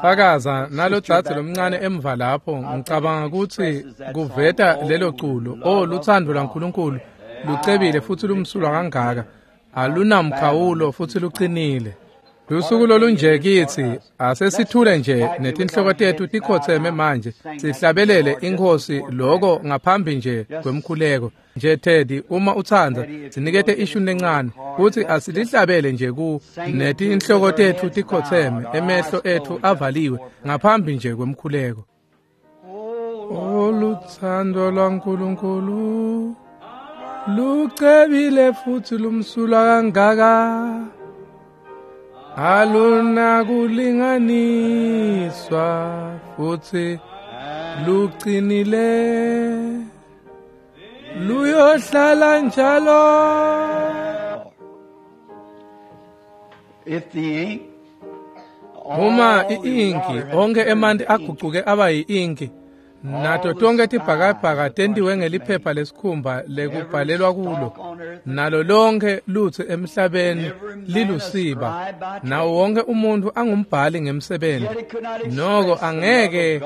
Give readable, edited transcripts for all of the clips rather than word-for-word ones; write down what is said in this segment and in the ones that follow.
Fakaza nalodzadze lomncane emva lapho, ngicabanga kutsi kuveta lelo culo, "O lutsandvo lwaNkulunkulu lucebile futsi lumsulwa kangaka, alunamkhawulo futsi lucinile." Lusuku lolunje kitsi, asesithule nje netinhloko tetfu tikhotseme manje, sihlabelele iNkhosi loko ngaphambi nje kwemkhuleko. Nje Teddy, uma utsandza, sinikete ishuni lencane, futsi asilihlabele nje ku netinhloko tetfu tikhotseme, emehlo etfu avaliwe ngaphambi nje kwemkhuleko. O lutsandvo lwaNkulunkulu lucebile futsi lumsulwa kangaka, alunakulinganiswa futsi lucinile, luyohlala njalo. If the ink, Uma i-inki, onke emanti agucuke aba yi-inki, nato tonke tibhakabhaka tentiwe ngeliphepha lesikhumba lekubhalelwa kulo, nalo lonke lutsi emhlabeni lilusiba, nawo wonke umuntfu angumbhali ngemsebenti, noko angeke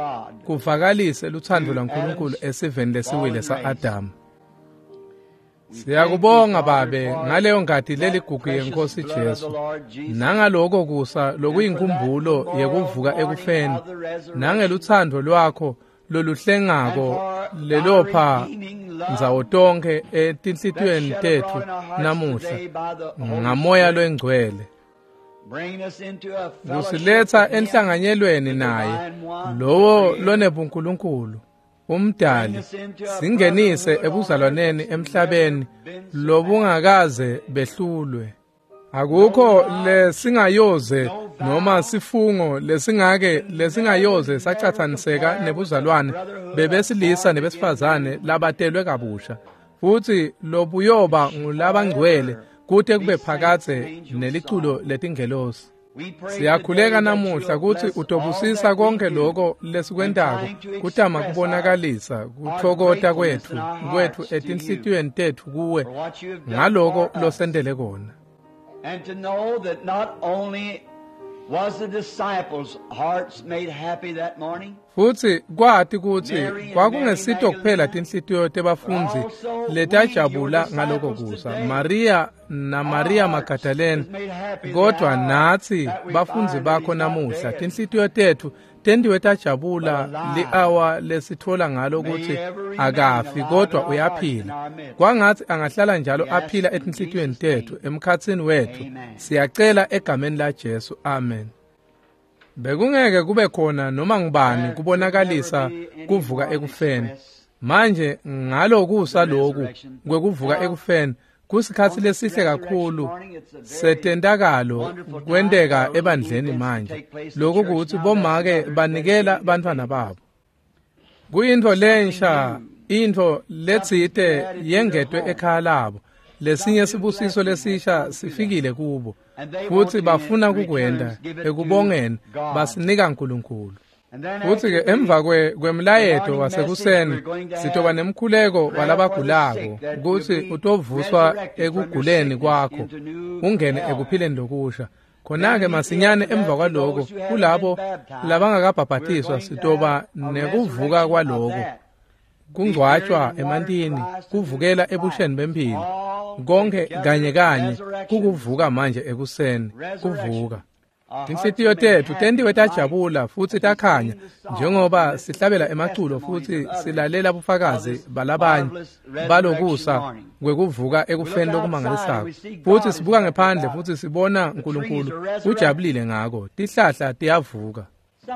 kuvakalise lutsandvo lwaNkulunkulu esiveni lesiwile sa-Adamu. Siyakubonga Babe ngaleyo ngati leligugu yeNkhosi Jesu, nangaloko kusa lokuyinkumbulo yekuvuka ekufeni, nangelutsandvo lwakho loluhlengako lelopha ndzawo tonkhe etinhlitiyweni tetfu namuhla ngaMoya loNgcwele, kusiletsa enhlanganyelweni naye lowo lonebuNkulunkulu umdali, singenise ebuzalwaneni emhlabeni lobungakaze behlulwe. Akukho lesingayoze noma sifungo lesingake lesingayoze sacatsaniseka nebuzalwane bebesilisa nebesifazane labatelwe kabusha, futsi lobuyoba ngulabangcwele kute kube phakadze neliculo letingelosi. Siyakhuleka namuhla kutsi utobusisa konke lokho lesikwentako kutama kubonakalisa kuthokota kwetfu etinhlitiyweni tetfu kuwe ngaloko losentele kona. And to know that not only was the disciples' hearts made happy that morning, Futsi kwati kutsi kwakungesito kuphela tinhlitiyo tebafundzi letajabula ngaloko kusa, Maria na Maria Magdalene, kodwa natsi bafundzi bakho namuhla tinhlitiyo tetfu tentiwe tajabula li-awa lesitfola ngalo kutsi akafi kodwa uyaphila. Kwangatsi angahlala njalo aphila etinhlitiyweni tetfu emkhatsini wetfu. Siyacela egameni laJesu, amen. Bekungeke kube khona noma ngubani kubonakalisa kuvuka ekufeni. Manje ngalokusa loku kwekuvuka ekufeni kusikhatsi lesihle kakhulu setentakalo kwenteka ebandleni manje. Lokhu kutsi bomake banikela bantfwana babo. Kuyintfo lensha, intfo letsite yengetwe ekhaya labo. Lesinye sibusiso lesisha sifikile kubo, futsi bafuna kukwenta ekubongeni basinika uNkulunkulu. Futsi-ke emva kwemlayeto wasekuseni sitoba nemkhuleko walabagulako kutsi utovuswa ekuguleni kwakho ungene ekuphileni lokusha. Khona-ke masinyane emva kwaloko kulabo labangakabhabhatiswa sitoba nekuvuka kwaloko, kungcwatshwa emantini, kuvukela ebusheni bemphilo, konke kanye kanye kukuvuka manje ekuseni, kuvuka. Tinhlitiyo tetfu tentiwe tajabula futsi takhanya njengoba sihlabela emaculo futsi silalela bufakazi balabanye balokusa kwekuvuka ekufeni lokumangalisako. Futsi sibuka ngephandle futsi sibona uNkulunkulu ujabulile ngako, tihlahla tiyavuka.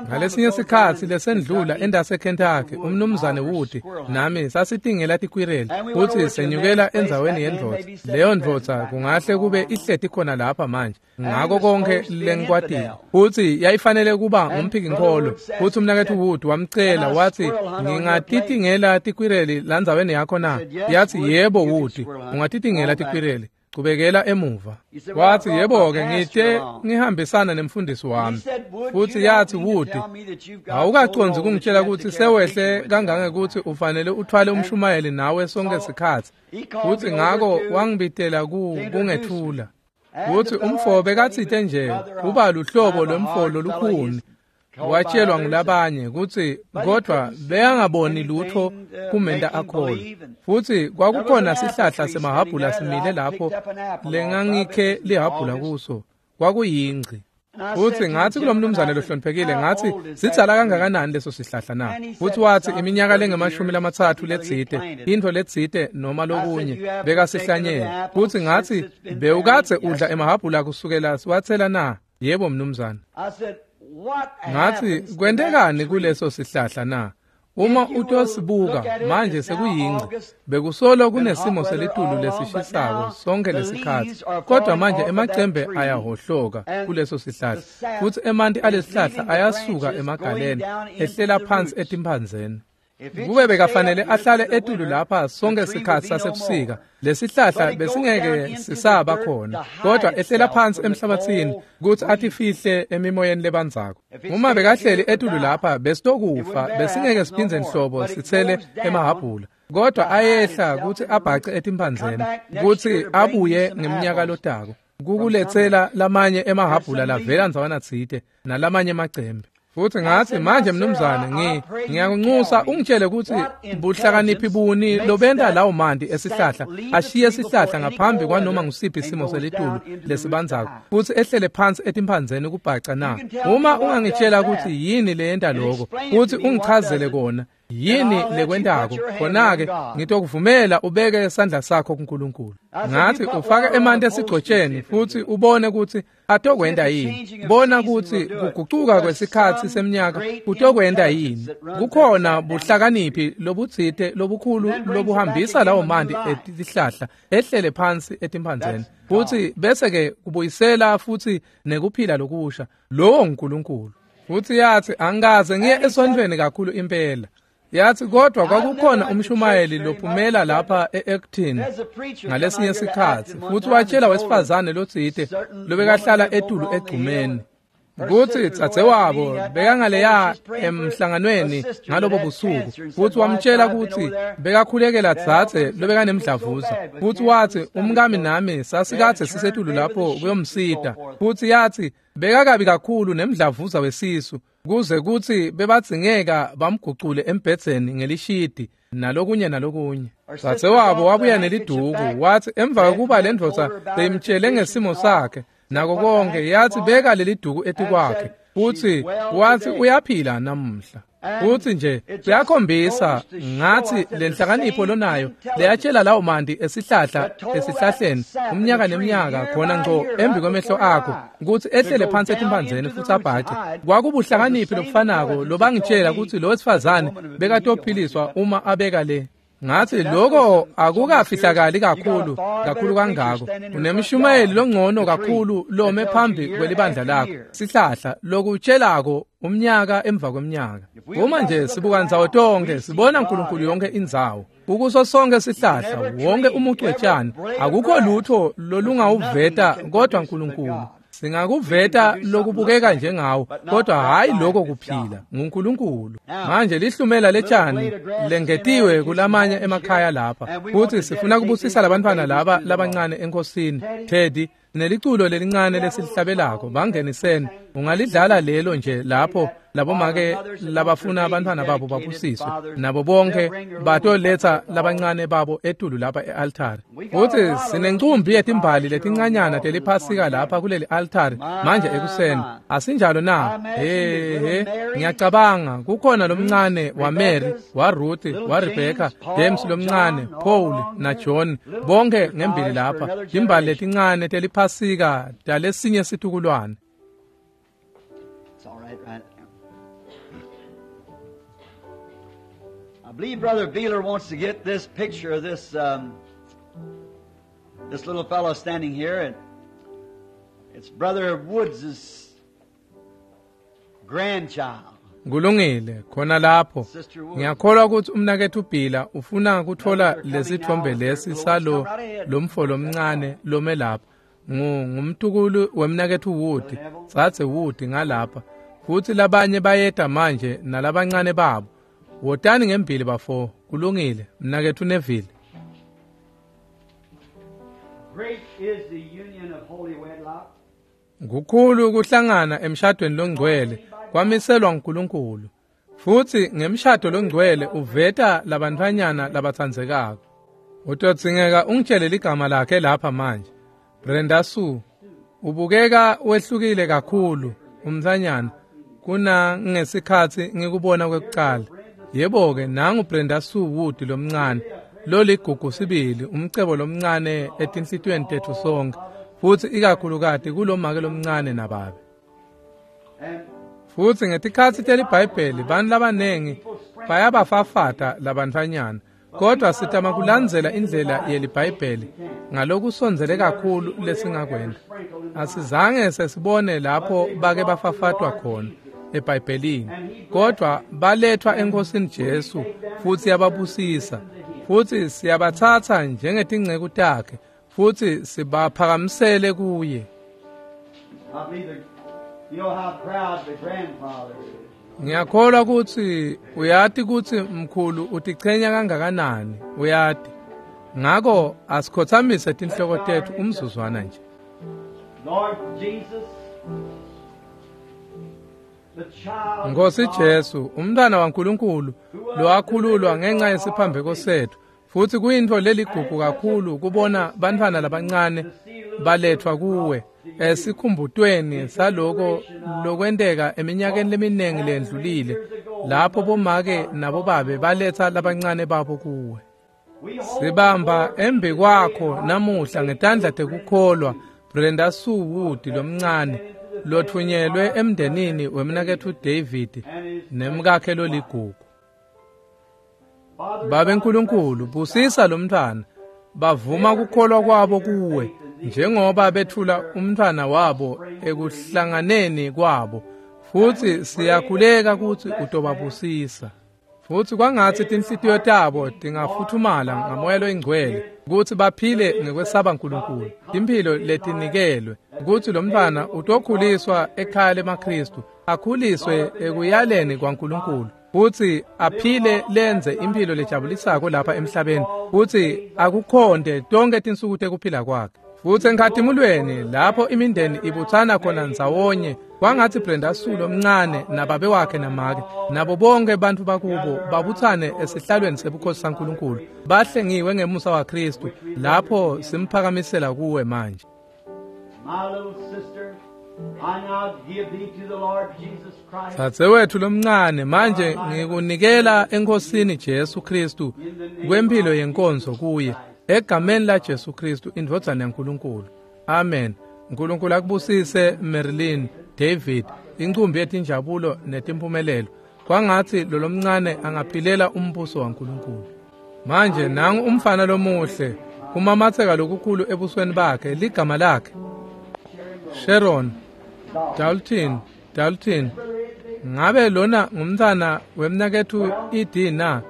Ngalesinye sikhatsi lesendlula endase Kentucky, umnumzane Wood nami sasitingela tikwireli futsi senyukela endzaweni yendvodza. Leyo ndvodza kungahle kube ihleti khona lapha manje ngako konke lengikwatile, futsi yayifanele kuba ngumphikinkholo. Futsi umnaketfu Wood wamcela wathi, ngingatitingela tikwireli landzaweni yakho na? Yathi, yebo Wood, ungatitingela tikwireli, chubekela emuva. Wathi, yebo-ke, ngite ngihambisana nemfundisi wami. Futsi yathi, Wood, awukacondzi kungitshela kutsi sewehle kangangekuthi ufanele uthwale umshumayeli nawe sonke sikhatsi. Futsi ngako wangibitela kungethula. Futsi umfo bekatsite nje kuba luhlobo lwemfo lolukhuni. Watshelwa ngulabanye kutsi kodwa bekangaboni lutho kumenta akholwe. Futsi kwakukhona sihlahla semahhabhula simile lapho lengangikhe lihhabhula kuso, kwakuyingci. Futsi ngatsi kulomnumzane lohloniphekile, ngatsi sidzala kangakanani leso sihlahla na? Futsi watsi iminyaka lengama-30 letsite, intfo letsite noma lokunye bekasihlanyele. Futsi ngatsi bewukadze udla emahhabhula kusukela siwatsela na? Yebo mnumzane. Ngatsi kwentekani kuleso sihlahla na? Uma utosibuka manje sekuyingci, bekusolo kunesimo selitulu lesishisako sonke lesikhatsi, kodwa manje emacembe ayahohloka kuleso sihlahla, futsi emanti alesihlahla ayasuka emagaleni ehlela phansi etimphandzeni. Kube bekafanele ahlale etulu lapha sonke sikhatsi sasebusika, lesihlahla besingeke sisaba khona, kodwa ehlela phansi emhlabathini kutsi atifihle emimoyeni lebandzako. Uma bekahleli etulu lapha besitokufa, besingeke siphindze nhlobo sitsele emahhabhula, kodwa ayehla kutsi abhace etimphandzeni kutsi abuye ngeminyaka lotako kukuletsela lamanye emahhabhula lavela ndzawana tsite nalamanye emacembe. Futsi ngatsi manje mnumzane, ngiyakunxusa ungitshele kutsi buhlakaniphi buni lobenta lawo manti esihlahla ashiye sihlahla ngaphambi kwanoma ngusiphi isimo selitulu lesibandzako futsi ehlele phansi etimphandzeni kubhaca na? Uma ungangitshela kutsi yini leyenta lokho, futsi ungichazele kona yini lekwentako, khona-ke ngitokuvumela ubeke sandla sakho kuNkulunkulu. Ngatsi ufake emanti esigcotsheni futsi ubone kutsi atokwenta yini. Bona kutsi kugucuka kwesikhatsi semnyaka kutokwenta yini. Kukhona buhlakaniphi lobutsite lobukhulu lobuhambisa lawo manti etihlahla ehlele phansi etimphandzeni, futsi bese-ke kubuyisela futsi nekuphila lokusha. Lowo nguNkulunkulu. Futsi yatsi angikaze ngiye esontfweni kakhulu impela. Yatsi kodwa kwakukhona umshumayeli lophumela lapha e-Acton ngalesinye sikhatsi, futsi watshela wesifazane lotsite lobekahlala etulu egcumeni kutsi dzadzewabo bekangaleya emhlanganweni ngalobo busuku, futsi wamtshela kutsi bekakhulekela dzadze lobekanemdlavuza, futsi watsi umkami nami sasikadze sisetulu lapho kuyomsita, futsi yatsi bekakabi kakhulu nemdlavuza wesisu kuze kutsi bebadzingeka bamgucule embhedzeni ngelishidi nalokunye nalokunye. Dzadzewabo wabuya neliduku, watsi emva kwekuba lendvodza beyimtshele ngesimo sakhe nako konke, yatsi beka leliduku etikwakhe, futsi watsi uyaphila namuhla. Futsi nje kuyakhombisa ngatsi lenhlakanipho lonayo leyatshela lawo manti esihlahla esihlahleni umnyaka neminyaka khona ngco embi kwemehlo akho kutsi ehlele phansi etimphandzeni futsi abhace. Kwakubuhlakaniphi lobufanako lobangitshela kutsi lo wesifazane bekatophiliswa uma abeka le. Ngatsi lokho akukafihlakali kakhulu kakhulu kangako. Unemshumayeli longcono kakhulu lome phambi kwelibandla lakho, sihlahla lokutshelako umnyaka emva kweminyaka. Uma nje sibuka ndzawo tonke sibona uNkulunkulu yonke indzawo. Kukuso sonke sihlahla, wonke umucwetshana, akukho lutho lolungawuveta kodwa uNkulunkulu. Singakuveta lokubukeka njengawo, kodwa hayi lokho kuphila nguNkulunkulu. Manje lihlumela letshani lengetiwe kulamanye emakhaya lapha, futsi sifuna kubusisa labantwana laba labancane enkosini. Teddy, neliculo lelincane lesilihlabelako bangeniseni, ungalidlala lelo nje lapho labomake labafuna abantwana babo babusiswe nabo bonke batoletsa labancane babo etulu lapha e-altari. Futsi sinencumbi yetimbali letincanyana teliphasika lapha kuleli altari manje ekuseni, asinjalo na? He, ngiyacabanga kukhona lomncane waMary, waRuth, waRebecca, James lomncane, Paul na John, bonke ngembili lapha, timbali letincane teliphasika talesinye situkulwane. Right. I believe Brother Beeler wants to get this picture of this this little fellow standing here, and it's Brother Woods' grandchild. Kulungile khona lapho. Ngiyakholwa ukuthi umnaketfu Bhila ufuna kuthola lesithombe lesi salo lomfo lomncane lome lapha. Ngumtukulu wemnaketfu Wood, dzadze Wood ngalapha. Futsi labanye bayeta manje nalabancane babo. Wotani ngembili bafo. Kulungile mnaketfu Neville. Great is the union of holy wedlock. Kukhulu kuhlangana emshadweni longcwele. Kwamiselwa uNkulunkulu. Futsi ngemshado longcwele uveta labantfwanyana labatsandzekako. Utodzingeka ungitshele ligama lakhe lapha manje. Brenda Sue, ubukeka wehlukile kakhulu umntfwanyana kuna ngesikhatsi ngikubona kwekucala. Yebo-ke, nangu Brenda Sue Wood lomncane, loligugu sibili, umcebo lomncane etinhlitiyweni tetfu sonke, futsi ikakhulukati kulomake lomncane nababe. Futsi ngetikhatsi teliBhayibheli bantfu labanengi bayabafafata labantfwanyana, kodwa sitama kulandzela indlela yeliBhayibheli ngalokusondzele kakhulu lesingakwenta. Asizange sesibone lapho bake bafafatwa khona eBhayibhelini, kodwa balethwa eNkosini Jesu futsi yababusisa, futsi siyabatsatsa njengetinceku takhe futsi sibaphakamisele kuye. Ngiyakholwa kutsi uyati kutsi mkhulu utichenya kangakanani, uyati. Ngako asikhotsamise tinhloko tetfu umzuzwana nje. Nkosi Jesu, umntwana waNkulunkulu lowakhululwa ngenxa yesiphambeko setfu, futsi kuyintfo leligugu kakhulu kubona bantfwana labancane balethwa kuwe esikhumbutweni saloko lokwenteka eminyakeni leminingi lendlulile, lapho bomake nabobabe baletha labancane babo kuwe. Sibamba embi kwakho namuhla ngetandla tekukholwa Brenda Sue Wood lomncane lotfunyelwe emndenini wemnaketfu David nemkakhe loligugu. Babe Nkulunkulu, busisa lomntfwana, bavuma kukholwa kwabo kuwe njengoba bethula umntfwana wabo ekuhlanganeni kwabo, futsi siyakhuleka kutsi utobabusisa. Futsi kwangatsi tinhlitiyo tabo tingafuthumala ngamoya loyingcwele kutsi baphile ngekwesaba Nkulunkulu, timphilo letinikelwe, kutsi lomntfwana utokhuliswa ekhaya lemaKhristu, akhuliswe ekuyaleni kwaNkulunkulu, futsi aphile lenze imphilo lejabulisako lapha emhlabeni, futsi akukhonte tonke tinsuku tekuphila kwakhe. Futsi enkhatimulweni lapho imindeni ibutsana khona ndzawonye, kwangatsi Brenda Sue lomncane nababe wakhe namake nabo bonke bantfu bakubo babutsane esihlalweni sebukhosi saNkulunkulu, bahlengiwe ngemusa waKhristu lapho simphakamisela kuwe manje. Dzadzewetfu lomncane, manje ngikunikela eNkhosini Jesu Khristu kwemphilo yenkonzo kuye, egameni la Jesu Khristu indvodzana yaNkulunkulu. Amen. Nkulunkulu akubusise Marilyn, David, incumbi yetinjabulo netimpumelelo. Kwangatsi lolomncane angaphilela umbuso waNkulunkulu. Manje nangu umfana lomuhle, kumamatseka lokukhulu ebusweni bakhe, ligama lakhe Sharon Dalton. Ngabe lona ngumntfwana wemnaketfu ED na?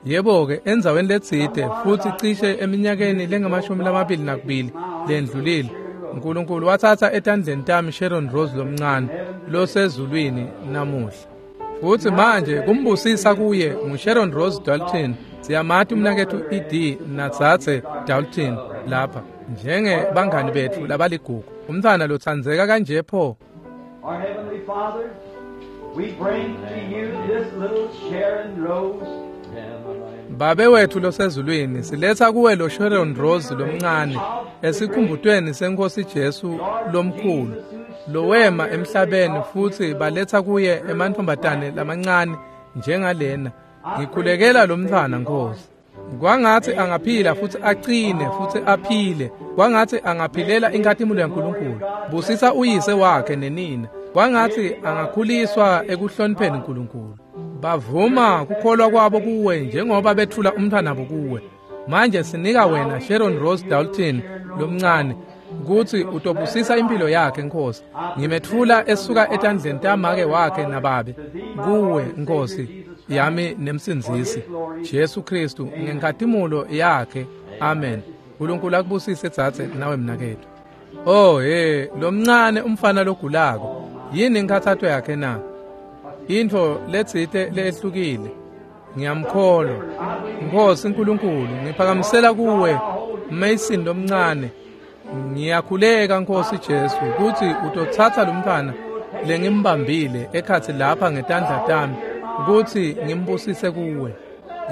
Yebo-ke, endzaweni letsite futsi cishe eminyakeni lengamashumi 22 lendlulile, Nkulunkulu watsatsa etandleni tami Sharon Rose lomncane losezulwini namuhla. Futsi manje kumbusisa kuye nguSharon Rose Dalton. Siyamati umnaketfu ED nadzadze Dalton lapha njenge bangani betfu labaligugu. Umntfwana lotsandzeka kanje pho. Our Heavenly Father, we bring to you this little Sharon Rose. Babe wethu losezulwini, siletha kuwe lo Sharon Rose lomncane esikhumbutweni seNkosi Jesu lomkhulu lowema emhlabeni, futsi baletha kuye emantfombatane lamancane njengalena. Ngikhulekela lomntfwana Nkosi, kwangatsi angaphila futsi aqine futsi aphile, kwangatsi angaphilela inkhatimulo yaNkulunkulu. Busisa uyise wakhe nenina, kwangatsi angakhuliswa ekuhlonipheni Nkulunkulu. Bavuma kukholwa kwabo kuwe njengoba bethula umntfwanabo kuwe. Manje sinika wena Sharon Rose Dalton lomncane kutsi utobusisa impilo yakhe Nkosi. Ngimetfula esuka etandleni tamake wakhe nababe kuwe Nkosi yami nemsindzisi Jesu Khristu ngenkhatimulo yakhe. Amen. Nkulunkulu akubusise dzadze nawe mnaketfu. Oh he, lomncane umfana logulako, yini inkhathato yakhe na? Intfo letsite lehlukile. Ngiyamkholwa Nkosi Nkulunkulu, ngiphakamisela kuwe Mason lomncane. Ngiyakhuleka Nkosi Jesu kutsi utotsatsa lomntfwana lengimbambile ekhatsi lapha ngetandla tami kutsi ngimbusise kuwe.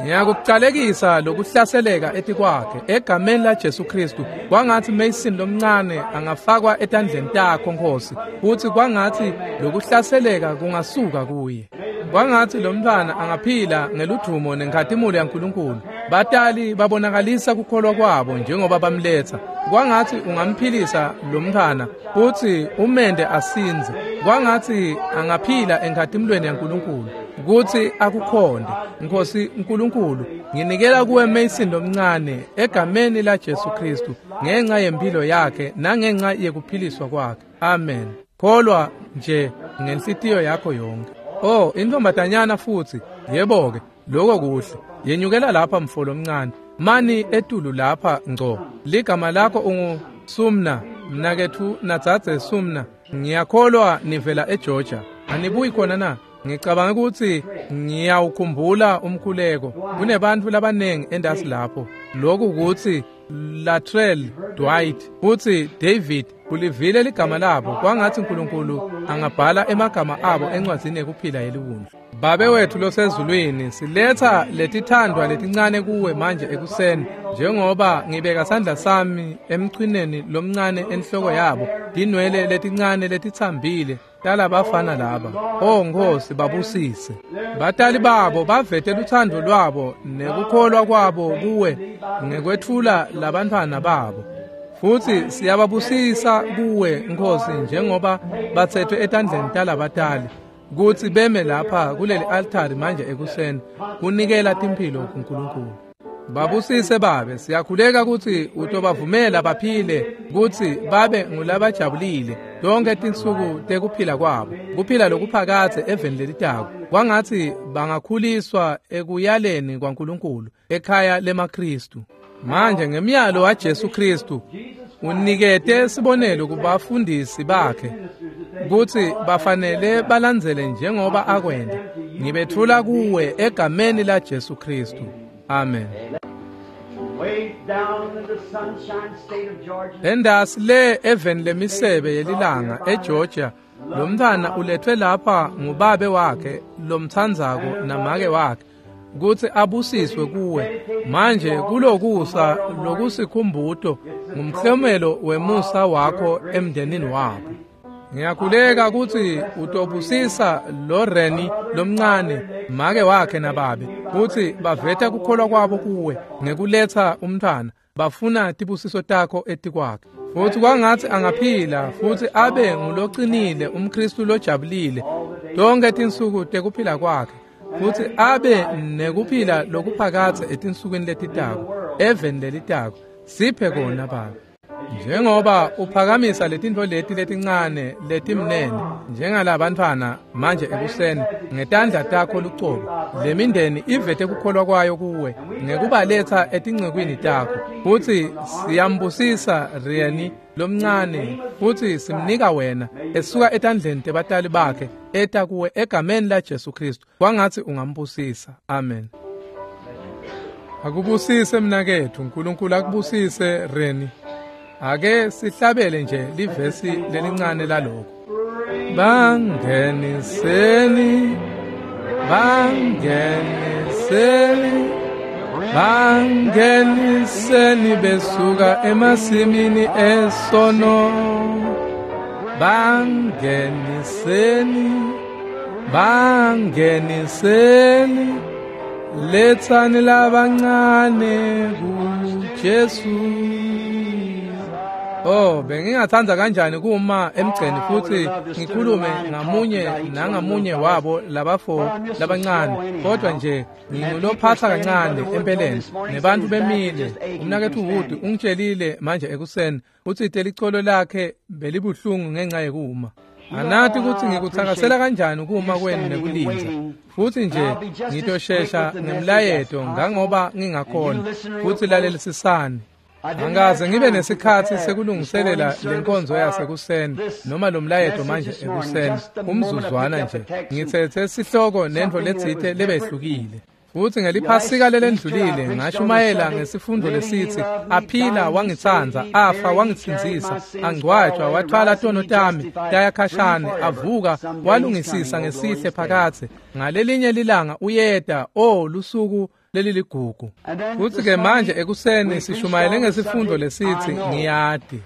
Ngiyakucalekisa lokuhlaseleka etikwakhe egameni laJesu Kristu. Kwangatsi Mason lomncane angafakwa etandleni takho Nkosi, futsi kwangatsi lokuhlaseleka kungasuka kuye. Kwangatsi lo mntfwana angaphila ngeludvumo nenkhatimulo yaNkulunkulu. Batali babonakalisa kukholwa kwabo njengoba bamletsa. Kwangatsi ungamphilisa lo mntfwana futsi umende asindze. Kwangatsi angaphila enkhatimulweni yaNkulunkulu kutsi akukhonde. Nkosi uNkulunkulu, nginikela kuwe Mason lomncane egameni laJesu Kristu ngenxa yempilo yakhe nangenxa yekuphiliswa kwakhe. Amen. Kholwa nje ngenhlitiyo yakho yonke. Oh, intombatanyana futsi. Yebo-ke, lokho kuhle. Yenyukela lapha mfo lomncane. Mani etulu lapha ngco. Ligama lakho ungu Sumna, mnaketfu nadzadze Sumna. Ngiyakholwa nivela eGeorgia. Anibuyi khona na? Ngicabanga ukuthi ngiyawukhumbula umkhuleko. Kunebantfu labanengi endasi lapho. Lokhu ukuthi Latrell Dwight futsi David ulivile ligama labo. Kwangatsi uNkulunkulu angabhala emagama abo encwadzini yekuphila yeliwundlu. Babe wethu losezulwini, siletha letithandwa letincane kuwe manje ekuseni, njengoba ngibeka sandla sami emchwineni lomncane enhloko yabo, tinwele letincane letitsambile talabafana laba. Oh Nkosi, babusise. Batali babo bavete luthando lwabo nekukholwa kwabo kuwe ngekwetfula labantfwana babo. Futsi siyababusisa kuwe Nkosi njengoba batsetfwe etandleni talabatali kutsi beme lapha kuleli altari manje ekuseni kunikela timphilo kuNkulunkulu. Babusise babe, siyakhuleka kutsi utobavumela baphile kutsi babe ngulabajabulile tonke tinsuku tekuphila kwabo, kuphila lokuphakadze eveni lelitako. Kwangatsi bangakhuliswa ekuyaleni kwaNkulunkulu ekhaya lemaKristu. Manje ngemyalo waJesu Kristu unikete sibonelo kubafundisi bakhe kutsi bafanele balandzele njengoba akwenta. Ngibetfula kuwe egameni laJesu Kristu. Amen. Endasi le eveni lemisebe yelilanga eGeorgia, lo mntfwana uletfwe lapha ngubabe wakhe lomtsandzako namake wakhe kutsi abusiswe kuwe. Manje kulokusa lokusikhumbuto ngumhlomelo wemusa wakho emndenini wabo. Ngiyakhuleka kutsi utobusisa lo Reni lomncane, make wakhe nababe, kutsi baveta kukholwa kwabo kuwe ngekuletsa umntfwana, bafuna tibusiso takho etikwakhe. Futsi kwangatsi angaphila futsi abe ngulocinile, umKristu lojabulile tonke tinsuku tekuphila kwakhe, futsi abe nekuphila lokuphakadze etinsukwini letitako, eveni lelitako. Siphe kona Baba. Njengoba uphakamisa letintfo leti letincane letimnene njengalabantfwana manje ekuseni ngetandla takho lucobo, lemindeni ivete kukholwa kwayo kuwe ngekubaletsa etincekwini takho. Futsi siyambusisa Reni lomncane futsi simnika wena esuka etandleni tebatali bakhe eta kuwe egameni laJesu Kristu. Kwangatsi ungambusisa. Amen. Akubusise mnaketfu, uNkulunkulu akubusise Reni. Ake sihlabele nje livesi lelincane lalokho. Bangeniseni, bangeniseni, bangeniseni besuka emasimini esono. Bangeniseni, bangeniseni, letsani labancane kuJesu. Oh, bengingathanda kanjani kuma emgceni futhi ngikhulume ngamunye nangamunye wabo labafo labancane, kodwa nje ngingulophatha kancane empeleni nebantu bemile. Umnaketfu Wood ungitshelile manje ekuseni utsi telicolo lakhe belibuhlungu ngenxa yekuma. Anati kutsi ngikutsakasela kanjani kuma kwenu nekulindza. Futsi nje ngitoshesha ngemlayeto ngangoba ngingakhona. Futsi lalelisisani. Angaze ngibe nesikhatsi sekulungiselela lenkonzo yasekuseni noma lomlayeto manje ekuseni, umzuzwana nje. Ngitsetse sihloko nentfo letsite lebehlukile. Futsi ngeliphasika lelendlulile ngashumayela ngesifundo lesitsi aphila wangitsandza, afa wangitsindzisa, angcwatjwa wathwala tono tami taya khashane, avuka walungisisa ngesihle phakadze. Ngalelinye lilanga uyeta, o lusuku leliligugu. Futsi-ke manje ekuseni sishumayele ngesifundo lesitsi ngiyati.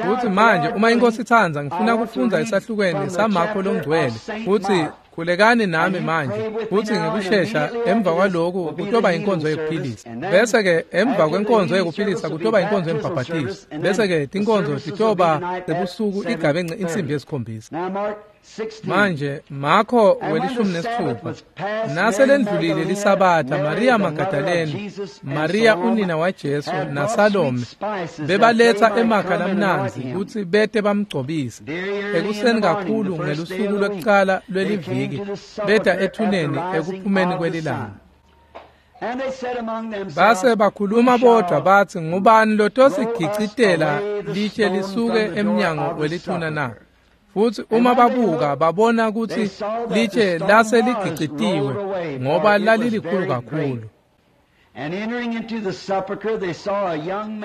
Futsi manje uma iNkosi itsandza ngifuna kufundza esahlukweni saMakho longcwele. Futsi khulekani nami manje, futsi ngekushesha emva kwaloku kutoba inkonzo yekuphilisa. Bese-ke emva kwenkonzo yekuphilisa kutoba inkonzo yembhabhatiso. Bese-ke tinkonzo titoba sebusuku igabence insimbi ye-7. Manje Makho 16 naselendlulile lisabatha, Maria Magdalene, Maria unina waJesu naSalome bebaletsa emakha lamnandzi kutsi bete bamgcobise. Ekuseni kakhulu ngelusuku lwekucala lweliviki beta ethuneni ekuphumeni kwelilanga. Base bakhuluma bodvwa batsi, ngubani lotosigicitela litshe lisuke emnyango welithuna na? Futsi uma babuka babona kutsi litshe lase ligicitiwe ngoba lalilikhulu kakhulu.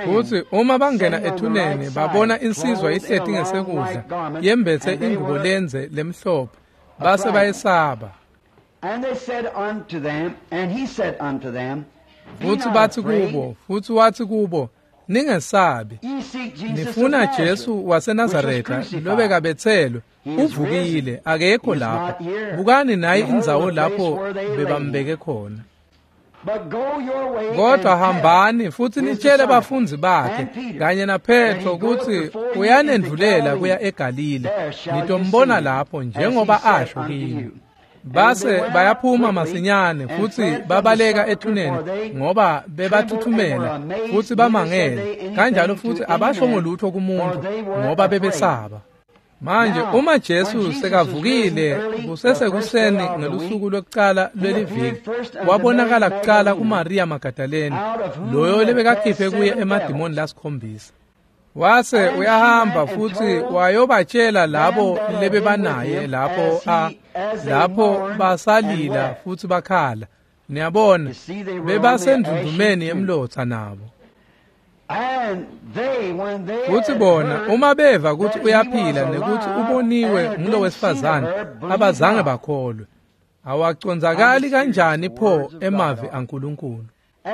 Futsi uma bangena ethuneni babona insizwa ihleti ngesekudla yembetse ingubo lendze lemhlophe, base bayesaba. Futsi batsi kubo, futsi watsi kubo, ningesabi, nifuna Jesu waseNazaretha lobekabetselwe, uvukile, akekho lapha. Bukani nayi indzawo lapho bebambeke khona. Kodwa hambani futsi nitshele bafundzi bakhe kanye naPetro kutsi uyanendvulela kuya eGalile, nitombona lapho njengoba asho kini. Base bayaphuma masinyane futsi babaleka ethuneni ngoba bebathuthumela futsi bamangele, kanjalo futsi abashongo lutho kumuntu ngoba bebesaba. Manje uma Jesu sekavukile kusesekuseni ngelusuku lwekucala lweliviki, wabonakala kucala kuMaria Magdalene, loyo lebekakhiphe kuye emadimoni lasikhombisa. Wase uyahamba futsi wayobatshela labo lebebanaye lapho lapho basalila futsi bakhala. Niyabona, bebasendvundvumeni yemlotsa nabo. Futsi bona uma beva kutsi uyaphila nekuthi uboniwe ngulowesifazane, abazange bakholwe. Awacondzakali kanjani pho emavi aNkulunkulu?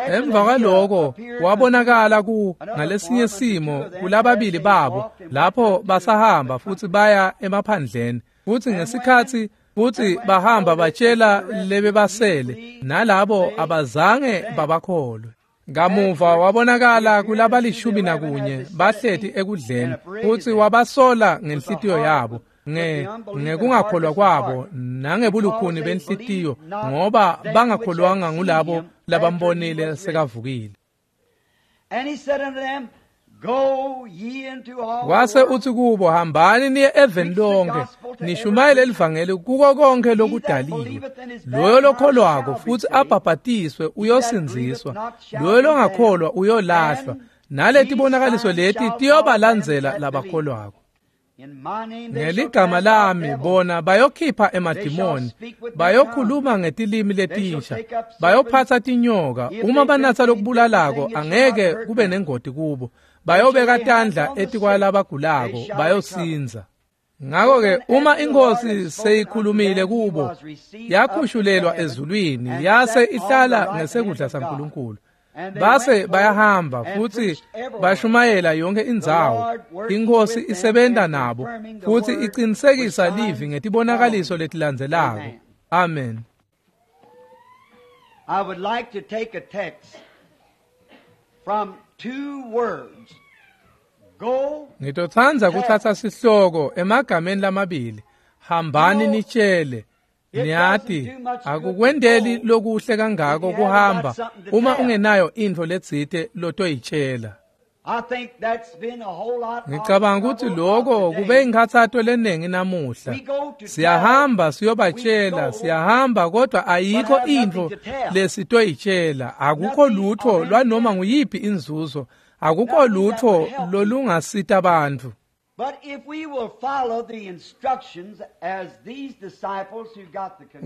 Emva kwaloko wabonakala ku ngalesinye simo kulababili babo lapho basahamba futsi baya emaphandleni. Futsi ngesikhatsi futsi bahamba batshela lebebasele, nalabo abazange babakholwe. Kamuva wabonakala kulabalishumi nakunye bahleti ekudleni, futsi wabasola ngenhlitiyo yabo ngekungakholwa kwabo nangebulukhuni benhlitiyo, ngoba bangakholwanga ngulabo labambonile sekavukile. Wase utsi kubo, hambani niye eveni lonke nishumayele livangeli kuko konke lokudaliwe. Loyo lokholwako futsi abhabhatiswe uyosindziswa, loyo longakholwa uyolahlwa, naletibonakaliso leti tiyobalandzela labakholwako. Ngeligama lami bona bayokhipha emadimoni, bayokhuluma ngetilimi letinsha, bayophatsa tinyoka, uma banatsa lokubulalako angeke kube nengoti kubo, bayobeka tandla etikwalabagulako bayosindza. Ngakho-ke uma iNkosi seyikhulumile kubo, yakhushulelwa ezulwini yase ihlala ngesekudla saNkulunkulu. Base bayahamba futsi bashumayela yonke indzawo. INkosi isebenta nabo futsi icinisekisa livi ngetibonakaliso letilandzelako. Amen. I would like to take a text from two words. Go. Ngitotsandza kutsatsa sihloko emagameni lamabili. Hambani nitshele. Niyati, akukwendeli lokuhle kangako kuhamba uma ungenayo intfo letsite lotoyitshela. Ngicabanga ukuthi lokho kube inkhathato lenengi namuhla. Siyahamba siyobatshela, siyahamba kodwa ayikho intfo lesitoyitshela. Akukho lutho lwanoma nguyiphi inzuzo, akukho lutho lolungasita bantfu.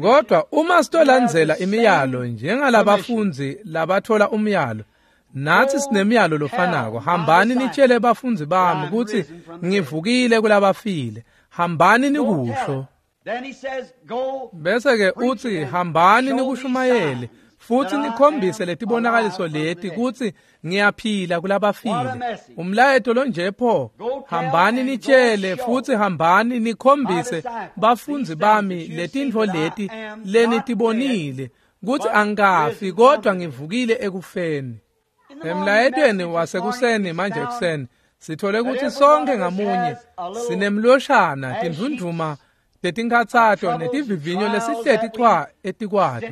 Kodwa uma sitolandzela imiyalo njengalabafundzi labathola umyalo, nathi sinemiyalo lofanako. Hambani nitshele bafundzi bami kutsi ngivukile kulabafile. Hambani nikusho. Bese ke utsi hambani nikushumayele futhi nikhombise letibonakaliso leti kutsi ngiyaphila kulabafile. Umlayeto lonje pho, hambani nitshele futhi hambani nikhombise bafundzi bami letintfo leti lenitibonile kutsi angikafi kodwa ngivukile ekufeni. Emlayetweni wasekuseni manje ekuseni sithole kutsi sonke ngamunye sinemloshana tindvundvuma letinkhatsato netivivinyo lesihleti chwa etikwato.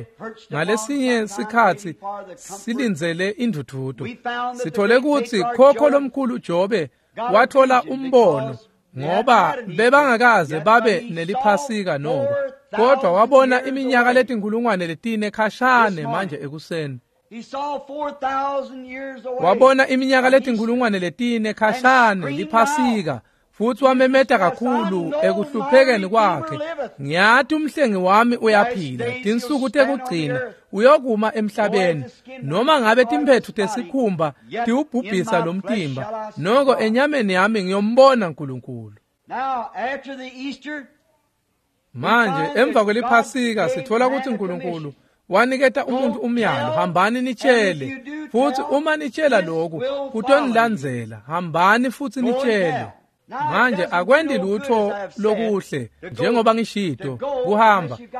Ngalesinye sikhatsi silindzele indvudvuto. Sithole kutsi khokho lomkhulu Jobe wathola umbono ngoba bebangakaze babe neliphasika noko, kodwa wabona iminyaka letinkulungwane letine khashane manje ekuseni. Wabona iminyaka letinkulungwane letine khashane liphasika, futhi wamemeta kakhulu ekuhluphekeni kwakhe. Ngiyati umhlengi wami uyaphila, tinsuku tekugcina uyokuma emhlabeni. Noma ngabe timphetfu tesikhumba tiwubhubhisa lo mtimba, noko enyameni yami ngiyombona uNkulunkulu. Manje emva kweliphasika sithola ukuthi uNkulunkulu waniketa umuntu umyalo, hambani nitshele, futhi uma nitshela lokhu kutonilandzela. Hambani futhi nitshele. Manje akwendi lutho lokuhle njengoba ngishito,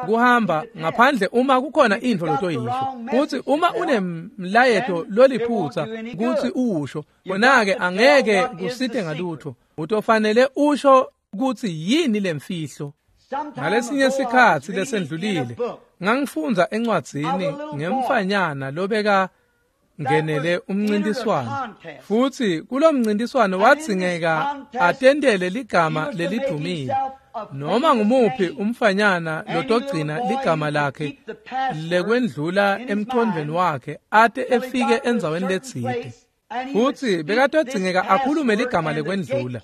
kuhamba ngaphandle uma kukhona intfo lotoyisho. Futhi uma unemlayeto loliphutsa kutsi uwusho, khona-ke angeke kusite ngalutho. Utofanele usho kutsi yini lemfihlo. Ngalesinye sikhatsi lesendlulile ngangifundza encwadzini ngemfanyana lobeka ngenele umncintiswano, futhi kulomncintiswano wadzingeka atendele ligama lelidumile. Noma ngumuphi umfanyana lotogcina ligama lakhe lekwendlula emqondweni wakhe ate efike endzaweni letsite, futhi bekatodzingeka akhulume ligama lekwendlula,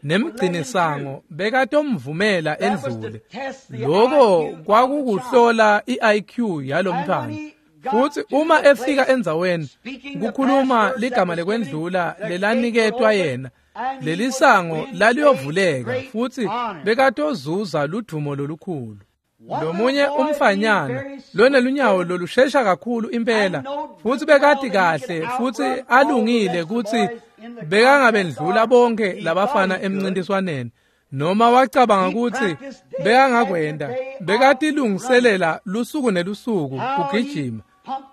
nemgcinisango bekatomvumela endlule. Loko kwakukuhlola i-IQ yalomntwana. Futhi uma efika endzaweni kukhuluma ligama lekwendlula lelaniketwa yena, lelisango laliyovuleka futhi bekatozuza ludumo lolukhulu. Lomunye umfanyana lonelunyawo lolushesha kakhulu impela, futhi bekati kahle futhi alungile kutsi bekangabendlula bonke labafana emncintiswaneni, noma wacabanga kutsi bekangakwenda. Bekatilungiselela lusuku nelusuku kugijima,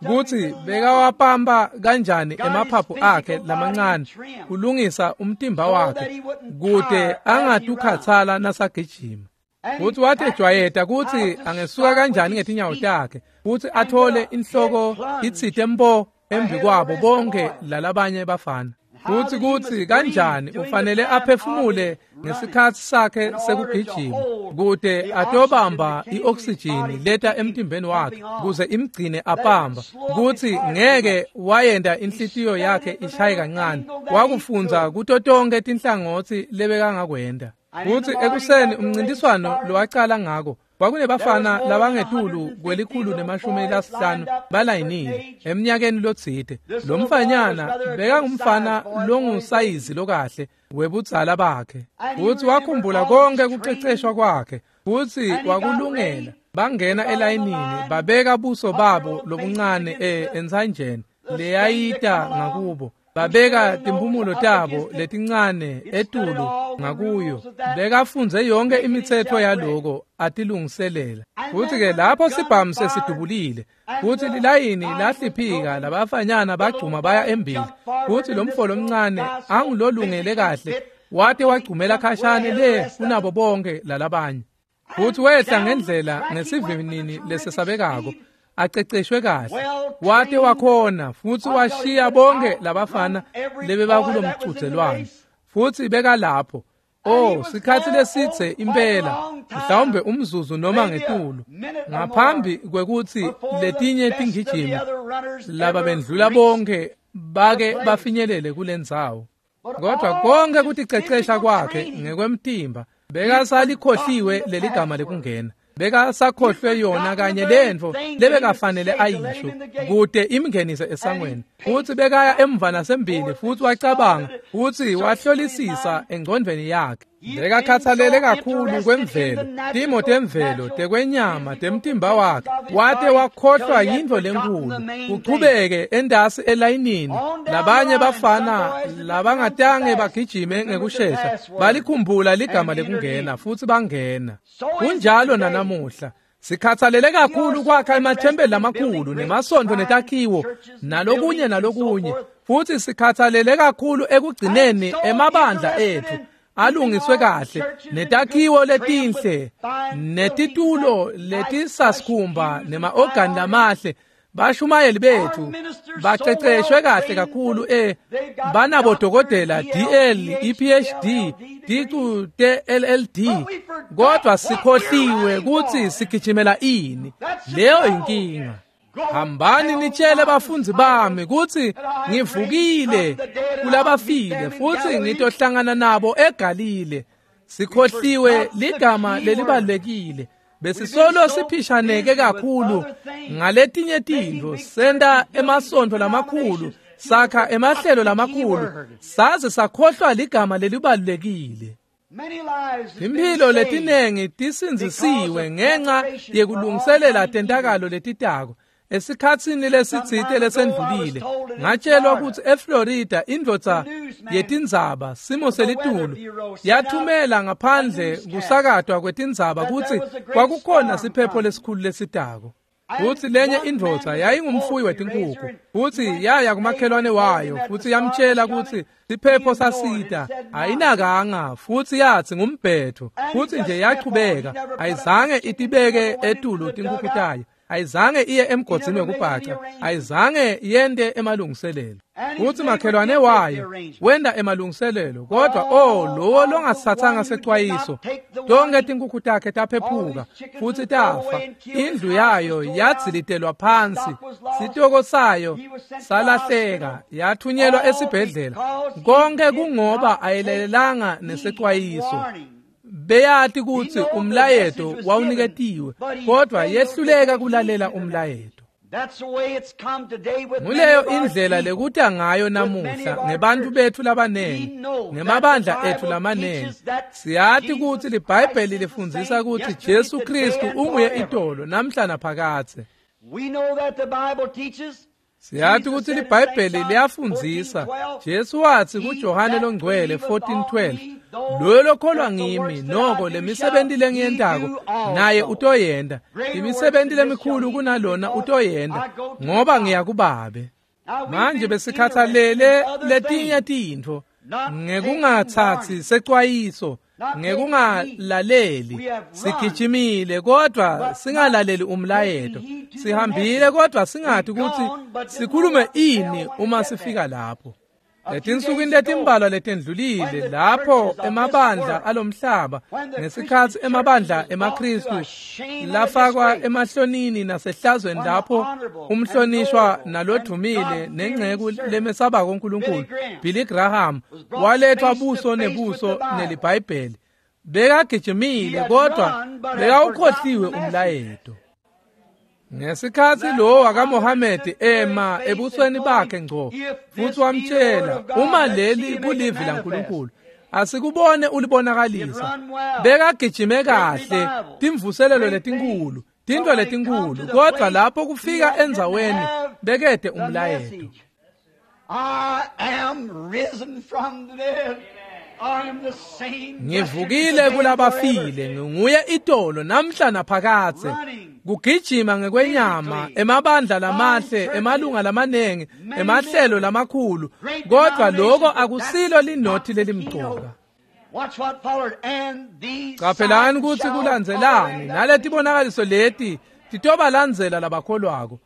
kutsi bekawapamba kanjani emaphaphu akhe lamancane kulungisa umtimba wakhe kute angatukhatsala nasagijima. Futhi watejwayeta kutsi angesuka kanjani ngetinyawo takhe futhi athole inhloko itsite mpo embi kwabo bonke lalabanye bafana. Futhi kutsi kanjani ufanele aphefumule ngesikhatsi sakhe sekugijima kute atobamba i-oksijini leta emtimbeni wakhe kuze imgcine apamba, kutsi ngeke wayenda inhlitiyo yakhe ishaye kancane. Wakufundza kuto tonke tinhlangotsi lebekangakwenda. Futhi ekuseni umncintiswano lowacala ngako kwakunebafana labangetulu 150 balayinile eminyakeni lotsite. Lo mfanyana bekangumfana longusayizi lokahle webudzala bakhe, futhi wakhumbula konke kuceceshwa kwakhe futhi wakulungela. Bangena elayinini babeka buso babo lobuncane entsanjeni leyayita ngakubo, babeka timphumulo tabo letincane etulu ngakuyo. Bekafundze yonke imitsetfo yaloko atilungiselela. Futhi-ke lapho sibhamu sesidubulile futhi lilayini lahliphika, labafanyana bagcuma baya embili, futhi lo mfo lomncane angulolungele kahle wate wagcumela khashane le kunabo bonke lalabanye. Futhi wehla ngendlela ngesivinini lesesabekako, aceceshwe kahle, wate wakhona futhi washiya bonke labafana lebebakulomcudzelwano. Futhi bekalapho sikhathi lesitse impela, mhlawumbe umzuzu noma ngetulu, ngaphambi kwekutsi letinye tingijimi laba bendlula bonke bake bafinyelele kulendzawo. Kodwa konke kuticecesha kwakhe ngekwemtimba bekasalikhohliwe leligama lekungena. Bekasakhohlwe yona kanye lentfo lebekafanele ayisho kute imngenise esangweni. Futsi bekaya emva nasembili futsi wacabanga futsi wahlolisisa engcondvweni yakhe. Bekakhathalele kakhulu kwemvelo, timo temvelo, tekwenyama, temtimba wakhe, wate wakhohlwa yintfo lenkhulu. Kuchubeke endasi elayinini, labanye bafana labangatange bagijime ngekushesha balikhumbula ligama lekungena futsi bangena. Kunjalo nanamuhla. Sikhathalele kakhulu kwakha emathempeli lamakhulu nemasontfo netakhiwo nalokunye nalokunye, futsi sikhathalele kakhulu ekugcineni emabandla etfu alungiswe kahle netakhiwo letinhle netitulo letisasikhumba nema-ogani lamahle. Bashumayeli bethu baceceshwe kahle kakhulu banabodokotela DL, EPHD, ticu te-LLD, kodwa sikhohliwe kutsi sigijimela ini. Leyo inkinga. Hambani nitshele bafundzi bami kutsi ngivukile kulabafile futsi ngitohlangana nabo eGalile. Sikhohliwe ligama lelibalulekile. Besisolo siphishaneke kakhulu ngaletinye tintfo, senta emasontfo lamakhulu, sakha emahlelo lamakhulu, saze sakhohlwa ligama lelibalulekile. Imphilo letinengi tisindzisiwe ngenxa yekulungiselela tentakalo letitako. Esikhatsini lesitsite lesendlulile ngatshelwa kutsi eFlorida indvodza yetindzaba simo selitulu yathumela ngaphandle kusakatwa kwetindzaba kutsi kwakukhona siphepho lesikhulu lesitako. Futsi lenye indvodza yayingumfuyi wetinkhukhu, futsi yaya kumakhelwane wayo futsi yamtshela kutsi siphepho sasita. Ayinakanga futsi yatsi ngumbhetho, futsi nje yachubeka. Ayizange itibeke etulu tinkhukhu tayo, ayizange iye emgodzini wekubhaca, ayizange yente emalungiselelo. Futsi makhelwane wayo wenda emalungiselelo, kodwa lowo longasitsatsanga secwayiso, tonke tinkhukhu takhe taphephuka futsi tafa. Indlu yayo yadzilitelwa phansi, sitoko sayo salahleka, yathunyelwa esibhedlela. Konke kungoba ayilalelanga nesecwayiso. Beyati kutsi umlayeto wawuniketiwe, kodwa yehluleka kulalela umlayeto. Nguleyo indlela lekuta ngayo namuhla ngebantfu betfu labanengi, ngemabandla etfu lamanengi. Siyati kutsi liBhayibheli lifundzisa kutsi Jesu Kristu unguye itolo namhla naphakadze. Siyati kutsi liBhayibheli liyafundzisa. Jesu watsi kuJohane longcwele 14:12, loyo lokholwa ngimi noko lemisebenti lengiyentako naye utoyenta, imisebenti lemikhulu kunalona utoyenta, ngoba ngiya kuBabe. Manje besikhathalele letinye tintfo ngekungatsatsi secwayiso, ngekungalaleli. Sigijimile kodwa singalaleli umlayeto, sihambile kodwa singati kutsi sikhulume ini uma sifika lapho. Letinsukwini letimbalwa letendlulile lapho emabandla alomhlaba, ngesikhatsi emabandla emaKristu lafakwa emahlonini nasehlazweni, lapho umhlonishwa nalodvumile nengceku lemesabako uNkulunkulu Billy Graham walethwa buso nebuso neliBhayibheli. Bekagijimile kodwa bekawukhohliwe umlayeto. Ngesikhatsi lo wakaMohamedi ema ebusweni bakhe ngco futsi wamtshela, uma leli kulivi laNkulunkulu, asikubone ulibonakalisa. Bekagijime kahle, timvuselelo letinkhulu, tintfo letinkhulu, kodwa lapho kufika endzaweni bekede umlayeto. Ngivukile kulabafile, nginguye itolo namhla naphakadze. Kugijima ngekwenyama, emabandla lamahle, emalunga lamanengi, emahlelo lamakhulu, kodwa lokho akusilo linothi lelimcoka. Qaphelani kutsi kulandzelani naletibonakaliso leti titobalandzela labakholwako.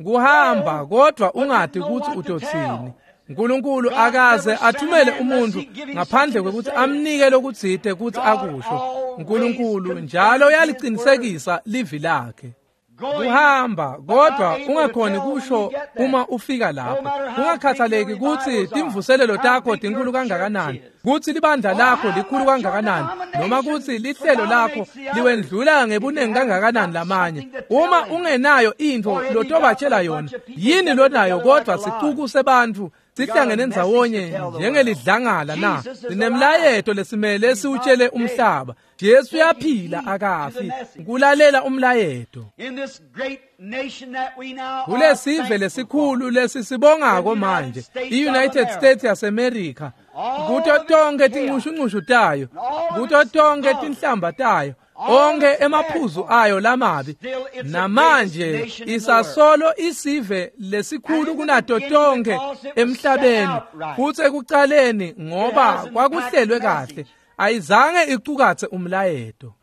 Kuhamba kodwa ungati kutsi utotsini. uNkulunkulu akaze athumele umuntu ngaphandle kwekutsi amnike lokutsite kutsi akusho. uNkulunkulu njalo uyalicinisekisa livi lakhe. Kuhamba kodwa ungakhoni kusho uma ufika lapho, kungakhathaleki kutsi timvuselelo takho tinkulu kangakanani, kutsi libandla lakho likhulu kangakanani, noma kutsi lihlelo lakho liwendlula ngebunengi kangakanani lamanye. Uma ungenayo intfo lotobatshela yona, yini lonayo kodwa sicuku sebantfu sihlangene ndzawonye njengelidlangala na? Sinemlayeto lesimele siwutshele umhlaba. Jesu uyaphila, akafi. Kulalela umlayeto. Kulesive lesikhulu lesisibongako manje, i-United States yaseMerica, kuto tonke tinxushunxushu tayo, kuto tonke tinhlamba tayo, onke emaphuzu ayo lamabi, namanje isasolo isive lesikhulu kunato tonke emhlabeni. Futsi ekucaleni ngoba kwakuhlelwe kahle, ayizange icukatse umlayeto.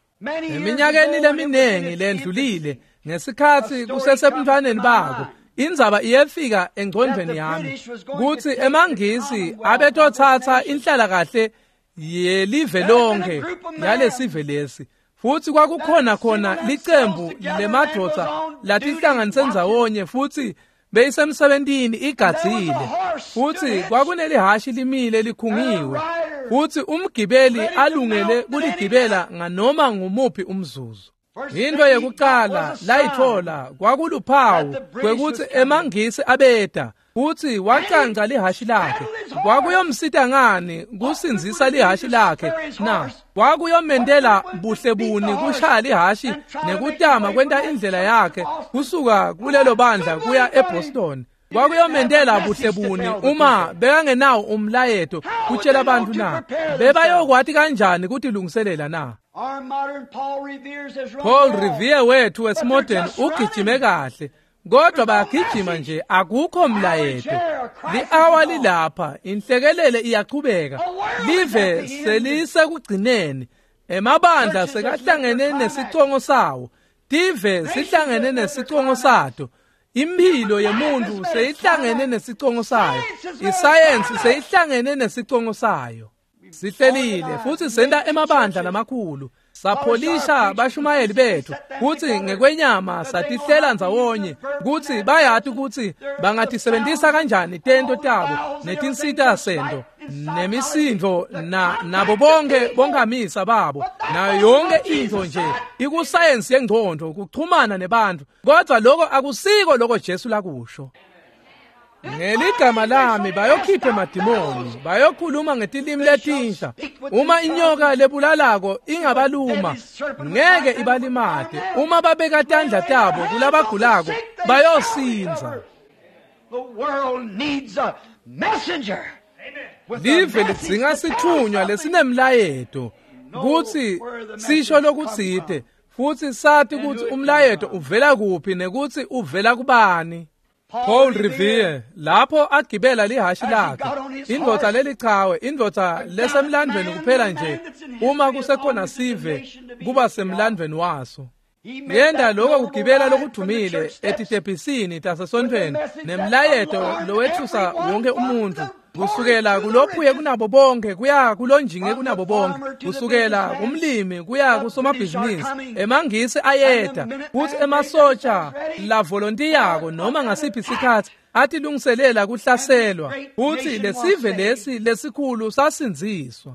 Eminyakeni leminengi lendlulile, ngesikhatsi kusesebuntwaneni bako, indzaba iyefika engcondvweni yami kutsi emaNgisi abetotsatsa inhlalakahle yelive lonke yalesive lesi. Futsi kwakukhona khona licembu lemadvodza latihlanganise ndzawonye, futsi beyisemsebentini igadzile, futsi kwakunelihashi limile likhungiwe, futsi umgibeli alungele kuligibela nganoma ngumuphi umzuzu. Into yekucala layitfola kwakuluphawu kwekutsi emaNgisi abeta, futsi wacanca lihashi lakhe. Kwakuyomsita ngani kusindzisa lihashi lakhe na? Kwakuyomentela buhle buni kushaya lihashi nekutama kwenta indlela yakhe kusuka kulelo bandla kuya eBoston? Kwakuyomentela buhle buni uma bekangenawo umlayeto kutshela abantu na? Bebayokwati kanjani kutilungiselela na? Paul Revere wethu wesimodern ugijime kahle, kodwa bayagijima nje, akukho mlayeto. Li-awa lilapha, inhlekelele iyachubeka, live selisekugcineni, emabandla sekahlangene nesicongo sawo, tive sihlangene nesicongo sato, imphilo yemuntu seyihlangene nesicongo sayo, isayensi seyihlangene nesicongo sayo. Sihlelile futsi senta emabandla lamakhulu, sapholisha bashumayeli bethu, kutsi ngekwenyama satihlela ndzawonye kutsi bayati kutsi bangatisebentisa kanjani tento tabo netinsita sento nemisindvo nabo bonke bonkamisa babo nayo yonke intfo nje ikusayensi yengcondvo kuchumana nebantfu. Kodwa loko akusiko loko Jesu lakusho. Ngeligama lami bayokhipha emadimoni, bayokhuluma ngetilimi letinsha. Uma inyoka lebulalako ingabaluma, ngeke ibalimate. Uma babeka tandla tabo kulabagulako, bayosindza. Live lidzinga sithunywa lesinemlayeto kutsi sisho lokutsite, futsi sati kutsi umlayeto uvela kuphi nekutsi uvela kubani. Paul Revere lapho agibela lihashi lakhe, indvodza lelichawe, indvodza lesemlandvweni kuphela nje uma kusekhona sive kuba semlandvweni waso. Yenda loko kugibela lokudumile etitebhisini tasesontfweni nemlayeto lowethusa wonke umuntu, kusukela kulophuye kunabo bonke kuya kulonjinge kunabo bonke, kusukela kumlimi kuya kusomabhizinisi. Emangisi ayeta kutsi emasotsha lavolontiyako noma ngasiphi isikhatsi atilungiselela kuhlaselwa, kutsi lesive lesi lesikhulu sasindziswa.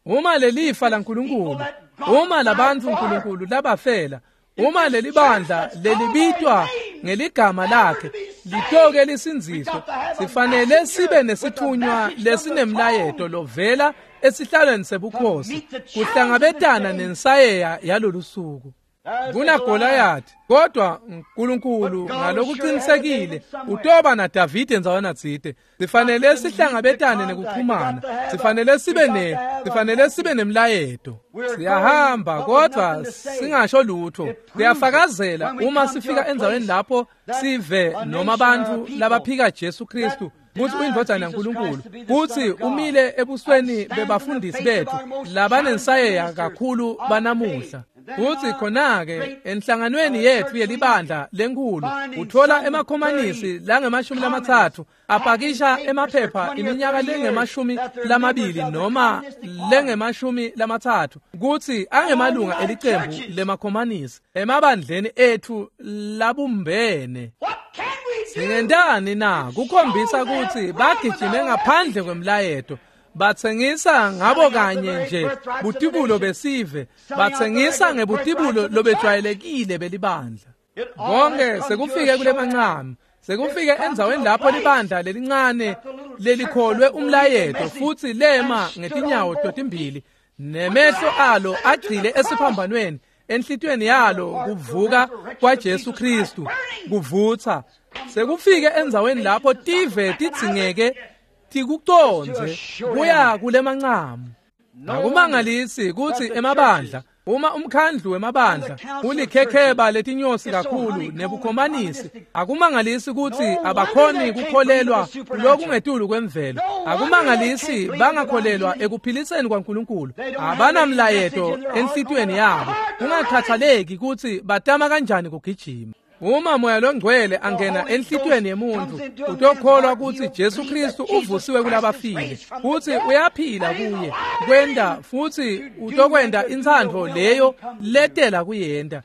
Uma lelifa laNkulunkulu, uma labantfu uNkulunkulu labafela, uma lelibandla lelibitwa ngeligama lakhe litoke lisindziswe, sifanele sibe nesithunywa lesinemlayeto lovela esihlalweni sebukhosi kuhlangabetana nensayeya yalolusuku. KunaGoliath, kodwa uNkulunkulu ngalokuqinisekile utoba naDavide ndzawana tsite. Sifanele sihlangabetane nekuchumana, sifanele sibe nemlayeto. Siyahamba kodwa singasho lutho. Siyafakazela uma sifika endzaweni lapho sive noma abantu labaphika Jesu Kristu kutsi uyindvodzana yaNkulunkulu, kutsi umile ebusweni bebafundisi bethu labanensayeya kakhulu banamuhla. Futsi khona-ke enhlanganweni yetfu yelibandla lenkhulu utfola emakhomanisi langama-30 apakisha emaphepha iminyaka lengama-20 noma lengama-30 kutsi angemalunga elicembu lemakhomanisi emabandleni etfu labumbene. Singentani na kukhombisa kutsi bagijime ngaphandle kwemlayeto? Batsengisa ngabo kanye nje butibulo besive, batsengisa ngebutibulo lobejwayelekile belibandla. Konke sekufike kule mancamu, sekufike endzaweni lapho libandla lelincane lelikholwe umlayeto futsi lema ngetinyawo totimbili, nemehlo alo agcile esiphambanweni, enhlitiyweni yalo kuvuka kwaJesu Kristu kuvutsa. Sekufike endzaweni lapho tive tidzingeke tikucondze kuya kulemancamu. Akumangalisi kutsi emabandla, uma umkhandlu wemabandla ulikhekheba letinyosi kakhulu nebukhomanisi, akumangalisi kutsi abakhoni kukholelwa lokungetulu kwemvelo. Akumangalisi bangakholelwa ekuphiliseni kwaNkulunkulu. Abanamlayeto enhlitiyweni yabo, kungakhathaleki kutsi batama kanjani kugijima. Uma Moya loNgcwele angena enhlitiyweni yemuntfu, utokholwa kutsi Jesu Kristu uvusiwe kulabafile, kutsi uyaphila kuye kwenta, futsi utokwenta intsandvo leyo letela kuyenta,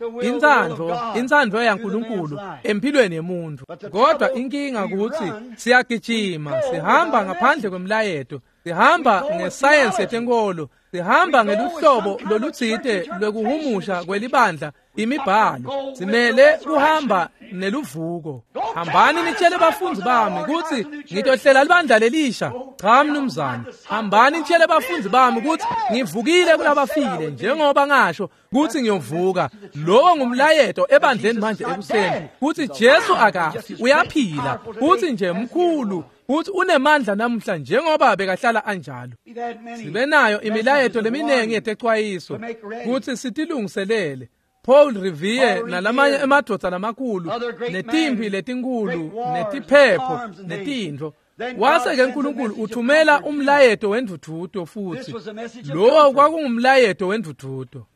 intsandvo yaNkulunkulu empilweni yemuntfu. Kodwa inkinga kutsi siyagijima, sihamba ngaphandle kwemlayeto, sihamba ngesayensi yetenkolo, sihamba ngeluhlobo lolutsite lwekuhumusha kwelibandla imibhalo. Simele kuhamba neluvuko. Hambani nitshele bafundzi bami kutsi ngitohlela libandla lelisha. Cha mnumzane, hambani nitshele bafundzi bami kutsi ngivukile kulabafile, njengoba ngasho kutsi ngiyovuka. Lowo ngumlayeto ebandleni manje ekuseni, kutsi Jesu akafi, uyaphila, kutsi nje mkhulu, kutsi unemandla namuhla njengoba bekahlala anjalo. Sibe nayo imilayeto leminingi yetecwayiso kutsi sitilungiselele. Paul Revere nalamanye emadvodza lamakhulu, netimpi letinkhulu, netiphepho, netintfo. Wase-ke Nkulunkulu uthumela umlayeto wendvudvuto futsi. Lowo kwakungumlayeto wendvudvuto.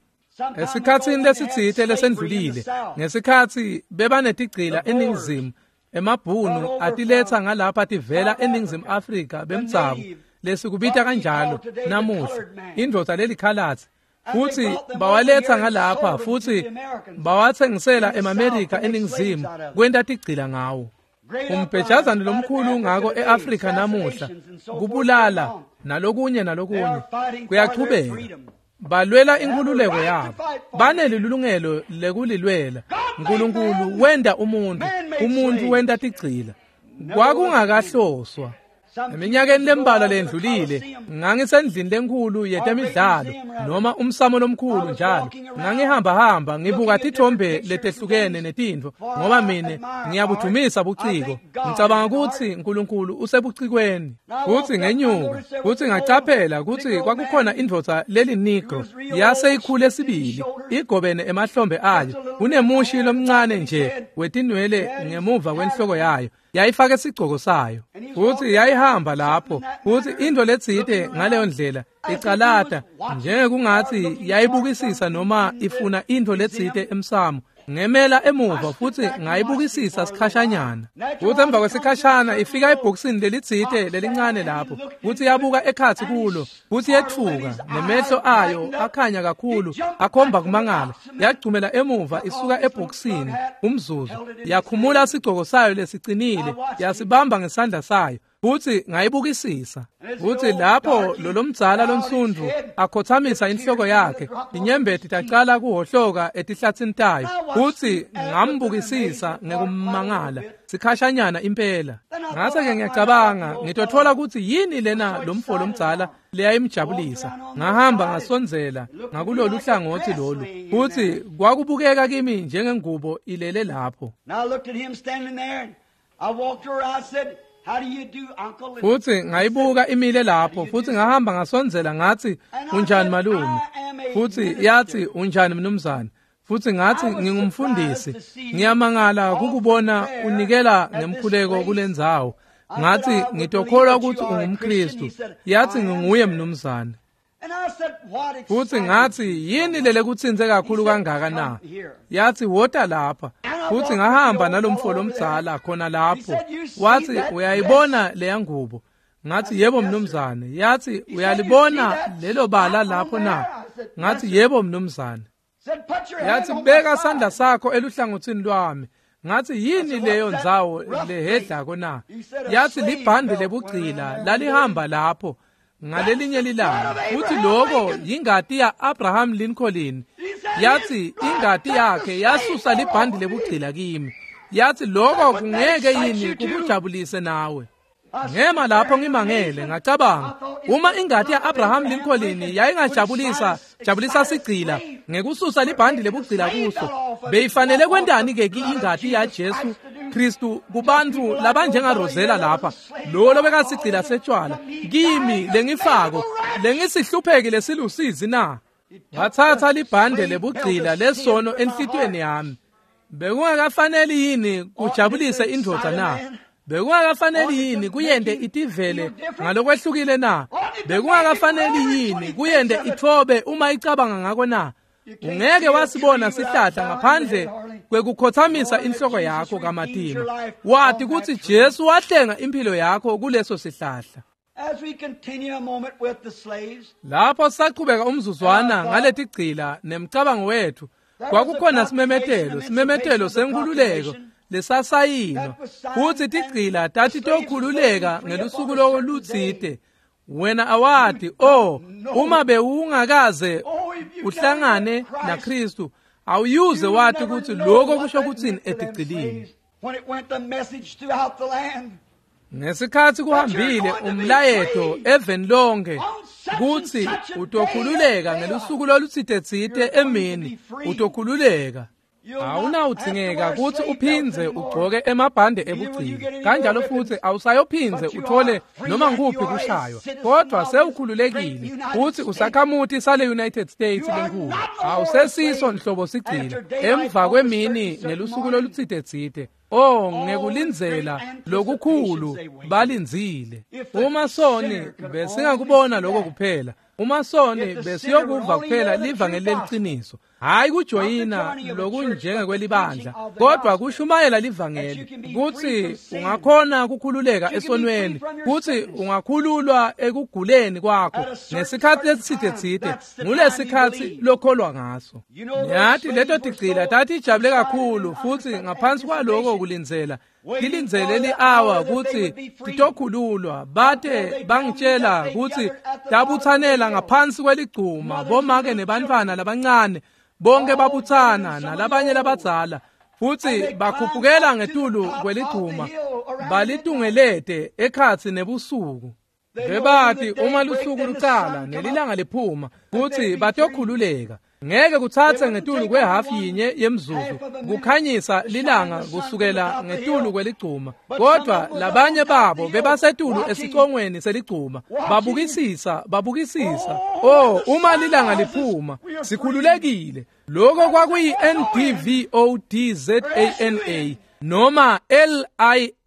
Esikhatsini lesitsite lesendlulile, ngesikhatsi bebanetigcila eNingizimu, emabhunu atiletsa ngalapha tivela eNingizimu Afrika bemdzabu, lesikubita kanjalo namuhla, indvodza lelikhalatsi. Futsi bawaletsa ngalapha futsi bawatsengisela emaMerika eNingizimu kwenta tigcila ngawo. Umbhejazane lomkhulu ngako eAfrika namuhla, kubulala nalokunye nalokunye kuyachubeka. Balwela inkhululeko yabo, banelilungelo lekulilwela. Nkulunkulu wenta umuntfu, umuntfu wenta tigcila. Kwakungakahloswa. Eminyakeni lembalwa lendlulile, ngangisendlini lenkhulu yetemidlalo noma umsamo lomkhulu njalo. Ngangihamba-hamba ngibuka tithombe letehlukene netintfo, ngoba mine ngiyabudumisa buciko. Ngicabanga kutsi Nkulunkulu usebucikweni. Futsi ngenyuka, futsi ngacaphela kutsi kwakukhona indvodza lelinigro yaseyikhule sibili, igobene emahlombe ayo, kunemushi lomncane nje wetinwele ngemuva kwenhloko yayo. Yayifake sigcoko sayo, futsi yayihamba lapho, futsi intfo letsite ngaleyo ndlela icalata njengekungatsi yayibukisisa noma ifuna intfo letsite emsamo. Ngemela emuva futsi ngayibukisisa sikhashanyana. Futsi emva kwesikhashana ifika ebhokisini lelitsite lelincane lapho, futsi yabuka ekhatsi kulo, futsi yetfuka, nemehlo ayo akhanya kakhulu akhomba kumangala. Yagcumela emuva isuka ebhokisini umzuzu, yakhumula sigcoko sayo lesicinile, yasibamba ngesandla sayo. Futsi ngayibukisisa. Futsi lapho lolomdzala lonsundvu akhothamisa inhloko yakhe, inyembeti tacala kuhohloka etihlatsini tayo. Futsi ngambukisisa ngekumangala sikhashanyana impela. Ngase-ke ngiyacabanga, ngitotfola kutsi yini lena lomfo lomdzala leyayimjabulisa. Ngahamba ngasondzela ngakulolu hlangothi lolu, futsi kwakubukeka kimi njengengubo ilele lapho. Futsi ngayibuka imile lapho, futsi ngahamba ngasondzela ngatsi, unjani malume? Futsi yatsi, unjani mnumzane? Futsi ngatsi, ngingumfundisi. Ngiyamangala kukubona unikela ngemkhuleko kulendzawo. Ngatsi, ngitokholwa kutsi ungumKristu. Yatsi, nginguye mnumzane. Futsi ngatsi, yini lelekutsintse kakhulu kangaka na? Yatsi, wota lapha. Futsi ngahamba nalomfo lomdzala khona lapho. Watsi, uyayibona leya ngubo? Ngatsi, yebo mnumzane. Yatsi, uyalibona lelo bala lapho na? Ngatsi, yebo mnumzane. Yatsi, beka sandla sakho eluhlangotsini lwami. Ngatsi, yini leyo ndzawo lehedlako na? Yatsi, libhandi lebugcila lalihamba lapho ngalelinye lilanga. Futhi lokho yingati ya-Abraham Lincoln. Yatsi, ingati yakhe yasusa libhandi lebugcila kimi. Yatsi, lokho kungeke yini kukujabulise nawe? Ngema lapho ngimangele, ngacabanga, uma ingati ya-Abraham Lincoln yayingajabulisa jabulisa sigcila ngekususa libhandi lebugcila kuso, beyifanele kwentani ke ingati yaJesu Kristu kubantfu labanjengaRosella lapha, lo lobekasigcila setshwala, kimi lengifako lengisihlupheki lesilusizi na? Ngathatha libhande lebugcila lesono enhlitiyweni yami. Bekungakafaneli yini kujabulise indvodza na? Bekungakafaneli yini kuyente itivele ngalokwehlukile na? Bekungakafaneli yini kuyente itfobe uma icabanga ngako na? Ungeke wasibona sihlahla ngaphandle kwekukhothamisa inhloko yakho kamatima. Wati kutsi Jesu wahlenga impilo yakho kuleso sihlahla. Lapho saqhubeka umzuzwana ngaletigcila nemcabango wethu, kwakukhona simemetelo senkhululeko lesasayinwa, futsi tigcila tatitokhululeka ngelusuku lolutsite. Wena awati, uma bewungakaze uhlangane naKristu, awuyuze wati kutsi lokho kusho kutsini etigcilini. Ngesikhatsi kuhambile umlayeto eveni lonke kutsi utokhululeka ngelusuku lolutsite-tsite emini, utokhululeka. Awunawudzingeka kutsi uphindze ugcoke emabhande ebugcila, kanjalo futsi awusayophindze uthole noma nguphi kushaywa, kodwa sewukhululekile futsi usakhamuti sale United States lenkulu. Awusesiso nhlobo sigcila emva kwemini ngelusuku lolutsite-tsite. Ngekulindzela lokukhulu balindzile. Uma soni besingakubona lokho kuphela, uma soni besiyokuva kuphela livangeli leliciniso, hayi kujoyina lokunjengekwelibandla, kodwa kushumayela livangeli kutsi ungakhona kukhululeka esonweni, kutsi ungakhululwa ekuguleni kwakho ngesikhatsi lesitsite-tsite, ngulesikhatsi lokholwa ngaso. Niyati leto tigcila tatijabule kakhulu, futsi ngaphansi kwaloko kulindzela tilindzele li-awa kutsi titokhululwa. Bate bangitshela kutsi tabutsanela ngaphansi kweligcuma, bomake nebantfwana labancane bonke babutsana nalabanye labadzala, futsi bakhuphukela ngetulu kweligcuma balitungelete ekhatsi nebusuku. Bebati uma lusuku lucala nelilanga liphuma kutsi batokhululeka. Ngeke kutsatse ngetulu kwehafu yinye yemzuzu kukhanyisa lilanga kusukela ngetulu kweligcuma, kodwa labanye babo bebasetulu esicongweni seligcuma babukisisa. Uma lilanga liphuma sikhululekile. Lokho kwakuyi NDVODZANA noma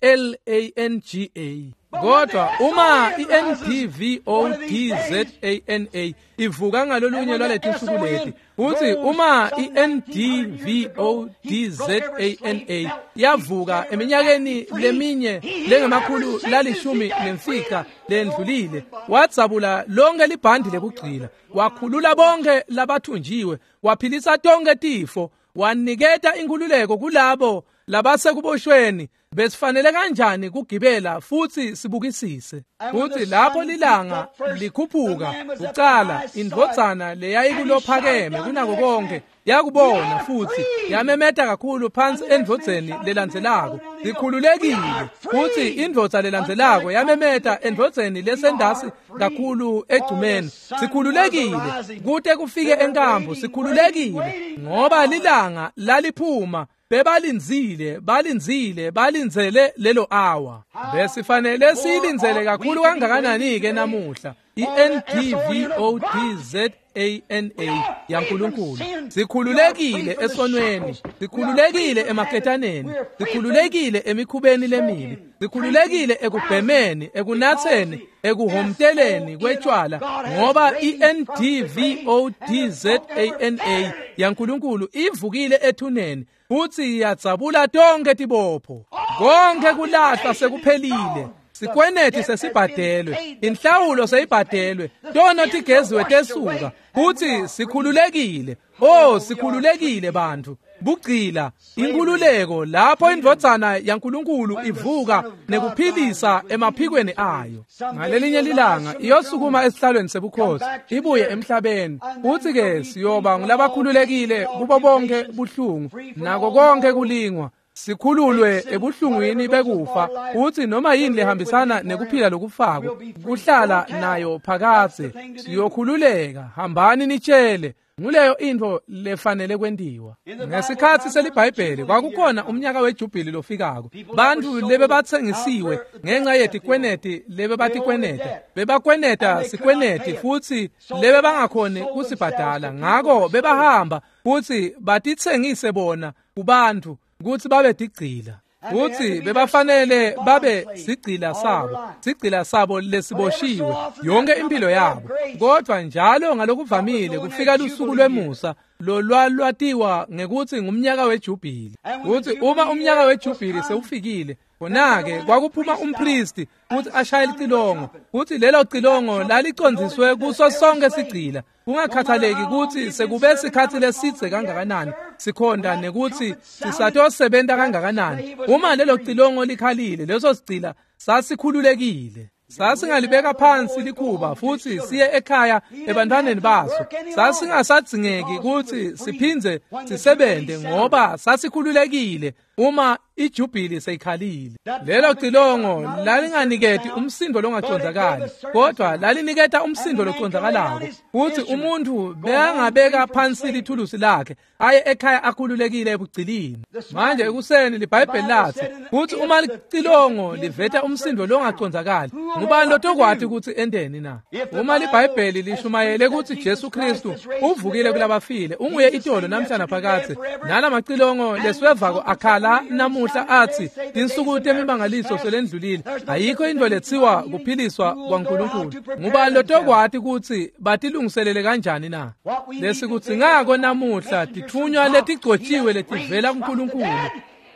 LILANGA. Kodwa uma iNDVODZANA ivuka ngalolunye lwaletinsuku leti, futhi uma iNDVODZANA yavuka eminyakeni leminye lengemakhulu 15 lendlulile, wadzabula lonke libhandi lekugcila, wakhulula bonke labathunjiwe, waphilisa tonke tifo, waniketa inkhululeko kulabo labasekuboshweni. Besifanele kanjani kugibela futsi sibukisise? Futsi lapho lilanga likhuphuka kucala, indvodzana leyayikulophakeme kunako konke yakubona futsi yamemeta kakhulu phansi endvodzeni lelandzelako, sikhululekile. Futsi indvodza lelandzelako yamemeta endvodzeni lesendasi kakhulu egcumeni, sikhululekile, kute kufike enkambu sikhululekile, ngoba lilanga laliphuma. Bebalindzile, balindzile, balindzele lelo awa. Besifanele siyilindzele kakhulu kangakanani-ke namuhla i-NDVODZANA yaNkulunkulu. Sikhululekile esonweni, sikhululekile emaketaneni, sikhululekile emikhubeni lemibi, sikhululekile ekubhemeni, ekunatheni, ekuhomteleni kwetshwala, ngoba i-NDVODZANA yaNkulunkulu ivukile ethuneni futhi iyadzabula tonke tibopho. Konke kulahlwa sekuphelile. Sikweneti sesibhadelwe, inhlawulo seyibhadelwe, tono tigeziwe tesuka, futhi sikhululekile. Oh, sikhululekile bantu. Bugcila, inkululeko lapho indvodzana yaNkulunkulu ivuka nekuphilisa emaphikweni ayo. Ngalelinye lilanga iyosukuma esihlalweni sebukhosi, ibuye emhlabeni. Futhi ke siyoba ngulabakhululekile kubo bonke buhlungu nako konke kulingwa. Sikhululwe ebuhlungwini bekufa, uthi noma yini lehambisana nekuphila lokufako kuhlala nayo phakadze. Siyokhululeka. Hambani nitshele. Nguleyo intfo lefanele kwentiwa. Ngesikhatsi seliBhayibheli kwakukhona umnyaka wejubhili lofikako. Bantfu lebebatsengisiwe ngenca yetikweneti lebebatikweneta, bebakweneta sikweneti futsi lebebangakhoni kusibhadala. Ngako bebahamba futsi batitsengise bona kubantfu kutsi babe tigcila. Futsi bebafanele babe sigcila sabo, sigcila sabo lesiboshiwe yonke impilo yabo. Kodwa njalo ngalokuvamile kufika lusuku lwemusa lolwalwatiwa ngekutsi ngumnyaka wejubhili. Kutsi uma umnyaka wejubhili sewufikile, khona-ke kwakuphuma umpristi kutsi ashaye licilongo, kutsi lelo cilongo lalicondziswe kuso sonke sigcila, kungakhathaleki kutsi sekube sikhatsi lesidze kangakanani sikhonda nekutsi sisatosebenta kangakanani. Uma lelo cilongo likhalile, leso sigcila sasikhululekile. Sasingalibeka phansi likhuba futhi siye ekhaya ebantwaneni baso. Sasingasadzingeki kutsi siphindze sisebente ngoba sasikhululekile uma ijubhili seyikhalile. Lelo cilongo lalinganiketi umsindo longacondzakali, kodwa laliniketa umsindo locondzikalako, futhi umuntfu bekangabeka phansi lithulusi lakhe aye ekhaya akhululekile ebugcilini. Manje ekuseni liBhayibheli lathi kutsi uma licilongo liveta umsindo longacondzakali, ngubani lotokwati kutsi enteni na? Uma liBhayibheli lishumayele kutsi Jesu Kristu uvukile kulabafile, unguye itolo namhla naphakadze, nalamacilongo lesiwevako akhala namuhla athi tinsuku temimangaliso selendlulile, ayikho intfo letsiwa kuphiliswa kwaNkulunkulu, ngubani lotokwati kutsi batilungiselele kanjani na? Lesikudzingako namuhla titfunywa letigcotjiwe letivela kuNkulunkulu.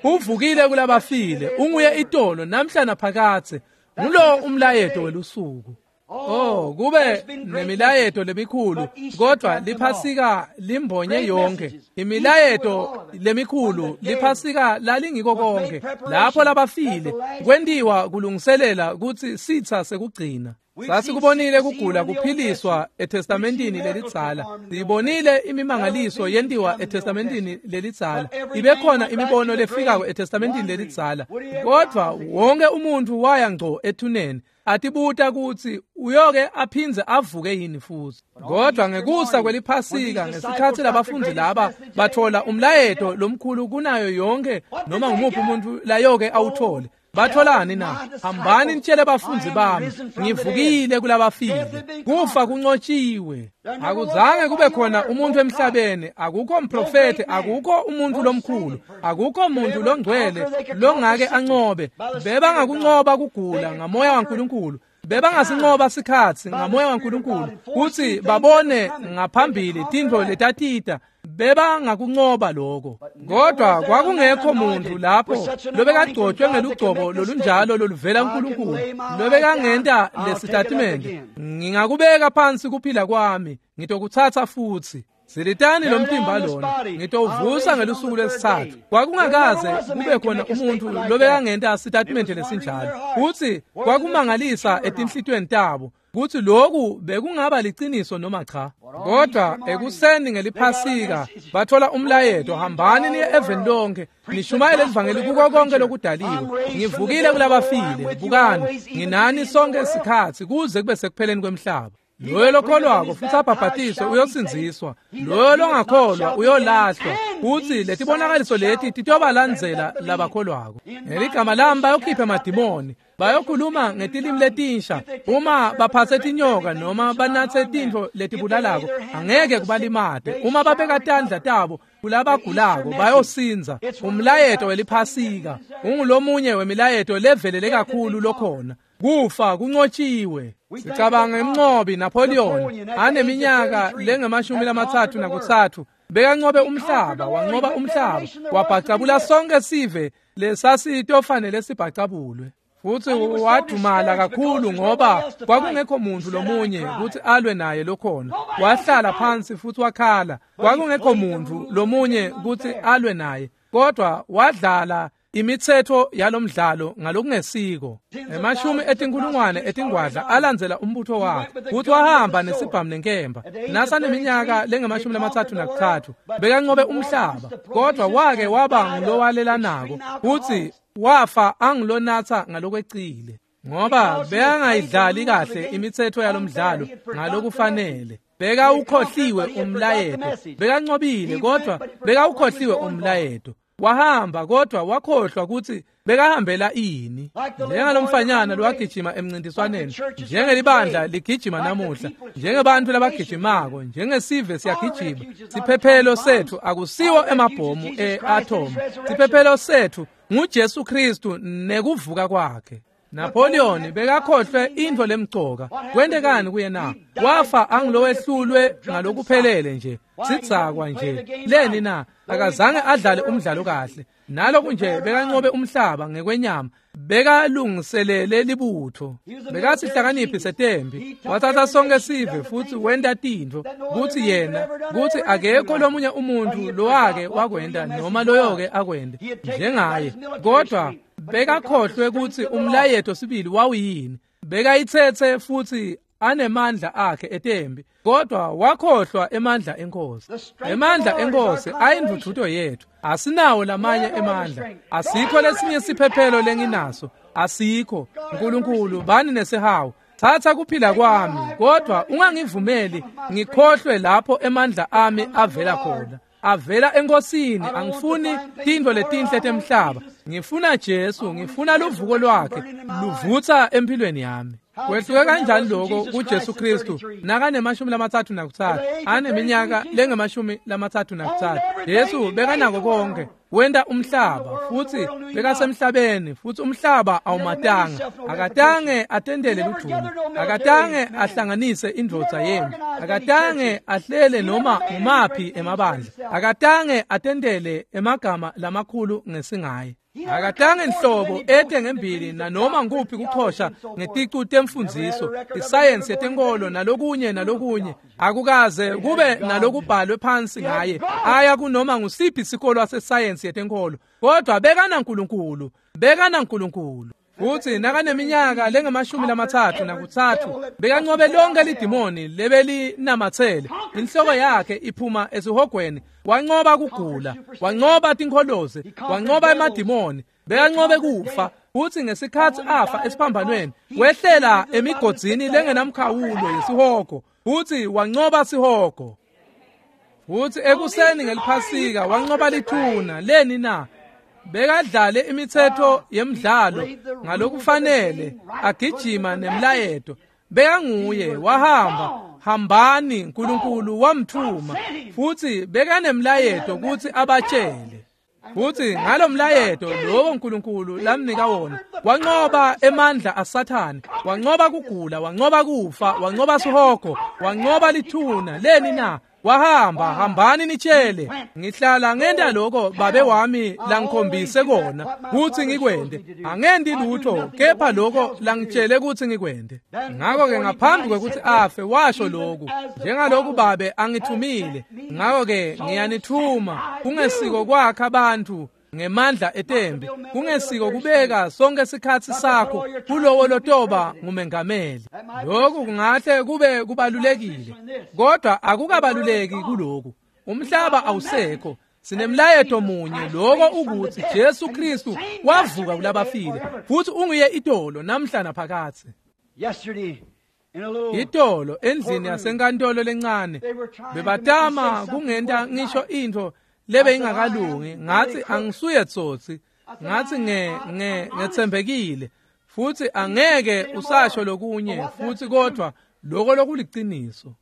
Uvukile kulabafile, unguye itolo namhla naphakadze. Ngulo umlayeto welusuku. Oh, kube nemilayeto lemikhulu, kodwa liphasika limbonye yonke. Imilayeto lemikhulu liphasika lalingiko konke. Lapho labafile kwentiwa kulungiselela kutsi sitsa sekugcina. Sasikubonile kugula kuphiliswa eTestamentini lelidzala. Siyibonile imimangaliso yentiwa eTestamentini lelidzala. Ibe khona imibono lefikako eTestamentini lelidzala. Kodwa wonke umuntfu waya ngco ethuneni atibuta kutsi uyoke aphindze avuke yini futhi. Kodwa ngekusa kweliphasika, ngesikhatsi labafundzi laba bathola umlayeto lomkhulu kunayo yonke noma ngumuphi umuntu layoke awuthole, batholani na? Hambani nitshele bafundzi bami, ngivukile kulabafile. Kufa kunqotshiwe. Akuzange kube khona umuntu emhlabeni, akukho mprofeti, akukho umuntu lomkhulu, akukho muntu longcwele longake anqobe. Bebangakunqoba kugula ngamoya waNkulunkulu, bebangasinqoba sikhatsi ngamoya waNkulunkulu, kutsi babone ngaphambili tintfo letatita. Bebangakunqoba lokho. Kodwa kwakungekho muntu lapho lobekagcotshwe ngelugcobo lolunjalo loluvela kuNkulunkulu lobekangenta lesitatimende: ngingakubeka phansi kuphila kwami, ngitokutsatsa futhi. Silitani lo mtimba lona, ngitowuvusa ngelusuku lwesitsatfu. Kwakungakaze kube khona umuntu lobekangenta sitatimende lesinjalo. Futsi kwakumangalisa etinhlitiyweni tabo kutsi lokhu bekungaba liciniso noma cha. Kodwa ekuseni ngeliphasika bathola umlayeto: hambani niye eveni lonke, nishumayele livangeli kuko konke lokudaliwe. Ngivukile kulabafile, bukani, nginani sonke isikhatsi kuze kube sekupheleni kwemhlaba. Loyo lokholwako futhi abhabhatiswe uyosindziswa, loyo longakholwa uyolahlwa. Futsi letibonakaliso leti titobalandzela labakholwako. Ngeligama lami bayokhipha emadimoni, bayokhuluma ngetilimi letinsha. Uma baphatse tinyoka noma banatse tintfo letibulalako, angeke kubalimate. Uma babeka tandla tabo kulabagulako bayosindza. Umlayeto weliphasika ungulomunye wemilayeto levelele kakhulu lokhona. Kufa kunqotshiwe. Sicabanga ngemnqobi Napoleon aneminyaka lengama-33 bekanqobe umhlaba, wanqoba umhlaba, wabhacabula sonke sive lesasitofanele sibhacabulwe. Futhi wadumala kakhulu ngoba kwakungekho muntu lomunye ukuthi alwe naye lokhona. Wahlala phansi futhi wakhala. Kwakungekho muntu lomunye ukuthi alwe naye, kodwa wadlala imithetho yalomdlalo ngalokungesiko. Emashumi etinkulungwane etingwadla alandzela umbutho wakhe, futhi wahamba nesibhamu nenkemba. Nasaneminyaka lengama-33 bekanqobe umhlaba, kodwa wake waba ngulowalelanako futhi wafa angulonatha ngalokwecile, ngoba bekangayidlali kahle imithetho yalomdlalo ngalokufanele. Bekawukhohliwe umlayeto, bekanqobile kodwa bekawukhohliwe umlayeto. Wahamba kodwa wakhohlwa ukuthi bekahambela ini. Njengalomfanyana lowagijima emncintiswaneni, njengelibandla ligijima namuhla, njengebantu labagijimako, njengesive siyagijima. Siphephelo sethu akusiwo emabhomu e-atom. Siphephelo sethu nguJesu Kristu nekuvuka kwakhe. Napoleon bekakhohlwe intfo lemcoka. Kwentekani kuye na? Wafa angilowehlulwe ngalokuphelele nje, sidzakwa nje. Leni na? Akazange adlale umdlalo kahle. Naloku nje bekanqobe umhlaba ngekwenyama, bekalungiselele libutho, bekasihlakaniphi setempi. Wathatha sonke sive futhi wenta tintfo kutsi yena, kutsi akekho lomunye umuntu lowake wakwenta noma loyoke akwente njengaye. Kodwa bekakhohlwe kutsi umlayeto sibili wawuyini. Bekayitsetse futhi anemandla akhe etembi, kodwa wakhohlwa emandla enkosi. Emandla enkosi ayindvudvuto yethu. Asinawo lamanye emandla, asikho lesinye siphephelo lenginaso, asikho. Nkulunkulu bani nesihawu, thatha kuphila kwami, kodwa ungangivumeli ngikhohlwe lapho emandla ami avela khona. Avela enkosini. Angifuni tintfo letinhle temhlaba, ngifuna Jesu, ngifuna luvuko lwakhe luvutsa empilweni yami. Kwehluke kanjani lokho kuJesu Kristu nakane-33 aneminyaka lengama-33? Jesu bekanako konke, wenta umhlaba futhi bekasemhlabeni, futhi umhlaba awumatanga. Akatange atendele ludumo, akatange ahlanganise indvodza yempi, akatange ahlele noma ngumaphi emabandla, akatange atendele emagama lamakhulu ngesingaye. Akatange nhlobo ete ngembili nanoma nguphi kuchosha ngeticu temfundziso, isayensi yetenkolo nalokunye nalokunye. Akukaze kube nalokubhalwe phansi ngaye aya kunoma ngusiphi isikolo sesayensi yetenkolo, kodwa bekanaNkulunkulu, bekanaNkulunkulu. Futhi nakaneminyaka lengama-33 bekanqobe lonke lidimoni lebelinamatsele. Inhloko yakhe iphuma esihogweni. Wanqoba kugula, wanqoba tinkholoze, wanqoba emadimoni, bekanqobe kufa. Futhi ngesikhathi afa esiphambanweni, wehlela emigodzini lengenamkhawulo yesihogo, futhi wanqoba sihogo. Futhi ekuseni ngeliphasika wanqoba lithuna. Leni na? Bekadlale imithetho yemidlalo ngalokufanele, agijima nemlayeto. Bekanguye, wahamba, hambani, Nkulunkulu wamthuma, futhi bekanemlayeto kutsi abatshele. Futhi ngalomlayeto lowo Nkulunkulu lamnika wona, wanqoba emandla aSathane, wanqoba kugula, wanqoba kufa, wanqoba sihogo, wanqoba lithuna. Leni na? Wahamba, hambani nitshele, ngihlala ngenta lokho babe wami langikhombise kona kutsi ngikwente. Angendi lutho kepha lokho langitshele kutsi ngikwente. Ngakho-ke ngaphambi kwekutsi afe washo lokhu, njengaloku babe angithumile, ngakho-ke ngiyanithuma, kungesiko kwakha abantu ngemandla etembi, kungesiko kubeka sonke sikhatsi sakho kulowo lotoba ngumengameli. Lokhu kungahle kube kubalulekile, kodwa akukabaluleki kuloku. Umhlaba awusekho, sinemlayeto munye, lokho ukuthi Jesu Kristu wavuka kulabafile, futhi unguye itolo namhla naphakadze. Yesterday Itolo endlini yasenkantolo lencane bebatama kungenta ngisho intfo lebe ingakalungi. Ngathi angisuye tsotsi, ngathi ngetsembekile futhi angeke usasho lokunye futhi kodwa lokho lokuliciniso.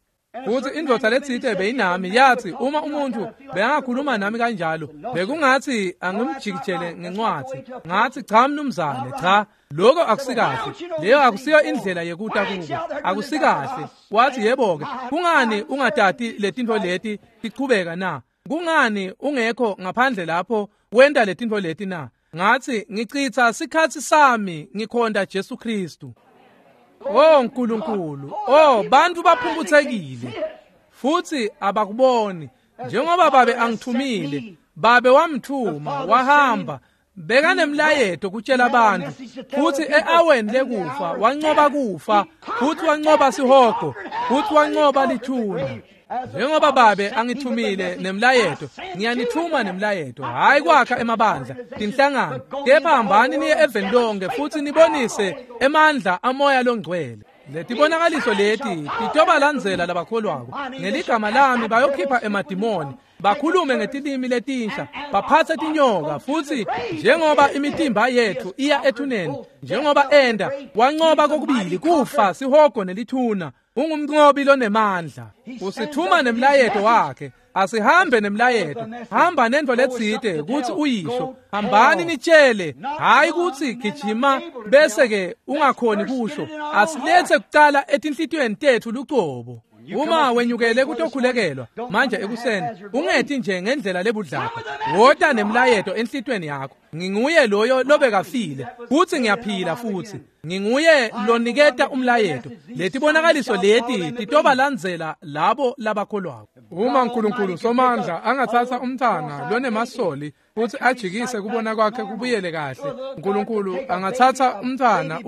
Futhi indvodza letsite beyinami yathi uma umuntu beyangakhuluma nami kanjalo bekungathi angimjikijele ngencwadi. Ngathi cha mnumzane, cha, lokho akusikahle, leyo akusiyo indlela yekuta kuko, akusikahle. Wathi yebo-ke, kungani ungatati letintfo leti tichubeka na? Kungani ungekho ngaphandle lapho wenta letintfo leti na? Ngathi ngichitha sikhatsi sami ngikhonta Jesu Kristu. Oh Nkulunkulu, oh bantu baphumputhekile futhi abakuboni. Njengoba babe angithumile, babe wamthuma wahamba bekanemlayeto kutshela abantu, futhi eaweni lekufa wanqoba kufa, futhi wanqoba sihogo, futhi wanqoba lithuna. Njengoba babe angithumile nemlayeto, ngiyanithuma nemlayeto, hayi kwakha emabandla, tinhlangano, kepha hambani niye eveni lonke futhi nibonise emandla amoya longcwele. Letibonakaliso leti titobalandzela labakholwako. Ngeligama lami bayokhipha emadimoni, bakhulume ngetilimi letinsha, baphatse tinyoka, futhi njengoba imitimba yethu iya ethuneni, njengoba enda wanqoba kokubili kufa, sihogo nelithuna. Ungumnqobi lonemandla. Usithuma nemlayeto wakhe. Asihambe nemlayeto. Hamba nento letsite kutsi uyisho. Hambani nitshele, hayi kutsi gijima bese ke ungakhoni kusho. Asilethe kucala etinhlitiyweni tethu lucobo. Uma wenyukele kutokhulekelwa manje ekuseni, ungethi nje ngendlela lebudlapha. Wota nemlayeto enhlitiyweni yakho. Nginguye loyo lobekafile futhi ngiyaphila futhi. Nginguye loniketa umlayeto. Letibonakaliso leti titobalandzela labo labakholwako. Uma uNkulunkulu somandla angathatha umntana lonemasoli futhi ajikise kubona kwakhe kubuyele kahle, uNkulunkulu angathatha umntana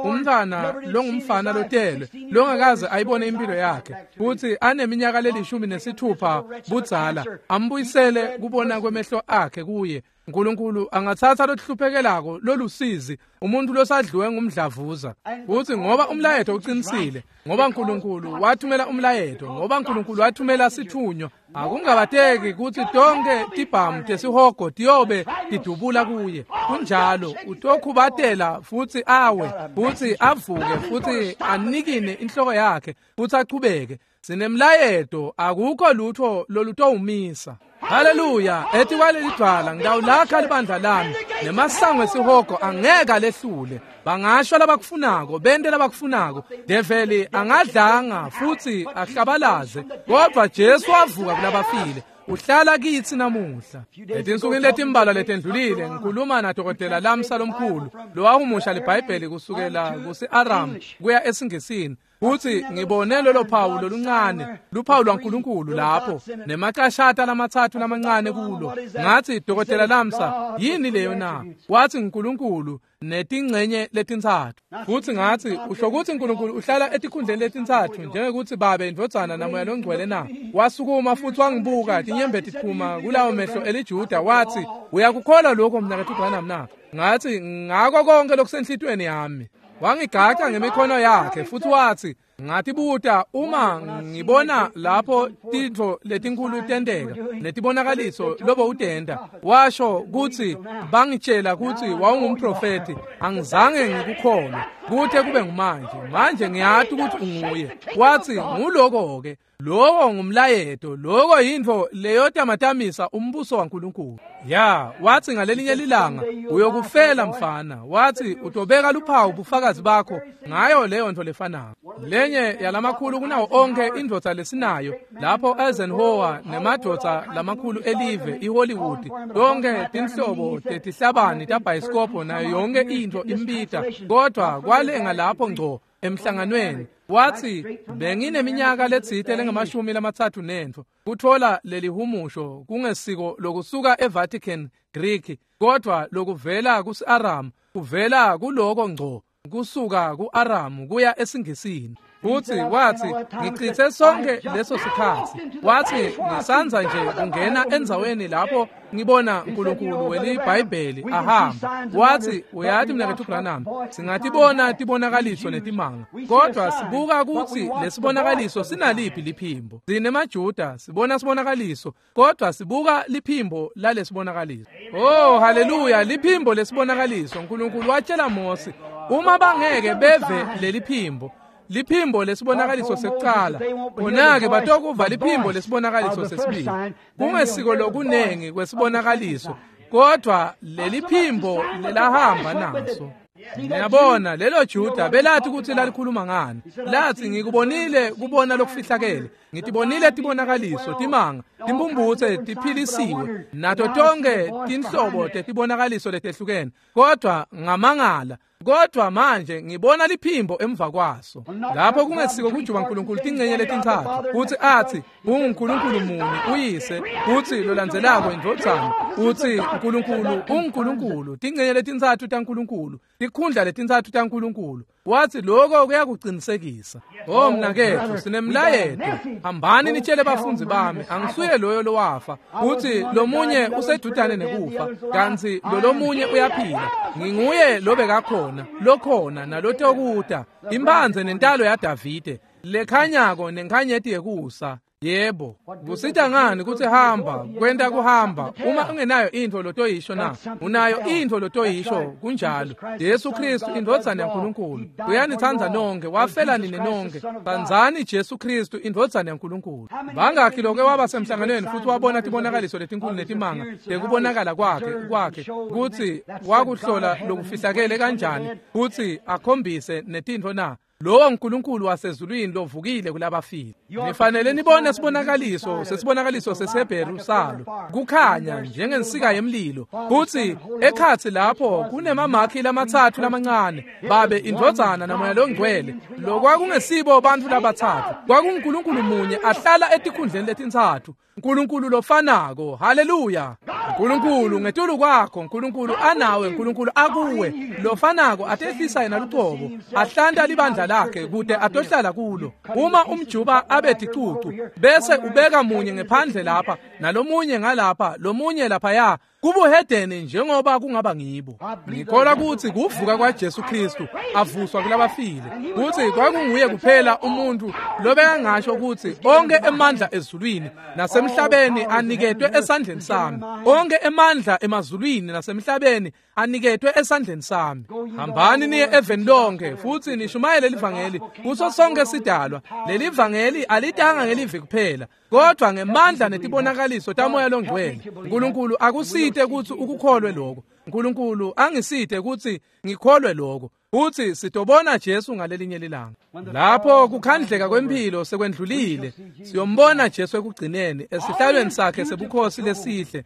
umntana longumfana lotelwe longakaze ayibone impilo yakhe futhi aneminyaka le16 budzala, ambuyisele kubona kwemehlo akhe kuye. uNkulunkulu angathatha lohluphekelako lolusizi, umuntu losadliwe ngumdlavuza, futhi ngoba umlayeto uqinisile, ngoba uNkulunkulu wathumela umlayeto, ngoba uNkulunkulu wathumela sithunywa, akungabateki kutsi tonke tibhamu tesihogo tiyobe tidubula kuye. Kunjalo, utokhubatela futhi awe, futhi avuke, futhi anikine inhloko yakhe, futhi achubeke. Sinemlayeto, akukho lutho lolutowumisa. Haleluya, ethi kwalelidwala ngidawulakha libandla lami, nemasango esihogo angeke alehlule. Bangasho labakufunako, bente labakufunako. Develi angadlanga futhi ahlabalaze, kodwa Jesu wavuka kulabafile. Uhlala kitsi namuhla. Etinsukwini letimbalwa letendlulile ngikhuluma nadokotela Lamsa lomkhulu lowahumusha liBhayibheli kusukela kusi-Aram kuya esiNgisini. Futhi ngibone lolo phawu loluncane, luphawu lwaNkulunkulu lapho, nemacashata lamatsatfu lamancane kulo. Ngathi, Dokotela Lamsa, yini leyo na? Wathi uNkulunkulu netingcenye letintsatfu. Futhi ngathi, usho kutsi uNkulunkulu uhlala etikhundleni letintsatfu njengekuthi Babe, Indvodzana naMoya loNgcwele na? Wasukuma futhi wangibuka, tinyembeti tiphuma kulawo mehlo eliJuda, wathi, uyakukholwa lokho mnaketfu Branham na? Ngathi, ngako konke lokusenhlitiyweni yami. Wangigaca ngemikhono yakhe futhi wathi, ngatibuta uma ngibona lapho tintfo letinkulu tenteka netibonakaliso lobo utenta, washo kutsi bangitshela kutsi wawungumprofeti, angizange ngikukholwe kute kube ngumanje. Manje ngiyati ukuthi unguye. Wathi nguloko-ke, lowo ngumlayeto, loko yintfo leyotamatamisa umbuso waNkulunkulu. Ya, wathi ngalelinye lilanga uyokufela mfana. Wathi utobeka luphawu bufakazi bakho ngayo leyo nto lefanako. Lenye yalamakhulu kunawo onke indvodza lesinayo lapho Eisenhower nemadvodza lamakhulu elive iHollywood, tonke tinhlobo tetihlabani tabhayisikobho nayo yonke intfo imbita, kodwa kwalenga lapho ngco emhlanganweni. Wathi bengineminyaka letsite lengamashumi 34 kuthola lelihumusho kungesiko lokusuka eVatican Greek, kodwa lokuvela kusi-Aram, kuvela kuloko ngco kusuka ku-Aram kuya esiNgisini. Futsi watsi, ngichitse sonke leso sikhatsi. Watsi, ngisandza nje kungena endzaweni lapho ngibona uNkulunkulu weliBhayibheli ahamba. Watsi, uyati mnaketfu Branham, singatibona tibonakaliso netimanga, kodwa sibuka kutsi lesibonakaliso sinaliphi liphimbo. Sinemajuda sibona sibonakaliso, kodwa sibuka liphimbo lalesibonakaliso. Oh, haleluya, liphimbo lesibonakaliso. uNkulunkulu watshela Mose, uma bangeke beve leliphimbo, liphimbo lesibonakaliso sekucala, khona-ke batokuva liphimbo lesibonakaliso sesibili. Kungesiko lokunengi kwesibonakaliso, kodwa leliphimbo lelahamba naso. Niyabona, lelo Juda belathi kutsi lalikhuluma ngani. Lathi, ngikubonile kubona lokufihlakele, ngitibonile tibonakaliso, timanga, timpumputse tiphilisiwe, nato tonke tinhlobo tetibonakaliso letehlukene, kodwa ngamangala. Kodwa manje ngibona liphimbo emva kwaso. Lapho kungesiko kujuba uNkulunkulu tincenye letintsatfu, kutsi athi unguNkulunkulu munye uyise, kutsi lolandzelako indvodzana, utsi uNkulunkulu unguNkulunkulu, tincenye letintsatfu taNkulunkulu, tikhundla letintsatfu taNkulunkulu. Watsi lokho kuyakuqinisekisa. Oh mnaketfu, sinemlayeto. Hambani nitshele bafundzi bami, angisuye loyo lowafa. Utsi lomunye usedutane nekufa, kantsi lolomunye uyaphila. Nginguye lobekakhona, lokhona nalotokuta, imphandze nentalo yaDavide, lekhanyako nenkhanyeti yekusa. Yebo, kusita ngani kutsi hamba, kwenta kuhamba, uma ungenayo intfo lotoyisho na? Unayo intfo lotoyisho, kunjalo. Jesu Kristu indvodzana yaNkulunkulu. Uyanitsandza nonke, wafela nine nonke. Tsandzani Jesu Kristu indvodzana yaNkulunkulu. Bangakhi loke waba semhlanganweni futhi wabona tibonakaliso letinkulu netimanga tekubonakala kwakhe kutsi wakuhlola lokufihlakele kanjani, kutsi akhombise netintfo na? Lowo uNkulunkulu wasezulwini lovukile kulabafile. Nifanele nibone sibonakaliso sesibonakaliso sesiHebheru salo, kukhanya njengensika yemlilo. Futsi ekhatsi lapho kunemamakhi lamatsatfu lamancane, Babe, indvodzana naMoya loNgcwele. Lokwakungesibo bantfu labatsatfu, kwakunguNkulunkulu munye ahlala etikhundleni letintsatfu. Nkulunkulu lofanako. Haleluya. Nkulunkulu ngetulu kwakho, Nkulunkulu anawe, Nkulunkulu akuwe, lofanako atehlisa yena lucobo, ahlanta libandla lakhe kute atohlala kulo. Uma umjuba abe ticucu, bese ubeka munye ngephandle lapha, nalomunye ngalapha, lomunye laphaya, kubuhedeni njengoba kungaba ngibo. Ngikholwa kutsi kuvuka kwaJesu Kristu avuswa kulabafile, kutsi kwakunguye kuphela umuntu lobekangasho kutsi onke emandla ezulwini nasemhlabeni aniketwe esandleni sami. Onke emandla emazulwini nasemhlabeni aniketwe esandleni sami. Hambani niye eveni lonke futhi nishumayele livangeli kuso sonke sidalwa. Leli vangeli alitanga ngelivi kuphela, kodwa ngemandla netibonakaliso taMoya loNgcwele. uNkulunkulu akusite kutsi ukukholwe lokho. uNkulunkulu angisite kutsi ngikholwe lokho. Futhi sitobona Jesu ngalelinye lilanga. Lapho kukhandleka kwemphilo sekwendlulile, siyombona Jesu ekugcineni esihlalweni sakhe sebukhosi lesihle.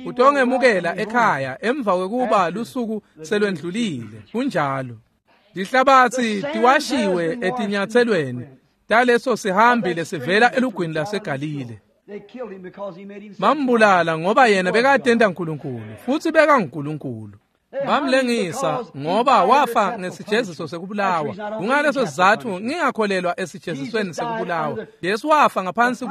Utongemukela ekhaya emva kwekuba lusuku selwendlulile. Kunjalo. Tihlabatsi tiwashiwe etinyatselweni taleso sihambi lesivela elugwini laseGalile. Bambulala ngoba yena bekatenta uNkulunkulu, futhi bekanguNkulunkulu. Bamlengisa ngoba wafa ngesijeziso sekubulawa. Kungaleso sizatfu ngingakholelwa esijezisweni sekubulawa. Jesu wafa ngaphansi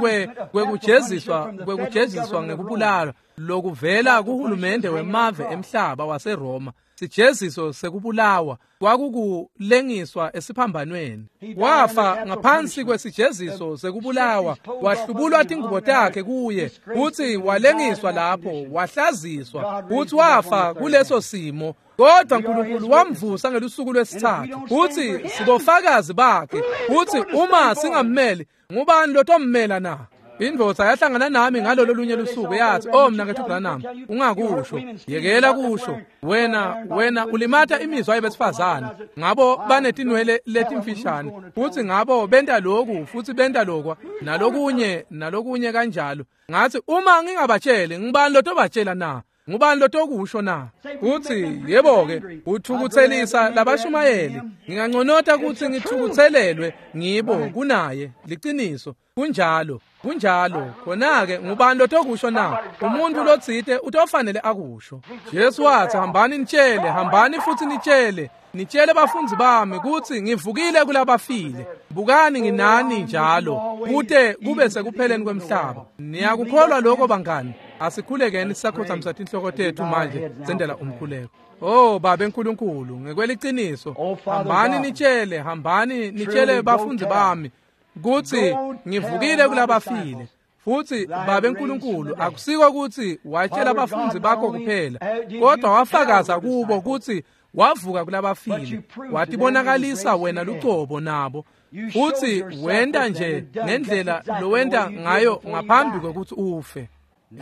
kwekujeziswa ngekubulawa lokuvela kuhulumende wemave emhlaba waseRoma. Sijeziso sekubulawa kwakukulengiswa esiphambanweni. Wafa ngaphansi kwesijeziso sekubulawa, wahlubulwa tingubo takhe kuye, futhi walengiswa lapho, wahlaziswa, futhi wafa kuleso simo. Kodwa uNkulunkulu wamvusa ngelusuku lwesithathu, futhi sibofakazi bakhe. Futhi uma singammeli, ngubani lotommela na? Indvodza yahlangana nami ngalolo lunye lusuku yathi, "Oh mnaketfu Branham, ungakusho, yekela kusho. Wena ulimata imizwa yabesifazane. Ngabo banetinwele letimfishane, futhi ngabo benta lokhu, futhi benta lokwa, nalokunye, nalokunye kanjalo." Ngathi, "Uma ngingabatsheli, ngubani lotobatshela na? Ngubani lotokusho na?" Uthi, "Yebo-ke, uthukuthelisa labashumayeli. Nginganconota kutsi ngithukuthelelwe ngibo kunaye." Liciniso, kunjalo. Kunjalo khona-ke ngubani lotokusho na? Umuntu lotsite utofanele akusho. Jesu wathi hambani nitshele, hambani futhi nitshele, nitshele bafundzi bami kutsi ngivukile kulabafile. Bukani nginani njalo kute kube sekupheleni kwemhlaba. Niyakukholwa lokho bangani? Asikhulekeni sisakhothamisa tinhloko tethu manje sendela umkhuleko. Oh Babe Nkulunkulu, ngekweliciniso hambani nitshele, hambani nitshele bafundzi bami kutsi ngivukile kulabafile. Futhi Babe Nkulunkulu, akusiko kutsi watshela bafundzi bakho kuphela, kodwa wafakaza kubo kutsi wavuka kulabafile, watibonakalisa wena lucobo nabo, futhi wenta nje ngendlela lowenta ngayo ngaphambi kwekutsi ufe.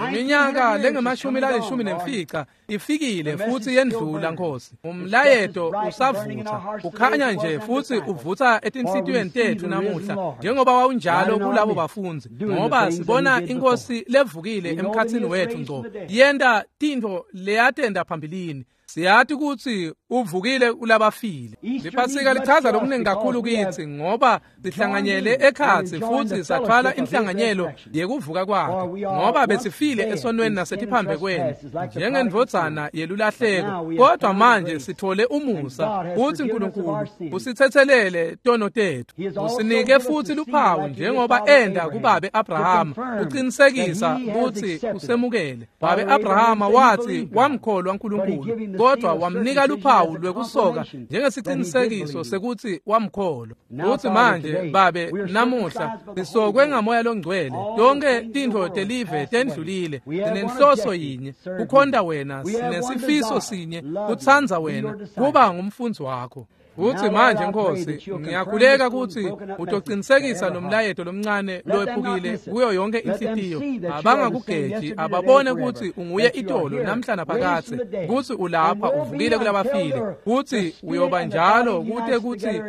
Iminyaka lengemashumi lalishumi nemfica ifikile futhi yendlula Nkosi. Umlayeto usavutha, ukhanya nje futhi uvutha etinhlitiyweni tetfu namuhla njengoba wawunjalo kulabo bafundzi, ngoba sibona inkosi levukile emkhatsini wetfu ngco yenta tintfo leyatenta phambilini. Siyati kutsi uvukile kulabafile. Liphasika lichaza lokuningi kakhulu kitsi ngoba sihlanganyele ekhatsi futhi sathwala inhlanganyelo yekuvuka kwakhe, ngoba besifile esonweni nasetiphambekweni njengendvodzana yelulahleko, kodwa manje sithole umusa kutsi Nkulunkulu usitsetselele tono tetfu, usinike futhi luphawu njengoba enda kubabe Abrahama uqinisekisa kutsi usemukele. Babe Abrahama wathi wamkholwa Nkulunkulu, kodwa wamnika luphawu lwekusoka njengesicinisekiso sekuthi wamkholwa. Futhi manje Babe namuhla sisokwe ngamoya longcwele, tonke tintfo telive tendlulile, sinenhloso yinye, kukhonta wena, sinesifiso sinye, kutsandza wena, kuba ngumfundzi wakho. Futhi manje Nkosi, ngiyakhuleka kutsi utocinisekisa lo mlayeto lomncane lowephukile kuyo yonke inhlitiyo. Abangakugeji, ababone kutsi unguye itolo namhla naphakadze, kutsi ulapha uvukile kulabafile, kutsi uyoba njalo kute kutsi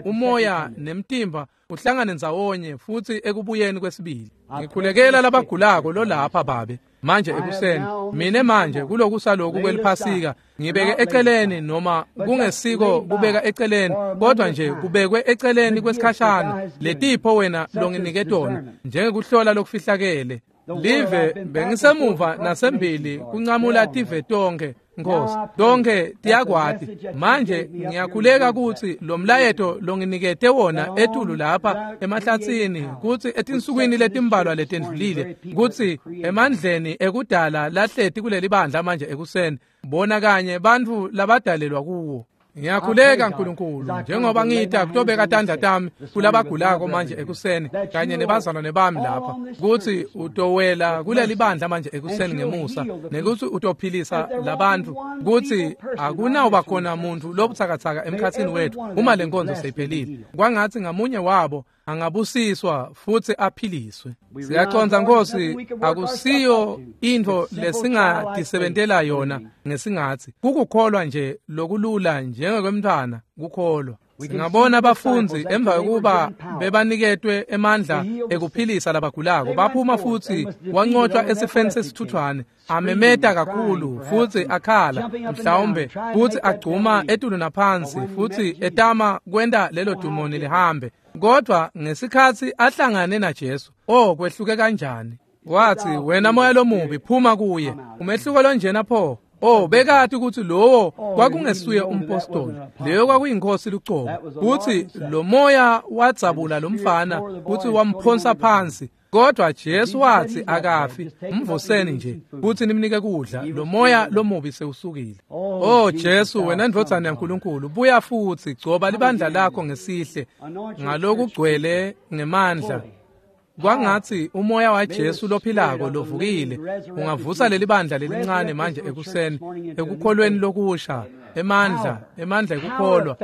umoya nemtimba uhlangane ndzawonye futhi ekubuyeni kwesibili. Ngikhulekela labagulako lolapha Babe manje ekuseni. Mine manje kulokusa loku kweliphasika ngibeke eceleni, noma kungesiko kubeka eceleni, kodwa nje kubekwe eceleni kwesikhashana letipho wena longinike tona njengekuhlola lokufihlakele live. Bengisemuva nasembili kuncamula tive tonke Nkosi, tonke tiyakwati. Manje ngiyakhuleka kutsi lo mlayeto longinikete wona etulu lapha emahlatsini, kutsi etinsukwini letimbalwa letendlulile, kutsi emandleni ekudala lahleti kuleli bandla manje ekuseni, bona kanye bantfu labadalelwa kuwo. Ngiyakhuleka Nkulunkulu, njengoba ngita kutobeka tandla tami kulabagulako manje ekuseni kanye nebazalwane bami lapha, kutsi utowela kuleli bandla manje ekuseni ngemusa, nekutsi utophilisa labantfu, kutsi akunawuba khona muntfu lobutsakatsaka emkhatsini wetfu uma le nkonzo seyiphelile. Kwangatsi ngamunye wabo angabusiswa futhi aphiliswe. Siyacondza Nkosi, akusiyo intfo lesingatisebentela yona ngesingatsi, kukukholwa nje lokulula njengekwemntfwana kukholwa. Singabona abafundzi emva kokuba bebaniketwe emandla ekuphilisa labagulako, baphuma futhi wancotshwa esifeni sesithuthwane, amemeta kakhulu futhi akhala mhlawumbe, futhi agcuma etulu naphansi futhi etama kwenta lelo dumoni lihambe. Kodwa ngesikhatsi ahlangane naJesu, oh kwehluke kanjani! Wathi, wena moya lomubi, phuma kuye. Umehluko lonjena pho! Oh, bekati ukuthi lowo kwakungesuye umpostoli, leyo kwakuyinkosi lucobo. Futhi lo moya wadzabula lo mfana futhi wamphonsa phansi, kodwa Jesu wathi akafi, mvuseni nje futhi nimnike kudla, lo moya lomubi sewusukile. Oh Jesu, wena ndvodzana yaNkulunkulu, buya futhi gcoba libandla lakho ngesihle ngalokugcwele ngemandla. Kwangatsi umoya waJesu lophilako lovukile ungavusa leli bandla lelincane manje ekuseni ekukholweni lokusha, emandla, emandla ekukholwa,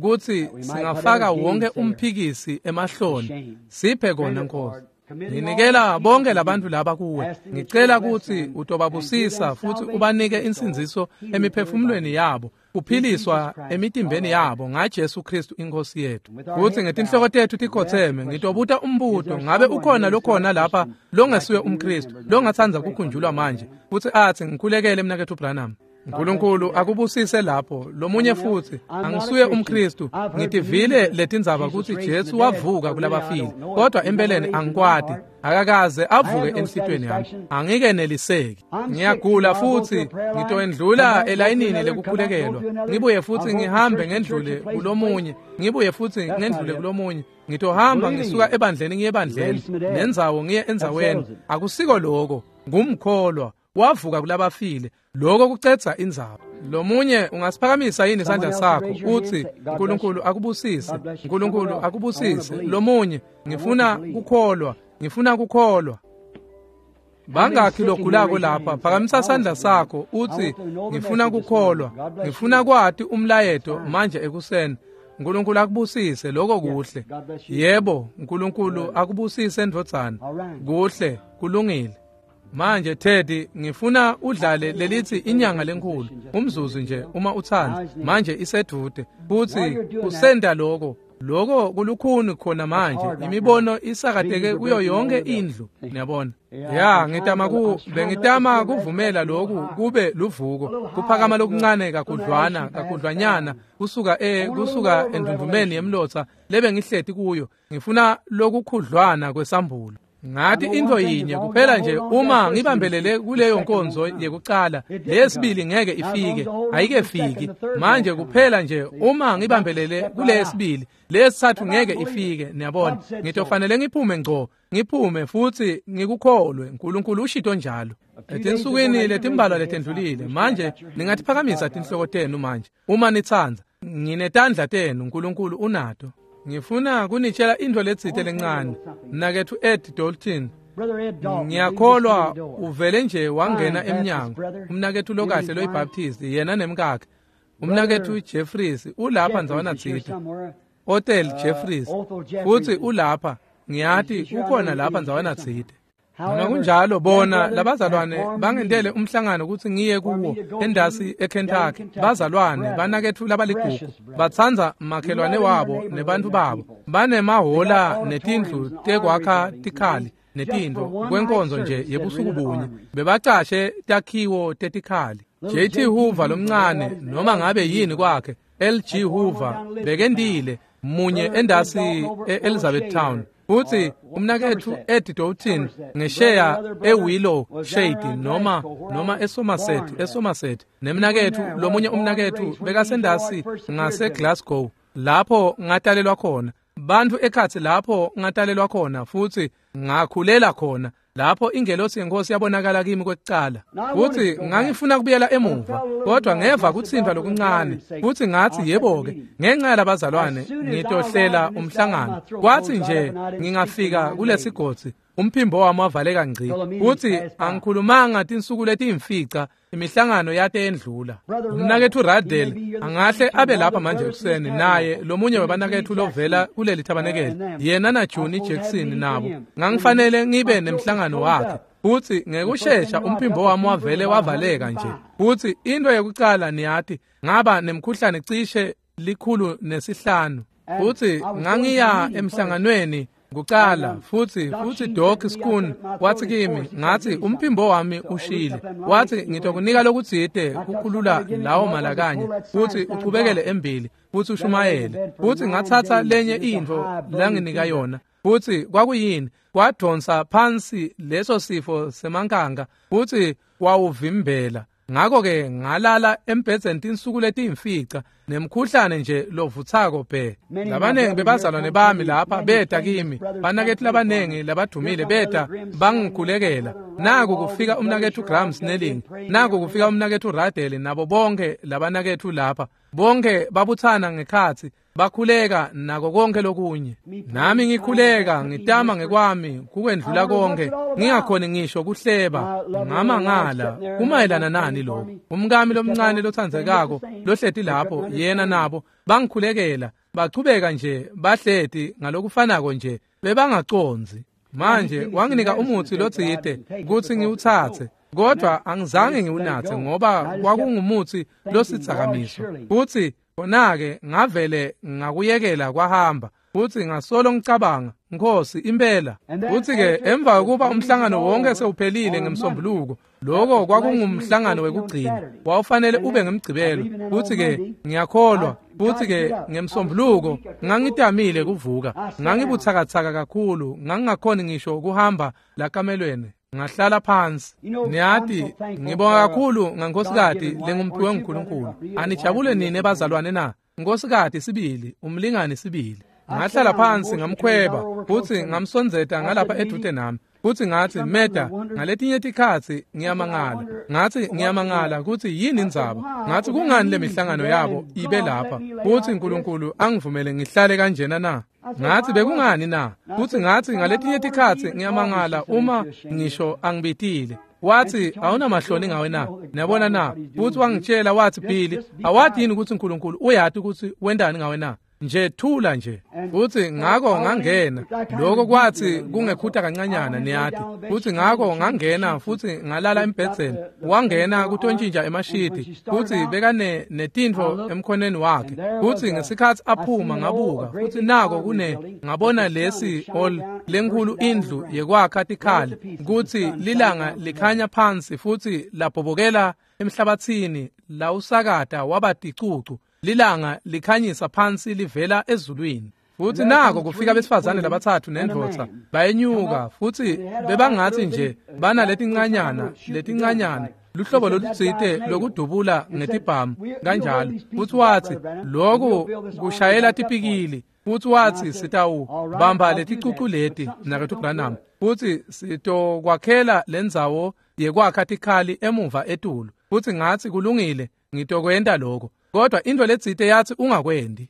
kutsi singafaka wonke umphikisi emahloni. Siphe kona Nkosi. Nginikela bonke labantu laba kuwe, ngicela kutsi utobabusisa futhi ubanike insindziso emiphefumulweni yabo, kuphiliswa emitimbeni yabo ngaJesu Kristu inkosi yethu. Futhi ngetinhloko tetfu tikhotseme, ngitobuta umbuto: ngabe ukhona lokhona lapha longesuye umKristu longatsandza kukhunjulwa manje futhi athi, ngikhulekele mnaketfu Branham? Nkulunkulu akubusise lapho. Lomunye futhi, angisuye umKristu, ngitivile letindzaba kutsi Jesu wavuka kulabafile, kodwa empeleni angikwati, akakaze avuke enhlitiyweni yami, angikeneliseki. Ngiyagula futhi ngitoendlula elayinini lekukhulekelwa, ngibuye futhi ngihambe ngendlule kulomunye, ngibuye futhi ngendlule kulomunye, ngitohamba ngisuka ebandleni ngiye ebandleni, nendzawo ngiye endzaweni. Akusiko lokho, ngumkholwa wavuka kulabafile, lokho kucedza indzaba. Lomunye ungasiphakamisa yini isandla sakho uthi uNkulunkulu akubusise, uNkulunkulu akubusise. Lomunye, ngifuna kukholwa, ngifuna kukholwa. Bangakhi logulako lapha? Phakamisa isandla sakho uthi ngifuna kukholwa, ngifuna kwati umlayeto manje ekuseni. uNkulunkulu akubusise, lokho kuhle. Yebo, uNkulunkulu akubusise ndvodzana. Kuhle, kulungile. Manje Teddy, ngifuna udlale lelithi inyanga lenkulu umzuzu nje uma utsandza. Manje isedude futhi usenda lokho, lokho kulukhuni khona manje, imibono isakateke kuyo yonke indlu, niyabona. Ya, ngitama kuvumela lokhu kube luvuko, kuphakama lokuncane kakhudlwana kakhudlwanyana kusuka kusuka endundumeni yemlotsa lebe ngihleti kuyo. Ngifuna lokukhudlwana kwesambulo. Ngathi into yinye kuphela nje, uma ngibambelele kuleyo nkonzo yekucala, lesibili ngeke ifike, ayikefiki. Manje kuphela nje uma ngibambelele kulesibili, lesithathu ngeke ifike, niyabona. Ngitofanele ngiphume ngco, ngiphume futhi ngikukholwe. uNkulunkulu ushito njalo. Etinsukwini letimbalwa letendlulile, manje ningatiphakamisa tinhloko tenu manje uma nitsandza. Nginetandla tenu, uNkulunkulu unato. Ngifuna kunitshela into letsite lencane. Mnaketfu Ed Dalton, ngiyakholwa uvele nje wangena emnyango. Umnaketfu lokahle loyiBaptist, yena nemkakhe. Umnaketfu Jeffries ulapha ndzawana tsite. Othel Jeffries futhi ulapha, ngiyati ukhona lapha ndzawana tsite. Noma kunjalo, bona labazalwane bangentele umhlangano ukuthi ngiye kuwo endasi eKentucky. Bazalwane banaketfu labaligugu, batsandza makhelwane wabo nebantu babo, banemahola netindlu tekwakha tikhali netintfo kwenkonzo nje yebusuku bunye, bebacashe takhiwo tetikhali. JT Hoover lomncane, noma ngabe yini kwakhe, LG Hoover bekendile munye endasi eElizabethtown. Futhi umnaketfu Ed Doughton ngesheya eWillow Shade noma eSomerset, nemnaketfu lomunye umnaketfu bekasendasi ngaseGlasgow lapho ngatalelwa khona. Bantfu ekhatsi lapho ngatalelwa khona futhi ngakhulela khona, lapho ingelosi yenkosi yabonakala kimi kwekucala. Futhi ngangifuna kubuyela emuva, kodwa ngeva kutsintfwa lokuncane, futhi ngathi yebo-ke, ngenxa yalabazalwane ngitohlela umhlangano. Kwathi nje ngingafika kulesigodzi, umphimbo wami wavaleka ngci, futhi angikhulumanga tinsuku letiyimfica, imihlangano yate endlula. Umnaketfu Radel angahle abe lapha manje ekuseni, naye lomunye webanaketfu lovela kuleli thabanekele, yena na Juni Jackson nabo. Ngangifanele ngibe nemhlangano wakhe, futhi ngekushesha umphimbo wami wavele wavaleka nje. Futhi into yekucala niyati, ngaba nemkhuhlane cishe 105. Futhi ngangiya emhlanganweni kucala, futhi Doc Schoon wathi kimi, ngathi umphimbo wami ushile. Wathi ngitokunika lokutsite kukhulula lawo malakanye, futhi uchubekele embili futhi ushumayele. Futhi ngathatha lenye intfo langinika yona, futhi kwakuyini? Kwadonsa phansi leso sifo semankanga futhi kwawuvimbela. Ngakho-ke ngalala embhedzeni tinsuku letiyimfica nemkhuhlane nje lovutsako bhe. Labanengi bebazalwane bami lapha beta kimi, banaketfu labanengi labadumile beta bangikhulekela. Naku kufika umnaketfu Graham Snelling, naku kufika umnaketfu Radel, nabo bonke labanaketfu lapha, bonke babutsana ngekhatsi bakhuleka nako konke lokunye. Nami ngikhuleka ngitama ngekwami kukwendlula konke, ngingakhoni ngisho kuhleba. Ngamangala kumayelana nani lokho? Umkami lomncane lothandzekako lohleti lapho, yena nabo bangikhulekela, bachubeka nje bahleti ngalokufanako nje, bebangacondzi. Manje wanginika umutsi lotsite kutsi ngiwutsatse, kodwa angizange ngiwunatse ngoba kwakungumutsi losidzakamiso. Futsi khona-ke ngavele ngakuyekela kwahamba, futhi ngasolo ngicabanga, Nkosi impela. Futhi-ke emva kokuba umhlangano wonke sewuphelile ngemsombuluko, Lokho kwakungumhlangano wekugcina, wawufanele ube ngemgcibelo. Futhi-ke ngiyakholwa, futhi-ke ngemsombuluko ngangitamile kuvuka. Ngangibuthakathaka kakhulu, ngangingakhoni ngisho ukuhamba lakamelweni. Ngahlala phansi. Niyati, ngibonga kakhulu ngankosikazi lengumphiwe nguNkulunkulu. Anijabule nini bazalwane na? Nkosikazi sibili, umlingani sibili. Ngahlala phansi ngamkhweba, futhi ngamsondzeta ngalapha edude nami. Futhi ngathi, Meda, ngaletinye tikhatsi ngiyamangala. Ngathi ngiyamangala ukuthi yini indzaba. Ngathi kungani le mihlangano yabo ibe lapha? Futhi uNkulunkulu angivumele ngihlale kanjena na? Ngathi bekungani na? Futhi ngathi ngaletinye tikhatsi ngiyamangala uma ngisho angibitile. Wathi awunamahloni ngawe na? Niyabona na? Futhi wangitshela wathi, Billy, awati yini ukuthi uNkulunkulu uyati ukuthi wendani ngawe na? Nje thula nje. Futhi ngakho ngangena. Lokho kwathi kungekhuta kancanyana, niyati. Futhi ngakho ngangena futhi ngalala embhedzeni. Wangena kutontshintsha emashidi. Futhi bekane netintfo emkhoneni wakhe. Futhi ngesikhathi aphuma ngabuka. Futhi nako kune ngabona lesi hall lenkulu indlu yekwakha tikhali. Kuthi lilanga likhanya phansi futhi labhobokela emhlabathini lawusakata waba ticucu. Lilanga likhanyisa phansi livela ezulwini. Futhi nako kufika besifazane labathathu nendvodza bayenyuka, futhi bebangathi nje bana letincanyana luhlobo lolutsite lokudubula ngetibhamu kanjalo. Futhi wathi lokhu kushayela tipikili. Futhi wathi sitawubamba leticucu leti mnaketfu Branham, futhi sitokwakhela lendzawo yekwakha tikhali emuva etulu. Futhi ngathi kulungile, ngitokwenta lokho. Kodwa into letsite yathi ungakwendi.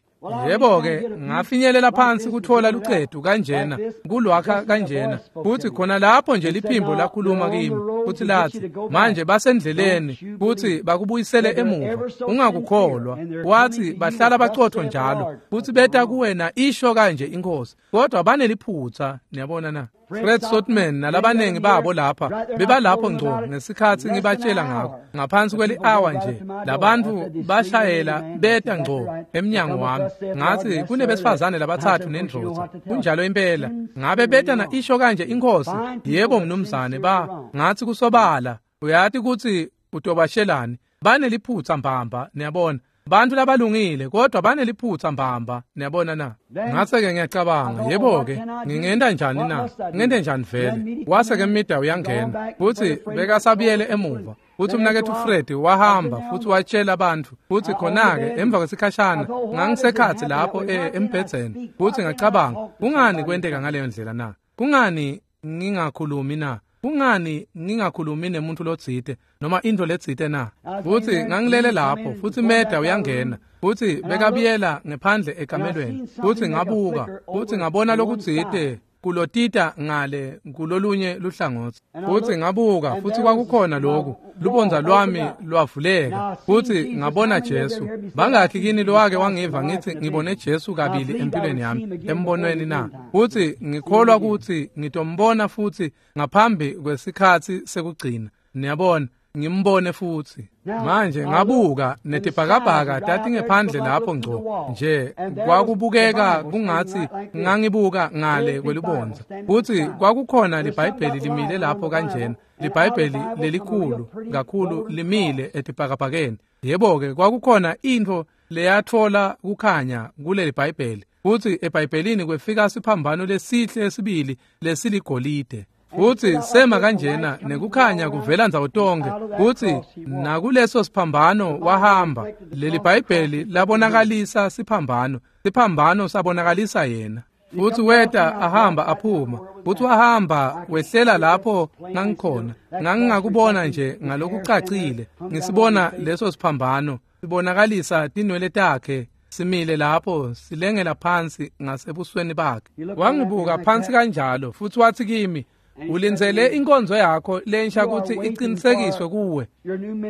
Yebo-ke ngafinyelela phansi kuthola lucetu kanjena, kulwakha kanjena. Futhi khona lapho nje liphimbo lakhuluma kimi, futhi lathi, manje basendleleni futhi bakubuyisele emuva. Ungakukholwa. Wathi bahlala bacotho njalo, futhi beta kuwena isho kanje inkosi. Kodwa baneliphutha, niyabona na? Fred Sotman nalabanengi babo lapha bebalapho ngco ngesikhathi ngibatshela ngakho. Ngaphansi kweli-hour nje labantu bashayela beta ngco emnyango wami. Ngathi kunebesifazane labathathu nendvodza. Kunjalo impela. Ngabe beta na isho kanje inkosi? Yebo mnumzane, ba ngathi kusobala. Uyati ukuthi utobashelani. Baneliphutha mbamba, niyabona. Bantu labalungile kodwa baneliphutha mbamba, niyabona na? Ngase-ke ngiyacabanga, yebo-ke ngingenta njani na? Ngente njani vele? Wase-ke Mida uyangena, futhi bekasabuyele emuva. Futhi umnaketfu Fred wahamba futhi watshela abantu. Futhi khona-ke emva kwesikhashana ngangisekhathi lapho embhedzeni. Futhi ngacabanga, kungani kwenteka ngaleyo ndlela na? Kungani ngingakhulumi na? Kungani ngingakhulumi nemuntu lotsite noma into letsite na? Futhi ngangilele lapho, futhi Meda uyangena, futhi bekabiyela ngephandle ekamelweni. Futhi ngabuka, futhi ngabona lokutsite kulotita ngale kulolunye luhlangothi. Futhi ngabuka, futhi kwakukhona lokhu, lubonza lwami lwavuleka, futhi ngabona Jesu. Bangakhi kini lowake wangiva ngithi ngibone Jesu kabili empilweni yami embonweni na? Futhi ngikholwa ukuthi ngitombona futhi ngaphambi kwesikhathi sekugcina. Niyabona, ngimbone futhi. Manje ngabuka netibhakabhaka tatingephandle lapho ngco nje, kwakubukeka kungathi ngangibuka ngale kwelubonza. Futhi kwakukhona liBhayibheli limile lapho kanjena, liBhayibheli lelikhulu kakhulu limile etibhakabhakeni. Yebo-ke kwakukhona intfo leyatfola kukhanya kuleli Bhayibheli. Futhi eBhayibhelini kwefika siphambano lesihle sibili lesiligolide. Futhi sema kanjena nekukhanya kuvela ndzawo tonke. Futhi nakuleso siphambano wahamba. Leli Bhayibheli labonakalisa siphambano, siphambano sabonakalisa yena. Futhi weta ahamba aphuma. Futhi wahamba wehlela lapho ngangikhona. Ngangingakubona nje ngalokucacile. Ngisibona leso siphambano sibonakalisa tinwele takhe simile lapho silengela phansi ngasebusweni bakhe. Wangibuka phansi kanjalo futhi wathi kimi, ulindzele inkonzo yakho lensha ukuthi iqinisekiswe kuwe.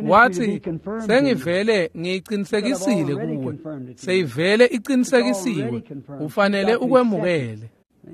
Wathi sengivele ngiyiqinisekisile kuwe, seyivele iqinisekisiwe, ufanele ukwemukele.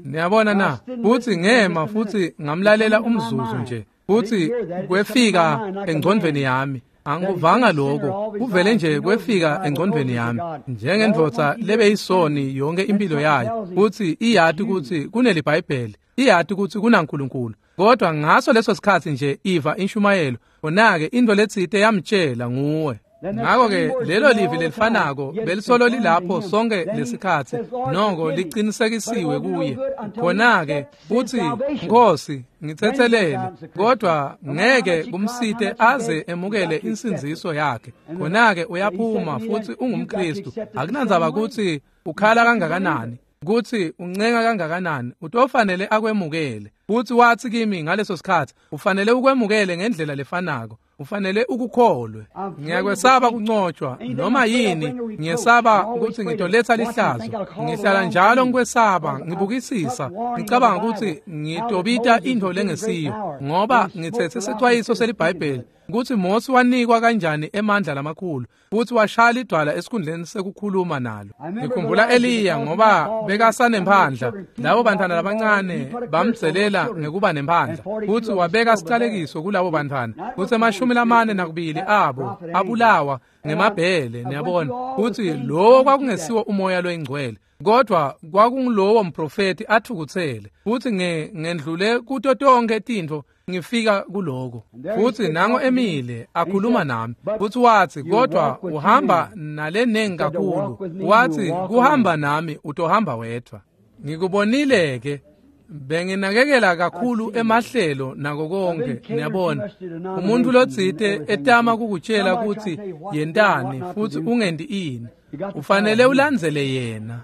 Niyabona na? Futhi ngema futhi ngamlalela umzuzu nje, futhi kwefika engcondvweni yami. Angikuvanga lokho, kuvele nje kwefika engcondvweni yami njengendvodza lebeyisoni yonke impilo yayo, futhi iyati ukuthi kuneliBhayibheli, iyati ukuthi kunaNkulunkulu. Kodwa ngaso leso sikhathi nje iva inshumayelo, khona-ke into letsite yamtshela nguwe. Ngakho-ke lelo livi lelifanako belisolo lilapho sonke lesikhathi, noko liqinisekisiwe kuye. Khona-ke uthi, Nkosi, ngithethelele, kodwa ngeke kumsite aze emukele insindziso yakhe. Khona-ke uyaphuma futhi ungumKristu. Akunandzaba ukuthi ukhala kangakanani, kutsi uncenga kangakanani, utofanele akwemukele. Futhi wathi kimi ngaleso sikhathi, ufanele ukwemukele ngendlela lefanako, ufanele ukukholwe. Ngiyakwesaba kuncotshwa noma yini, ngiyesaba ukuthi ngitoletha lihlazo. Ngihlala njalo ngikwesaba, ngibukisisa, ngicabanga ukuthi ngitobita into lengesiyo, ngoba ngithethe isixwayiso seliBhayibheli ukuthi Mose wanikwa kanjani emandla lamakhulu futhi washaya idwala esikhundleni sekukhuluma nalo. Ngikhumbula Eliya ngoba bekasanemphandla, labo bantwana labancane bamdzelela ngekuba nemphandla, futhi wabeka sicalekiso kulabo bantwana, futhi 42 abo abulawa ngemabhele. Niyabona futhi lowo kwakungesiwo umoya loyingcwele, kodwa kwakungulowo mprofeti athukuthele. Futhi ngendlule kuto tonke tintfo ngifika kuloko. Futhi nango emile akhuluma nami, futhi wathi, kodwa uhamba nalenengi kakhulu. Wathi, kuhamba nami utohamba wedwa. Ngikubonile ke, benginakekela kakhulu emahlelo nako konke. Niyabona, umuntu lotsite etama kukutshela ukuthi yentani futhi ungendi ini, ufanele ulandzele yena.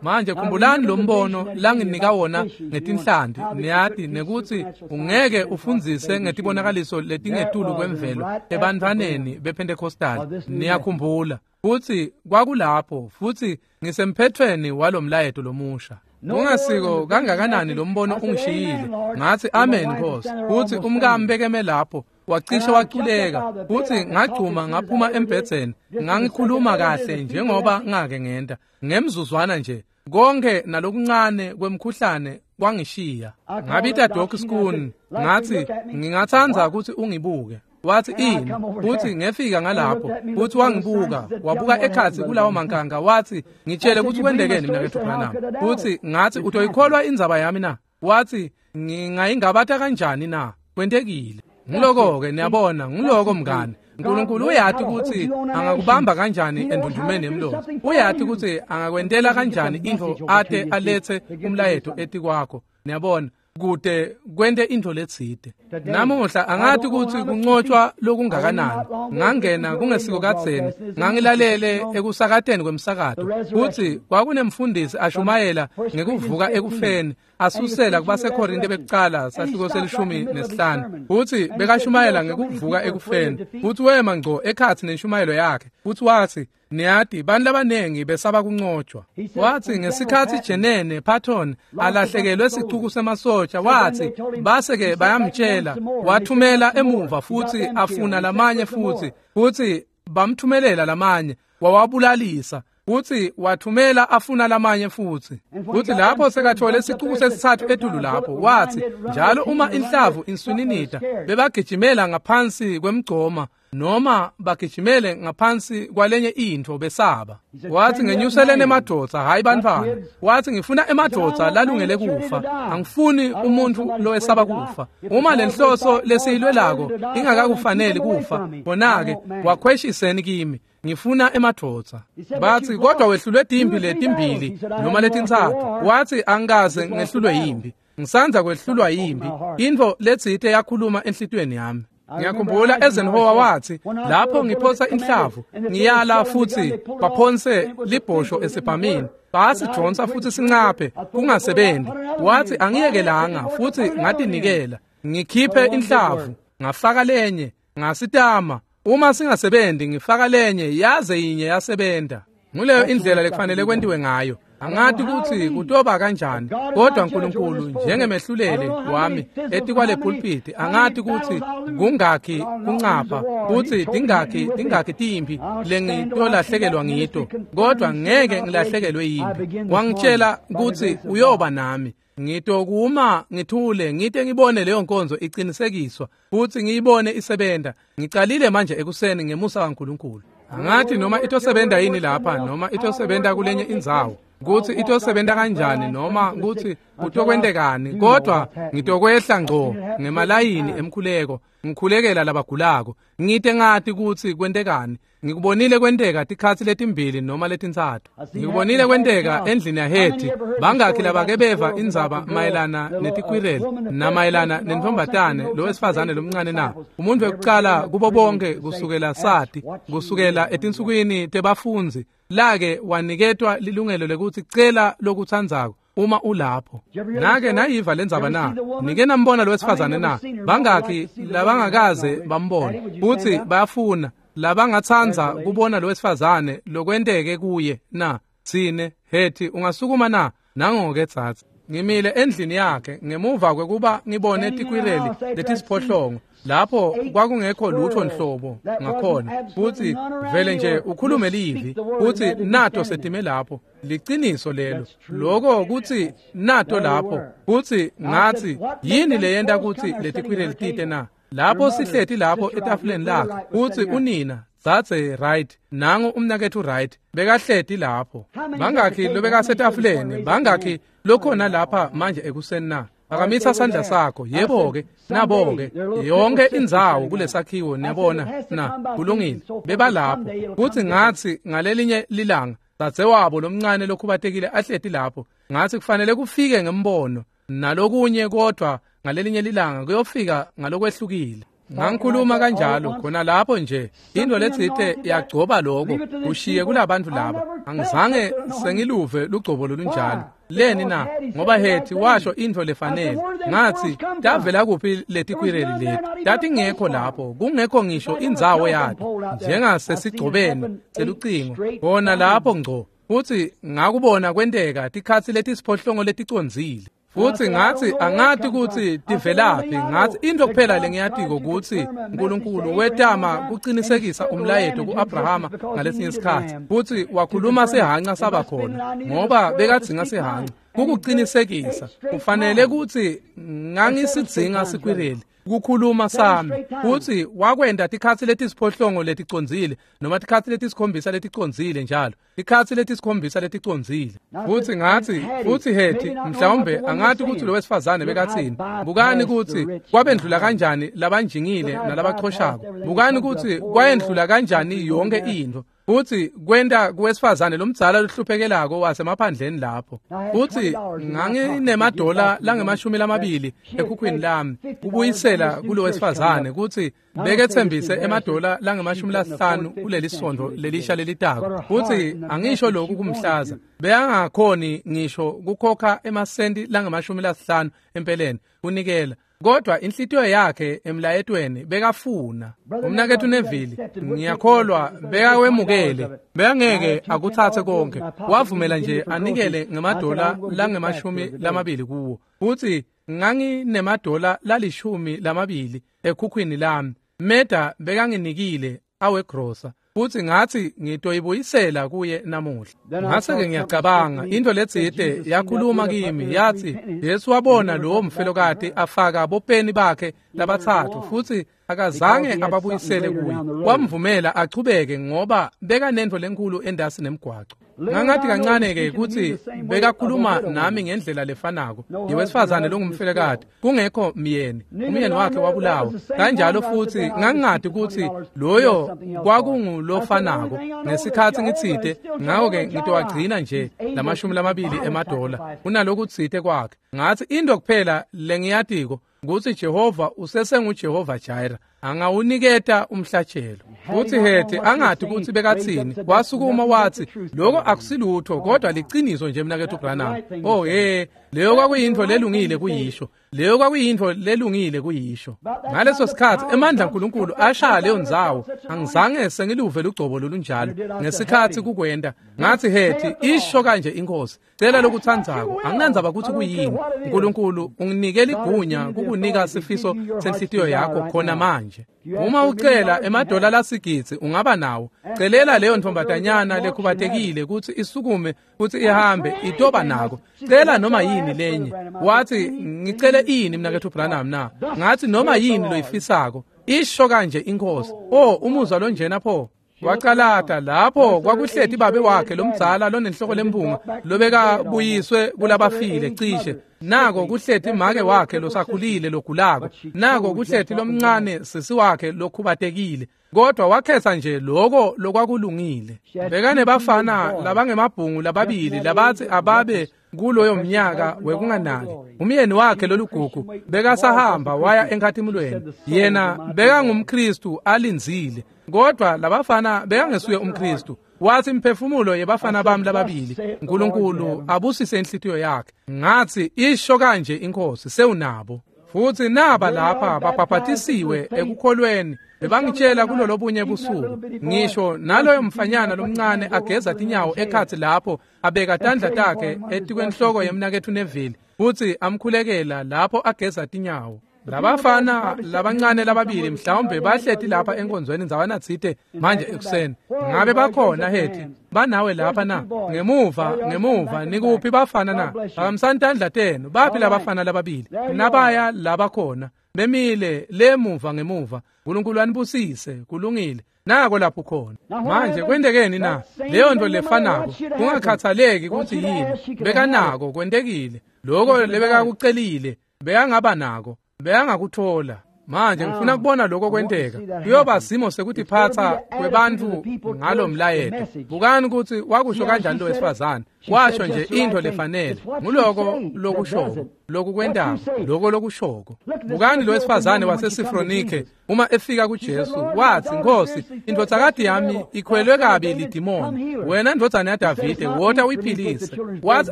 Manje khumbulani lo mbono langinika wona ngetinhlanti, niyati nekuthi ungeke ufundzise ngetibonakaliso letingetulu kwemvelo ebantwaneni bePentecostal. Niyakhumbula futhi kwakulapho, futhi ngisemphethweni walomlayeto lomusha. Ungasiko kangakanani lo mbono ungishiyile. Ngathi, amen Nkosi. Futhi umkami bekeme lapho, wacishe waculeka, futhi ngagcuma ngaphuma embhedzeni. Ngangikhuluma kahle njengoba ngake ngenta. Ngemzuzwana nje, konke nalokuncane kwemkhuhlane kwangishiya. Ngabita Doc Schoon, ngathi, ngingathanda ukuthi ungibuke. Wathi, ini? Futhi ngefika ngalapho, futhi wangibuka, wabuka ekhatsi kulawo mankanga, wathi, ngitshele ukuthi kwendekeni mnaketfu Branham. Futhi ngathi, utoyikholwa indzaba yami na? Wathi, ngingayingabata kanjani na? Kwentekile. Ngiloko-ke, niyabona, ngiloko mngani. uNkulunkulu uyati ukuthi angakubamba kanjani endundumeni yemlomo. Uyati ukuthi angakwentela kanjani intfo ate alethe umlayeto etikwakho. Niyabona, kude kwente intfo letsite. Namuhla angathi ukuthi kuncotshwa lokungakanani. Ngangena kungesiko kadzeni, ngangilalele ekusakateni kwemsakato, kutsi kwakunemfundisi ashumayela ngekuvuka ekufeni, asusela kubaseKorinte bekucala sahluko se-15, futhi bekashumayela ngekuvuka ekufeni. Futhi wema ngco ekhatsi nenshumayelo yakhe, futhi wathi, niyati bantu labanengi besaba kuncotshwa. Wathi ngesikhathi Jenene Patton alahlekelwe sicuku semasotsha, wathi base-ke bayamtshela, wathumela emuva futhi afuna lamanye futhi, futhi bamthumelela lamanye, wawabulalisa. Futhi wathumela afuna lamanye futhi. Futhi lapho sekathole isicuku sesithathu etulu lapho, wathi njalo uma inhlavu inswininida bebagijimela ngaphansi kwemgcoma noma bagijimele ngaphansi kwalenye intfo besaba. Wathi, ngenyuseleni emadvodza, hayi bantfwana. Wathi, ngifuna emadvodza lalungele kufa, angifuni umuntu lowesaba kufa. Uma lenhloso lesiyilwelako ingakakufaneli kufa, bona-ke wakhweshiseni kimi, ngifuna emadvodza. Bathi, kodwa wehlulwe timpi letimbili noma letintsatfu. Wathi, angikaze ngehlulwe yimpi, ngisandza kwehlulwa yimpi. Intfo letsite yakhuluma enhlitiyweni yami. Ngiyakhumbula Eisenhower wathi, lapho ngiphosa inhlavu ngiyala futhi baphonse libhosho esibhamini, basidonsa futhi sincaphe kungasebenzi. Wathi, angiyekelanga futhi ngatinikela, ngikhiphe inhlavu ngafaka lenye, ngasitama, uma singasebenzi ngifaka lenye, yaze yinye yasebenta. Nguleyo indlela lekufanele kwentiwe ngayo. Angathi ukuthi kutoba kanjani, kodwa uNkulunkulu njengemehluleli wami etikwale pulpit, angathi ukuthi kungakhi kuncapha futhi tingakhi timpi lengitolahlekelwa ngito, kodwa ngeke ngilahlekelwe yimpi. Wangitshela ukuthi uyoba nami. Ngitokuma ngithule ngite ngibone leyo nkonzo iqinisekiswa futhi ngiyibone isebenta. Ngicalile manje ekuseni ngemusa kaNkulunkulu. Angathi noma itosebenta yini lapha noma itosebenta kulenye indzawo. kutsi itosebenta kanjani noma kutsi kutokwentekani, kodwa ngitokwehla ngco ngemalayini emkhuleko, ngikhulekela labagulako, ngite ngati kutsi kwentekani. Ngikubonile kwenteka tikhatsi letimbili noma letintsatfu. Ngikubonile kwenteka endlini yaHeti. Bangakhi labake beva indzaba mayelana netikwireli namayelana nentombatane lowesifazane lomncane na? Umuntu wekucala kubo bonke kusukela sati, kusukela etinsukwini tebafundzi, lake waniketwa lilungelo lekutsi cela lokutsandzako uma ulapho. Nake nayiva lendzaba na? Nike nambona lowesifazane na? Bangakhi labangakaze bambone? Futsi bayafuna labangatsandza kubona lowesifazane lokwenteke kuye na? Tsine Heti, ungasukuma na? Nango-ke tsatsa. Ngimile endlini yakhe ngemuva kwekuba ngibone tikwireli letisiphohlongo lapho kwakungekho lutho nhlobo ngakhona, futsi vele nje ukhulume livi futsi nato setime lapho. Liciniso lelo, lokho kutsi nato lapho. Futsi ngatsi, yini leyenta kutsi letikwireli tite na? Lapho sihleti lapho etafuleni lakhe, futsi unina dzadze Wright, nangu umnaketfu Wright bekahleti lapho. Bangakhi lobekasetafuleni? Bangakhi lokhona lapha manje ekuseni na? Phakamisa sandla sakho. Yebo-ke, nabo-ke yonke indzawo kulesakhiwo, niyabona na? Kulungile, bebalapho. Futsi ngatsi ngalelinye lilanga dzadzewabo lomncane lokhubatekile ahleti lapho, ngatsi kufanele kufike ngembono nalokunye, kodvwa ngalelinye lilanga kuyofika ngalokwehlukile. Ngangikhuluma kanjalo khona lapho nje, into letsite yagcoba lokho kushiye kulabantu laba. Angizange sengiluve lugcobo lolunjalo. Leni na? Ngoba Heti washo intfo lefanele. Ngatsi, tavela kuphi letikwireli leti? Tatingekho lapho, kungekho ngisho indzawo yato, njengasesigcobeni selucingo khona lapho ngco. Futsi ngakubona kwenteka tikhatsi letisiphohlongo leticondzile. Futsi ngatsi, angati kutsi tivelaphi. Ngatsi, intfo kuphela lengiyatiko kutsi uNkulunkulu wetama kucinisekisa umlayeto ku-Abrahama ngalesinye isikhatsi, futsi wakhuluma sihanca saba khona, ngoba bekadzinga sihanca kukucinisekisa. Kufanele kutsi ngangisidzinga sikwireli kukhuluma sami. Futsi wakwenta tikhatsi letisiphohlongo leticondzile, noma tikhatsi letisikhombisa leticondzile, njalo tikhatsi letisikhombisa leticondzile. Futsi ngatsi, futsi Heti mhlawumbe angati kutsi lowesifazane bekatsini. Bukani kutsi kwabendlula kanjani labanjingile nalabachoshako. Bukani kutsi kwayendlula kanjani yonke intfo. Futsi kwenta kuwesifazane lomdzala lohluphekelako wasemaphandleni lapho. Futsi nganginemadola langemashumi lamabili ekhukhwini lami kubuyisela kulowesifazane kutsi beketsembise emadola langemashumi lasihlanu kuleli sontfo lelisha lelitako. Futsi angisho lokhu kumhlaza, bekangakhoni ngisho kukhokha emasenti langemashumi lasihlanu empeleni kunikela, kodwa inhlitiyo yakhe emlayetweni bekafuna. Umnaketfu Neville, ngiyakholwa bekawemukele, bekangeke akutsatse konke, wavumela nje anikele ngemadola langemashumi lamabili kuwo. Futsi nganginemadola lalishumi lamabili ekhukhwini lami, Meda bekanginikile awegrosa. Futsi ngatsi ngitoyibuyisela kuye namuhla. Ngase-ke ngiyacabanga, intfo letsite yakhuluma kimi, yatsi Jesu wabona lowo mfelokati afaka bopeni bakhe labatsatfu, futsi akazange ababuyisele kuye. Wamvumela achubeke ngoba bekanentfo lenkhulu endasi nemgwaco. Ngangathi kancane-ke kutsi bekakhuluma nami ngendlela lefanako yewesifazane longumfelokati, kungekho myeni, umyeni wakhe wabulawa kanjalo. Futsi ngangingati kutsi loyo kwakungulofanako ngesikhatsi ngitsite, ngako-ke ngitowagcina nje lamashumi lamabili emadola kunalokutsite kwakhe. Ngatsi, intfo kuphela lengiyatiko kutsi Jehova usesenguJehova Jireh, angawuniketa umhlatshelo. Futsi Heti angati kutsi bekatsini, wasukuma watsi, lokho akusilutho kodwa liciniso nje mnaketfu Branham. Oh he, leyo kwakuyintfo lelungile kuyisho. Leyo kwakuyintfo lelungile kuyisho. Ngaleso sikhatsi emandla aNkulunkulu ashaya leyo ndzawo. Angizange sengiluve lugcobo lolunjalo ngesikhatsi kukwenta. Ngatsi, Heti, isho kanje inkosi, cela lokutsandzako, anginandzaba kutsi kuyini. Nkulunkulu unginike ligunya kukunika sifiso senhlitiyo yakho khona manje. Uma ucela emadola lasigidzi ungaba nawo. Celela leyo ntombatanyana lekhubatekile kutsi isukume futsi ihambe, itoba nako. Cela noma yini lenye. Watsi, ngicele ini mnaketfu Branham na? Ngatsi, noma yini loyifisako. Isho kanje inkosi. Oh, umuzwa lonjena pho. Wacalata lapho kwakuhleti babe wakhe lomdzala lonenhloko lempunga lobekabuyiswe kulabafile cishe. Nako kuhleti make wakhe losakhulile logulako. Nako kuhleti lomncane sisi wakhe lokhubatekile. Kodwa wakhetha nje lokho lokwakulungile. Bekanebafana labangemabhungu lababili labathi ababe kuloyo mnyaka wekunganaki. Umyeni wakhe lolugugu bekasahamba waya enkhatimulweni. Yena bekangumKristu alindzile. Kodwa labafana bekangesuye umKristu. Wathi imphefumulo yebafana bami lababili, uNkulunkulu abusise inhlitiyo yakhe. Ngathi isho kanje inkosi sewunabo. Futhi naba lapha babhabhatisiwe ekukholweni. Bebangitshela kulolobunye busuku ngisho naloyo mfanyana lomncane ageza tinyawo ekhatsi lapho abeka tandla takhe etikwenhloko yemnaketfu Neville futhi amkhulekela lapho ageza tinyawo. Labafana labancane lababili mhlawumbe bahleti lapha enkonzweni ndzawana tsite manje ekuseni. Ngabe bakhona hethi banawe lapha na? Ngemuva nikuphi bafana na? Phakamisani tandla tenu. Baphi labafana lababili? Nabaya labakhona bemile lemuva ngemuva. uNkulunkulu anibusise. Kulungile. Nako lapho khona. Manje kwentekeni na? Leyo nto lefanako kungakhathaleki kutsi yini bekanako kwentekile. Lokho lebekakucelile bekangaba nako, bekangakuthola. Manje ngifuna kubona lokho kwenteka. Kuyoba simo sekutiphatsa kwebantfu ngalomlayeto. Bukani ukuthi wakusho kanjani lo wesifazane. Washo nje into lefanele. Nguloko lokushoko, lokukwentako, lokho lokushoko. Bukani lo wesifazane waseSifronike uma efika kuJesu wathi, Nkosi, indvodzakati yami ikhwelwe kabi lidimoni. Wena ndvodzana yaDavide, wota uyiphilise. Wathi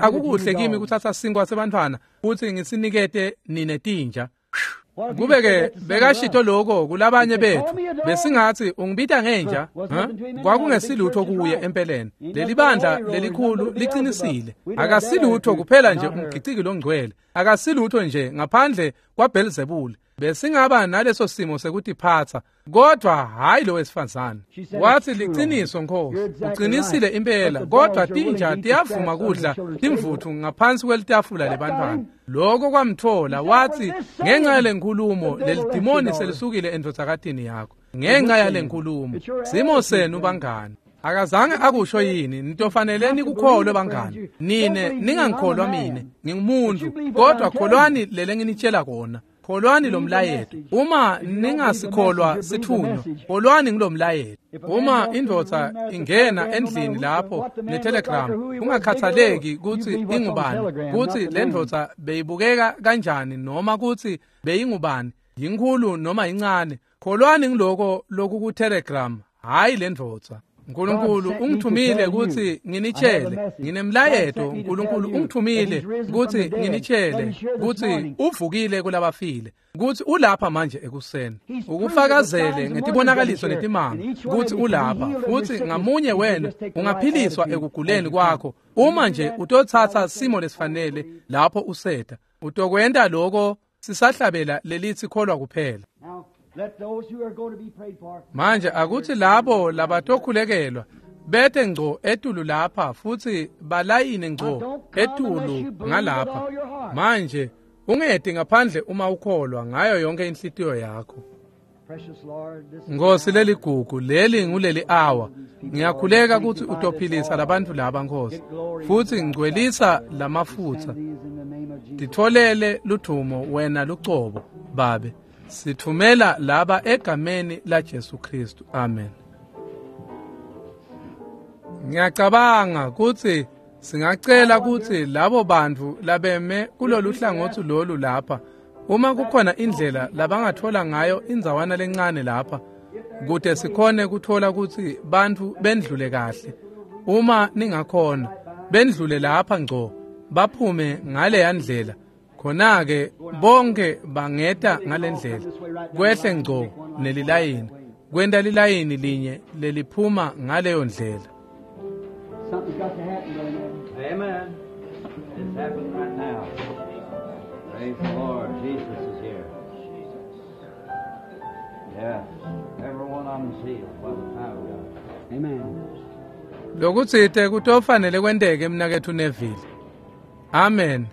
akukuhle kimi kuthatha sinkwa sebantfwana futhi ngisinikete nine tinja. Kube-ke bekashito lokho kulabanye bethu besingathi ungibita ngenja. Kwakungesilutho kuye empeleni. Leli bandla lelikhulu liqinisile. Akasilutho kuphela nje umgiciki longcwele. Akasilutho nje ngaphandle kwaBelzebul. Besingaba naleso simo sekutiphatsa, kodwa hayi lo wesifazane. Wathi liqiniso Nkosi, uqinisile impela, kodwa tinja tiyavuma kudla timvuthu ngaphansi kwelitafula lebantwana. Lokho kwamthola. Wathi ngenxa yalenkulumo lelidimoni selisukile endvodzakatini yakho. Ngenxa yalenkulumo. Simo senu bangani. Akazange akusho yini nitofanele nikukholwe bangani. Nine ningangikholwa mine, ngingumuntu, kodwa kholwani lele nginitshela kona. Kholwani lo mlayeto. Uma ningasikholwa sithunywa, kholwani ngilomlayeto. Uma indvodza ingena endlini lapho netelegram, kungakhathaleki kutsi ingubani, kutsi le ndvodza beyibukeka kanjani noma kutsi beyingubani, yinkhulu noma incane, kholwani ngiloko lokuku-telegram, hhayi le ndvodza. uNkulunkulu ungithumile kutsi nginitshele, nginemlayeto. uNkulunkulu ungithumile kutsi nginitshele kutsi uvukile kulabafile, kutsi ulapha manje ekuseni. Ukufakazele ngetibonakaliso netimanga kutsi ulapha, futsi ngamunye wena ungaphiliswa ekuguleni kwakho uma nje utotsatsa simo lesifanele lapho useta. Utokwenta lokho sisahlabela lelithi kholwa kuphela. Manje akuthi labo labatokhulekelwa bete ngco etulu lapha futhi balayine ngco etulu ngalapha. Manje ungeti ngaphandle uma ukholwa ngayo yonke inhlitiyo yakho. Nkosi leligugu, leli nguleli awa. Ngiyakhuleka kutsi utophilisa labantu laba Nkosi, futhi ngcwelisa lamafutsa. Titfolele ludvumo wena lucobo Babe. Sithumela laba egameni la Jesu Kristu. Amen. Ngiyacabanga kutsi singacela kutsi labo bantu labeme kulolu hlangothi lolu lapha, uma kukhona indlela labangathola ngayo indzawana lencane lapha, kute sikhone kuthola kutsi bantfu bendlule kahle. Uma ningakhona bendlule lapha ngco baphume ngaleya ndlela, khona-ke bonke bangeta ngalendlela kwehle ngco nelilayini, kwenta lilayini linye leliphuma ngaleyo ndlela. Something's got to happen, Brother Neville. Amen. It's happening right now. Praise the Lord. Jesus is here. Yes. Every one of them's healed by the power of God. Amen. Lokutsite kutofanele kwenteke mnaketfu Neville. Amen.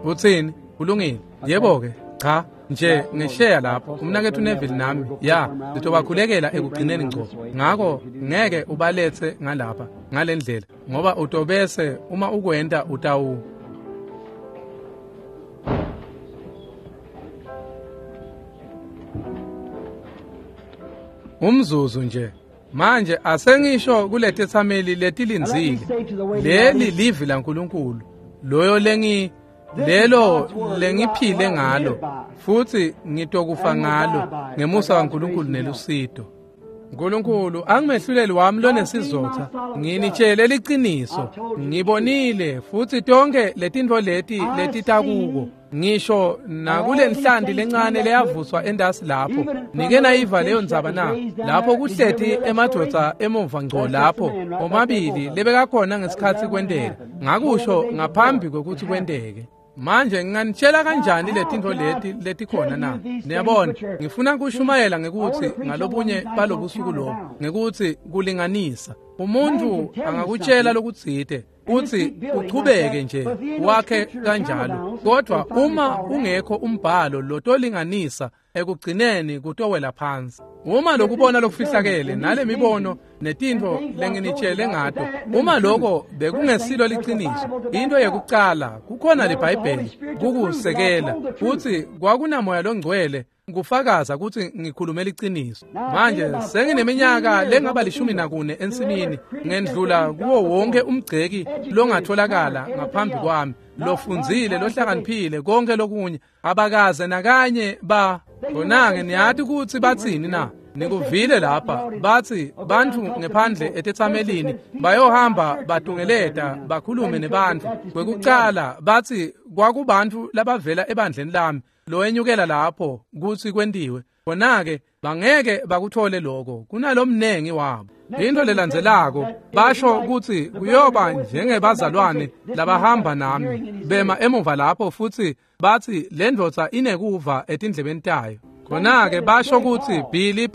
Utsini? Kulungile. Yebo-ke. Cha. nje ngesheya lapho umnaketfu Neville nami ya sitobakhulekela ekugcineni ngco. Ngako ngeke ubaletse ngalapha ngalendlela ngoba utobese uma ukwenta utawu umzuzu nje. Manje asengisho kuletetsameli letilindzile, leli livi laNkulunkulu loyo lelo lengiphile ngalo futhi ngitokufa ngalo ngemusa waNkulunkulu nelusito. Nkulunkulu angimehluleli wami lonesizotha, nginitshele liciniso, ngibonile futhi tonke letintfo leti letitakuko ngisho nakulenhlanti lencane leyavuswa endasi lapho. Nike nayiva leyo ndzaba na? Lapho kuhleti emadvodza emuva ngco lapho omabili lebekakhona ngesikhatsi kwenteka. Ngakusho ngaphambi kwekutsi kwenteke. Manje nginganitshela kanjani letintfo leti letikhona na? Niyabona, ngifuna kushumayela ngekutsi ngalobunye balobusuku lobu, ngekutsi kulinganisa. Umuntu angakutshela lokutsite uthi uchubeke nje wakhe kanjalo, kodwa uma ungekho umbhalo lotolinganisa ekugcineni kutowela phansi. Uma lokubona lokufihlakele nale mibono netintfo lenginitshele ngato, uma lokho bekungesilo liciniso, into yekucala kukhona liBhayibheli kukusekela kutsi kwakunamoya longcwele kufakaza kutsi ngikhulume liciniso. Manje sengineminyaka lengaba 14 ensimini, ngendlula kuwo wonke umgceki longatholakala ngaphambi kwami, lofundzile, lohlakaniphile, konke lokunye, abakaze nakanye ba khona-ke. Niyati kutsi batsini na? Nikuvile lapha batsi bantfu ngephandle etetsamelini bayohamba batungeleta bakhulume nebantfu. Kwekucala batsi kwakubantfu labavela ebandleni lami lowenyukela lapho kutsi kwentiwe. Khona-ke bangeke bakuthole lokho kunalomnengi wabo. Into lelandzelako basho kutsi kuyoba njengebazalwane labahamba nami bema emuva lapho futhi batsi le ndvodza inekuva etindlebeni tayo. Khona-ke basho kutsi Billy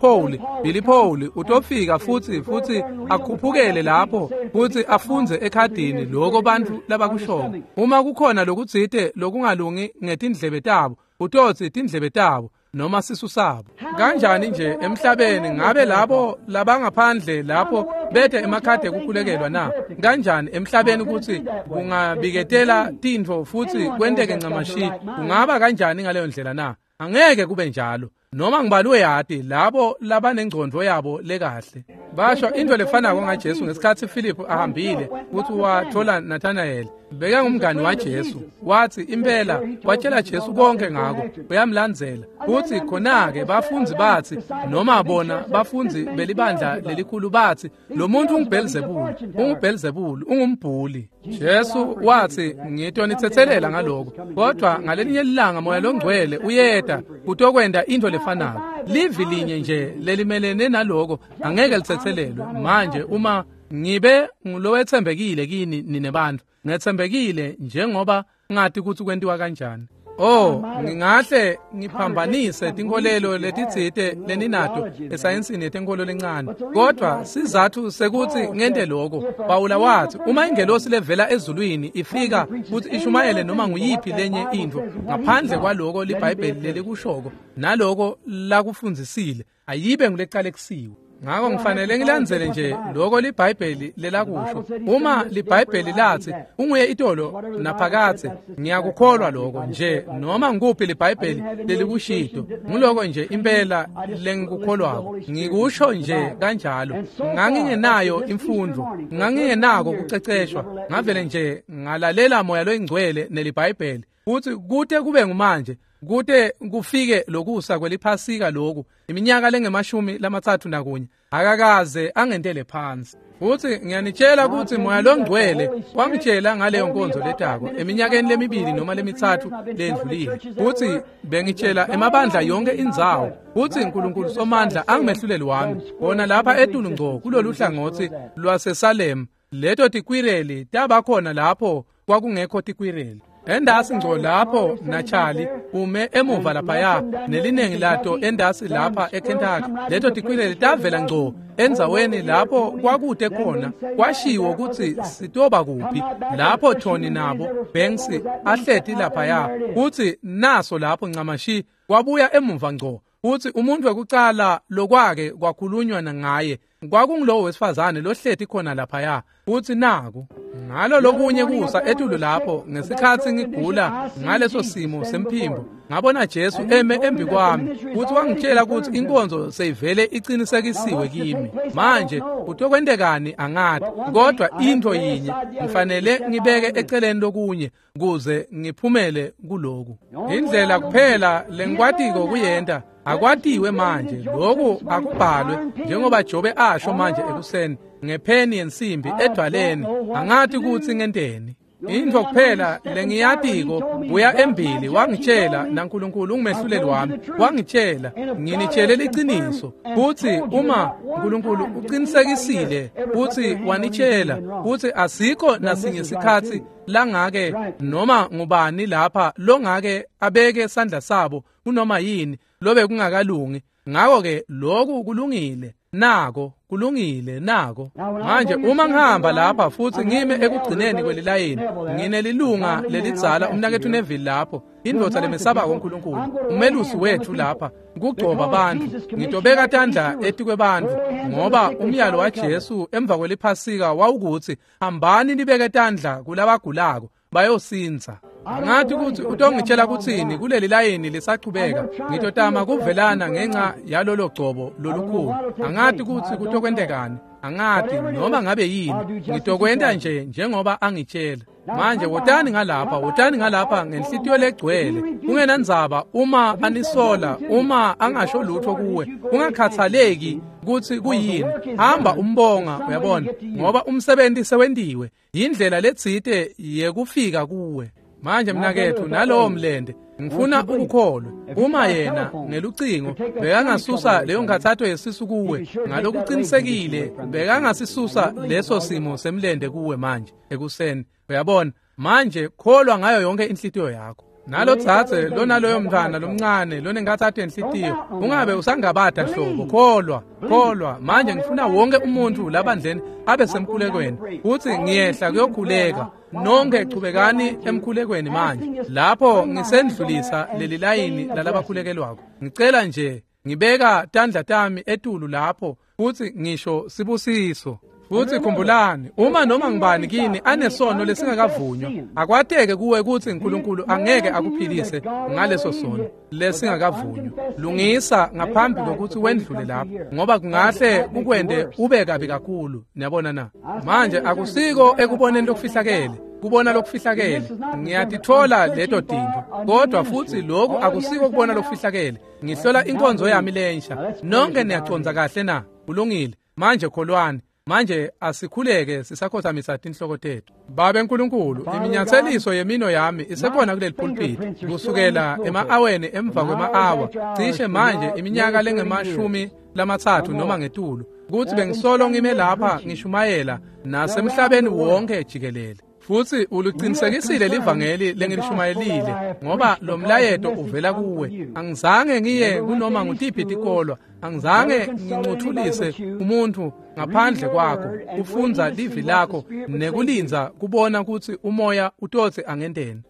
Paul utofika futhi akhuphukele lapho futhi afundze ekhadini lokho bantfu labakushoko. Uma kukhona lokutsite lokungalungi ngetindlebe tabo, utotsi tindlebe tabo noma sisu sabo. Kanjani nje emhlabeni ngabe labo labangaphandle lapho bete emakhadi ekukhulekelwa na? Kanjani emhlabeni kutsi kungabiketela tintfo futhi kwenteke ncamashi? Kungaba kanjani ngaleyo ndlela na? Angeke kube njalo. Noma ngibani uyati labo labanengcondvo yabo lekahle. Basho into lefanako ngaJesu ngesikhatsi Philip ahambile kutsi wathola Nathanael. Bekangumngani waJesu. Watsi impela watshela Jesu konke ngako, uyamlandzela. Kutsi khona-ke bafundzi batsi noma bona bafundzi belibandla lelikhulu batsi lo muntu unguBhelzebule, ungumbhuli. Jesu watsi ngitonitsetselela ngaloko, kodwa ngalelinye ilanga Moya longcwele uyeta kutokwenta into lefanako. Livi linye nje lelimelene naloko angeke litsetselelwe. Manje uma ngibe ngulowetsembekile kini nine bantfu, ngetsembekile njengoba ngati kutsi kwentiwa kanjani. Oh, ngingahle ngiphambanise tinkholelo letitsite leninato esayensini yetenkholo lencane, kodwa sizatfu sekutsi ngente loko. Pawula watsi uma ingelosi levela ezulwini ifika kutsi ishumayele noma nguyiphi lenye intfo ngaphandle kwaloko liBhayibheli lelikushoko naloko lakufundzisile, ayibe ngulecalekisiwe. Ngako ngifanele ngilandzele nje lokho liBhayibheli lelakusho. Uma liBhayibheli latsi unguye itolo naphakathe, ngiyakukholwa lokho nje. Noma ngikuphi liBhayibheli lelikushito, nguloko nje impela lengikukholwako. Ngikusho nje kanjalo. Ngangingenayo imfundvo, ngangingenako kuceceshwa, ngavele nje ngalalela Moya loyingcwele neliBhayibheli. Futhi kute kube ngumanje, kute kufike lokusa kweliphasika lokhu, iminyaka lengu-31, akakaze angentele phansi. Futhi ngiyanitshela ukuthi Moya longcwele wangitshela ngaleyo nkonzo letako eminyakeni lemibili noma lemithathu lendlulile. Futhi bengitshela emabandla yonke indzawo futhi uNkulunkulu Somandla angimehluleli wami bona lapha etulu ngco kulolu hlangothi lwaseSalem. Leto tikwireli tabakhona lapho kwakungekho tikwireli. Endasi ngco lapho naCharlie ume emuva laphaya neliningi lato endasi lapha eKentucky. Leto tikwileli tavela ngco endzaweni lapho kwakute khona kwashiwo kutsi sitoba kuphi lapho Tony nabo Banks ahleti laphaya kutsi naso lapho ncamashi kwabuya emuva ngco kutsi umuntu wekucala lokwake kwakhulunywa ngaye kwakungulowo wesifazane lohleti khona laphaya kutsi naku ngalo lokunye kusa etulu lapho ngesikhatsi ngigula ngaleso simo semphimbo ngabona Jesu eme embi kwami kutsi wangitshela kutsi inkonzo seyivele icinisekisiwe kimi. Manje kutokwentekani angati, kodwa into yinye ngifanele ngibeke eceleni lokunye kuze ngiphumele kuloku. Indlela kuphela lengikwatiko kuyenta akwatiwe manje, lokhu akubhalwe njengoba Jobe asho manje ekuseni ngepheni yensimbi edwaleni, angati kutsi ngenteni. Into kuphela lengiyatiko kuya embili wangitshela naNkulunkulu ungumehluleli wami, wangitshela nginitshele liciniso kutsi uma uNkulunkulu uqinisekisile kutsi wanitshela kutsi asikho nasinye sikhatsi langake noma ngubani lapha longake abeke sandla sabo kunoma yini lobe kungakalungi. Ngakho-ke lokhu kulungile nako kulungile nako. Manje uma ngihamba lapha futsi ngime ekugcineni kwelilayini nginelilunga lelidzala umnaketfu Neville lapho, indvodza lemesabako uNkulunkulu, umelusi wethu lapha kugcoba bantfu. Ngitobeka tandla etikwebantfu ngoba umyalo waJesu emva kweliphasika wawukutsi hambani nibeke tandla kulabagulako bayosindza. Angathi kutsi utongitshela kutsini kuleli layini lisachubeka. Ngitotama kuvelana ngenxa yalolo gcobo lolukhulu. Angathi kutsi kutokwentekani, angati noma ngabe yini, ngitokwenta nje njengoba angitshela. Manje wotani ngalapha, wotani ngalapha ngenhlitiyo legcwele, kungenandzaba uma anisola, uma angasho lutho kuwe, kungakhathaleki kutsi kuyini, hamba umbonga, uyabona, ngoba umsebenzi sewentiwe, yindlela letsite yekufika kuwe. Manje mnaketfu nalowo mlende ngifuna ukukholwe. Uma yena ngelucingo bekangasusa leyo nkhatsato yesisu kuwe ngalokuqinisekile, bekangasisusa leso simo semlende kuwe manje ekuseni, uyabona. Manje kholwa ngayo yonke inhlitiyo yakho. Nalo dzadze lona loyo mntwana lomncane lonenkhatsato yenhlitiyo, ungabe usangabata nhlobo, kholwa, kholwa. Manje ngifuna wonke umuntu labandleni abe semkhulekweni kutsi ngiyehla kuyokhuleka. Nonke chubekani emkhulekweni manje lapho ngisendlulisa leli layini lalabakhulekelwako. Ngicela nje ngibeka tandla tami etulu lapho futsi ngisho sibusiso. Futsi khumbulani, uma noma ngibani kini anesono lesingakavunywa, akwateke kuwe kutsi uNkulunkulu angeke akuphilise ngaleso sono lesingakavunywa. Lungisa ngaphambi kokuthi wendlule lapho, ngoba kungahle kukwente ube kabi kakhulu. Niyabona na? Manje akusiko ekuboneni lokufihlakele, kubona lokufihlakele, ngiyatithola leto tintfo, kodwa futsi lokhu akusiko kubona lokufihlakele. Ngihlola inkonzo yami lensha. Nonke niyacondza kahle na? Kulungile. Manje kholwani. Manje asikhuleke sisakhothamisa tinhloko tethu. Babe nkulunkulu, iminyatseliso yemino yami isekhona kuleli pulpit kusukela ema-aweni emva kwema-awa, cishe manje iminyaka lengama-30 noma ngetulu, kutsi bengisolo ngime lapha ngishumayela nasemhlabeni wonke jikelele. Futsi uluqinisekisile livangeli lengilishumayelile, ngoba lo mlayeto uvela kuwe. Angizange ngiye kunoma ngutiphi tikolwa, angizange ngincuthulise umuntu ngaphandle kwakho, kufundza livi lakho nekulindza kubona kutsi umoya utotsi angenteni.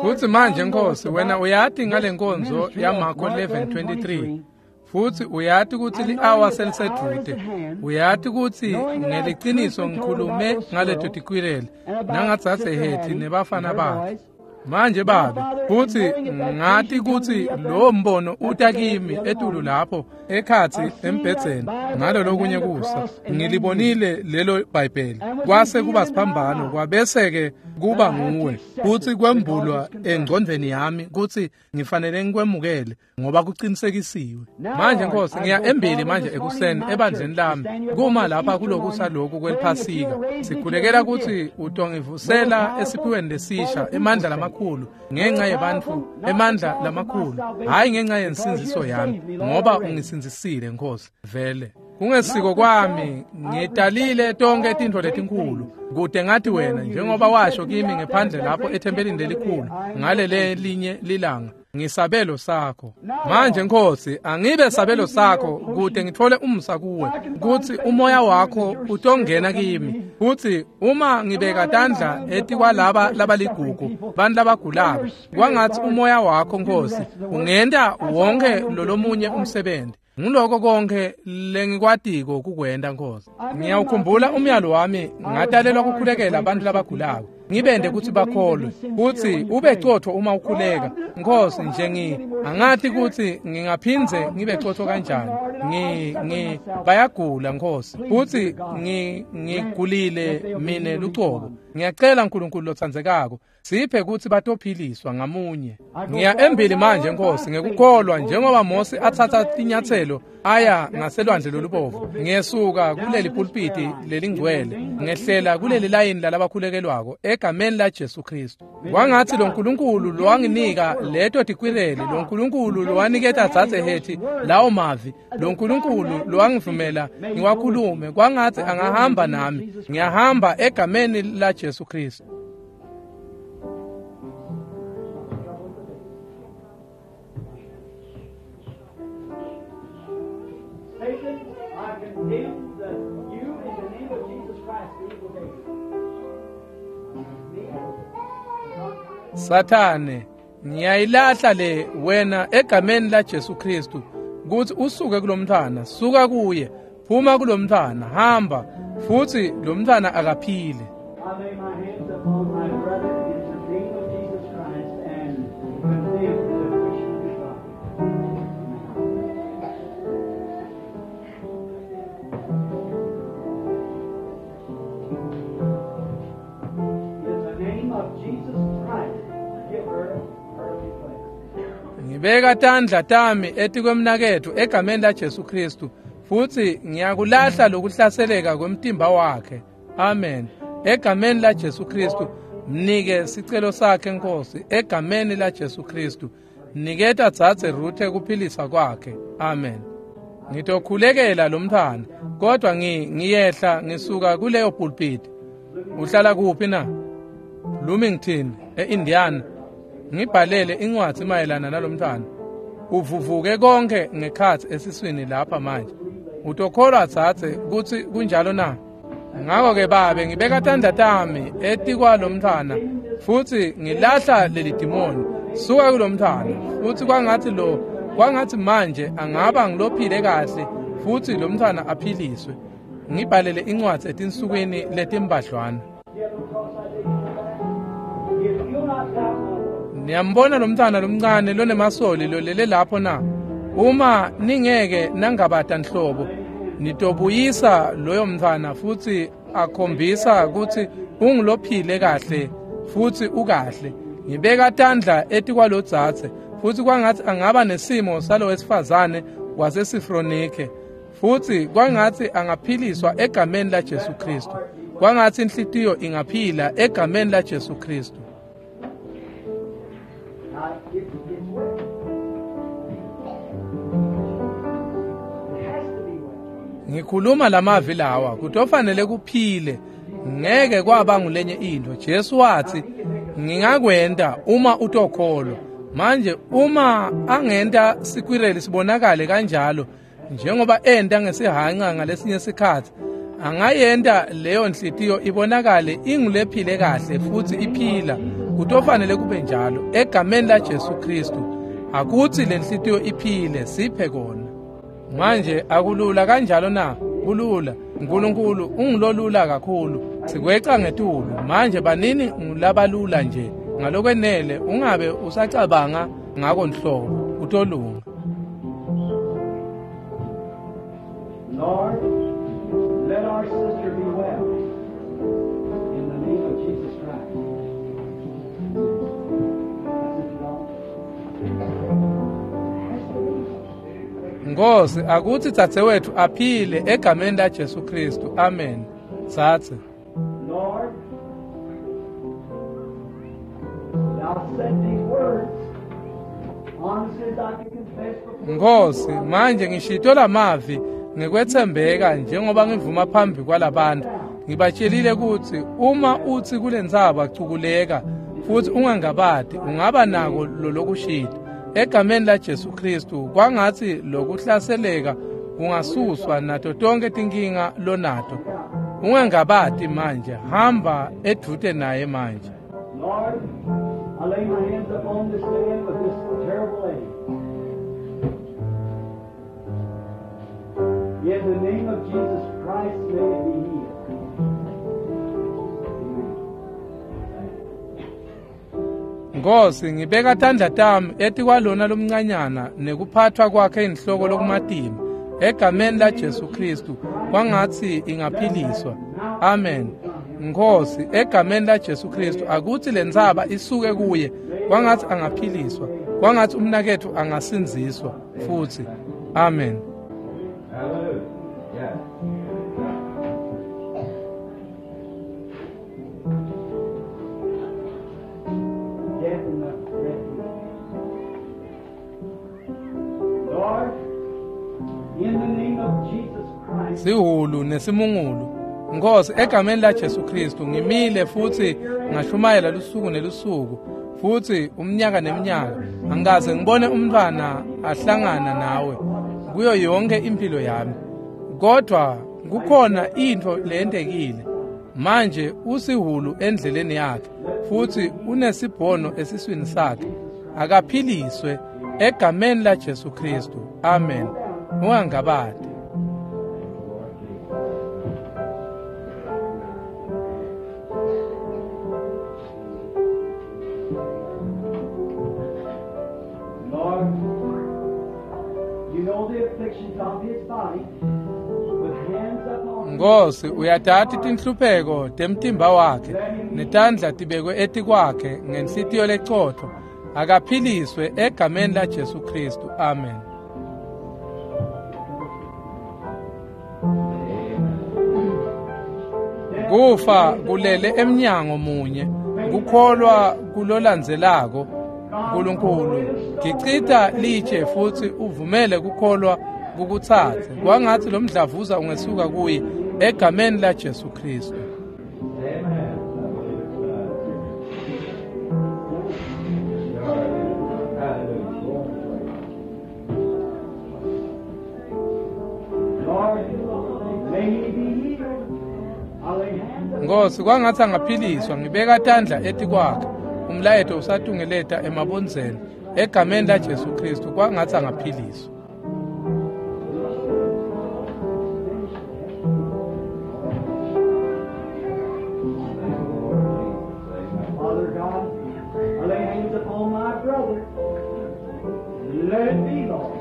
Futsi manje Nkosi, wena uyati ngale nkonzo yaMarko 11:23. Futsi uyati kutsi li-awa selisedvute. Uyati kutsi ngeliciniso ngikhulume ngaleto tikwireli nangadzadze Hetty nebafana bakhe. Manje Babe, futsi ngati kutsi lowo mbono uta kimi etulu lapho ekhatsi embhedzeni ngalo lokunye kusa. Ngilibonile lelo Bhayibheli, kwase kuba siphambano, kwabese-ke kuba nguwe, futsi kwembulwa engcondvweni yami kutsi ngifanele ngikwemukele ngoba kuqinisekisiwe. Manje Nkosi, ngiya embili manje ekuseni ebandleni lami kuma lapha kulokusa lokhu kweliphasika. Sikhulekela kutsi utongivusela esiphiweni lesisha, emandla lamakhulu ngenxa yebantfu, emandla lamakhulu, hhayi ngenxa yensindziso yami, ngoba ungisindzisile Nkosi vele. Kungesiko kwami ngitalile tonke tintfo letinkulu kute ngathi wena njengoba washo kimi ngephandle lapho ethempelini lelikhulu ngalele linye lilanga ngisabelo sakho. Manje Nkosi, angibe sabelo sakho kute ngithole umsa kuwe kutsi umoya wakho utongena kimi, kutsi uma ngibeka tandla etikwalaba labaligugu bantu labagulako, kwangatsi umoya wakho Nkosi ungenta wonke lolomunye umsebenzi. Nguloko konke lengikwatiko kukwenta Nkosi. Ngiyawukhumbula umyalo wami, ngatalelwa kukhulekela abantu labagulako, ngibende kutsi bakholwe, kutsi ube cotfo uma ukhuleka. Nkosi, nje angathi kutsi ngingaphindze ngibe cotfo kanjani. Bayagula Nkosi, kutsi ngigulile mine lucobo. Ngiyacela Nkulunkulu lotsandzekako, siphe kutsi batophiliswa ngamunye. Ngiya embili manje Nkosi ngekukholwa, njengoba Mose atsatsa tinyatselo aya ngaselwandle lolubovu. Ngiyesuka kuleli pulpiti lelingcwele, ngehlela kuleli layini lalabakhulekelwako egameni la Jesu Kristu. Kwangatsi lo Nkulunkulu lowanginika leto tikwireli, lo Nkulunkulu lowaniketa dzadze Hethi lawo mavi, lo Nkulunkulu lowangivumela ngiwakhulume, kwangatsi angahamba nami. Ngiyahamba egameni la Jesu Kristu. Satan, I condemn you in the name of Jesus Christ, the evil day. Sathane, ngiyayilahla le wena egameni la Jesu Kristu, kutsi usuke kulomntfwana, suka kuye, phuma kulomntfwana, hamba, futsi lomntfwana akaphile. I lay my hands upon my brother in the name of Jesus Christ and condemn the affliction of his body. In the name of Jesus Christ, give her her request. Ngibeka tandla tami etikwemnaketfu egameni la Jesu Kristu, futsi ngiyakulahla lokuhlaseleka kwemtimba wakhe. Amen. Egameni la Jesu Kristu, mnike sicelo sakhe Nkosi, egameni la Jesu Kristu. Niketa dzadze Ruthe kuphilisa kwakhe. Amen. Ngitokhulekela lomntfwana, kodwa ngiyehla ngisuka kuleyo pulpit. Uhlala kuphi na? Bloomington, eIndiana. Ngibhalele incwadzi mayelana nalomntfwana. Uvuvuke konke ngekhatsi esiswini lapha manje. Utokholwa dzadze kutsi kunjalo na? Ngako-ke babe, ngibeka tandla tami etikwalomntfwana futsi ngilahla leli dimoni. Suka kulomntfwana, futsi kwangatsi manje angaba ngilophile kahle futsi lomntfwana aphiliswe. Ngibhalele incwadzi etinsukwini letimbadlwana. Niyambona lomntfwana lomncane lonemasoli lolele lapho na? Uma ningeke nangabata nhlobo, nitobuyisa loyo mntfwana futsi akhombisa kutsi ungulophile kahle futsi ukahle. Ngibeka tandla etikwalodzadze futsi kwangatsi angaba nesimo salowesifazane waseSifronike, futsi kwangatsi angaphiliswa egameni la Jesu Kristu. Kwangatsi inhlitiyo ingaphila egameni la Jesu Kristu. Now, it's wet. It has to be wet. Ngikhuluma lamavi lawa kutofanele kuphile, ngeke kwaba ngulenye into. Jesu wathi ngingakwenta uma utokholwa. Manje uma angenta sikwireli sibonakale kanjalo njengoba enta ngesihanca ngalesinye sikhatsi, angayenta leyo nhliziyo ibonakale ingulephile kahle futsi iphila. Kutofanele kube njalo egameni la Jesu Kristu. Akutsi le nhliziyo iphile, siphe kona. Manje akulula kanjalo na? Kulula. Nkulunkulu ungulolula kakhulu. Sikweca ngetulu. Manje banini ngulabalula nje. Ngalokwenele ungabe usacabanga ngako nhlobo. Utolunga. Lord, let our sister be well. In the name of Jesus Christ. That's it, Lord. Has to be. Nkosi, akutsi dzadzewetfu aphile egameni la Jesu Kristu. Amen. Tsatse. Lord, thou said these words, honestly as I can confess before Nkosi, manje ngishito lamavi Ngekwetsembeka njengoba ngivuma phambi kwalabantu, ngibatshelile kutsi uma utsi kulentsaba cukuleka futhi ungangabati, ungaba nako lolokushilo. Egameni laJesu Kristu, kwangatsi lokuhlaseleka kungasuswa nato tonke tinkinga lonato. Ungangabati manje, hamba edvute naye manje. Lord, I lay my hands upon this man with this terrible ache. In the name of Jesus Christ, may it be healed. Amen. Nkosi, ngibeka tandla tami etikwalona lomncanyana nekuphathwa kwakhe inhloko lokumatima. Egameni laJesu Kristu, kwangatsi ingaphiliswa. Amen. Nkosi, egameni laJesu Kristu, akutsi lentsaba isuke kuye, kwangatsi angaphiliswa, kwangatsi umnaketfu angasindziswa futsi. Amen. Hallelujah. Yeah. Death in the refuge. Lord, in the name of Jesus Christ, Sihulu nesimungulu. Nkosi, egameni laJesu Kristu, ngimile futsi ngashumayela lusuku nelusuku, futhi umnyaka neminyaka, angikaze ngibone umntwana ahlangana nawe kuyo yonke impilo yami. Kodwa kukhona intfo leyentekile. Manje usihulu endleleni yakhe, futhi unesibhono esiswini sakhe. Akaphiliswe egameni laJesu Kristu. Amen. Ungangabati. Lord, you know the afflictions of his body, with hands upon him. Nkosi, uyatati tinhlupheko temtimba wakhe, netandla tibekwe etikwakhe ngenhlitiyo lecotfo. Akaphiliswe egameni laJesu Kristu. Amen. Kufa kulele emnyango munye, kukholwa kulolandzelako. Nkulunkulu, gicita litshe futsi uvumele kukholwa kukutsatse. Kwangatsi lo mdlavuza ungesuka kuye egameni laJesu Kristu. Amen. I believe it's done. Hallelujah. Lord, may he be healed. I lay hands upon Nkosi, kwangatsi angaphiliswa, ngibeka tandla etikwakhe. Umlayeto usatungeleta emabondzeni egameni laJesu Kristu, kwangatsi angaphiliswa. Father God, I lay hands upon my brother. Let it be, Lord.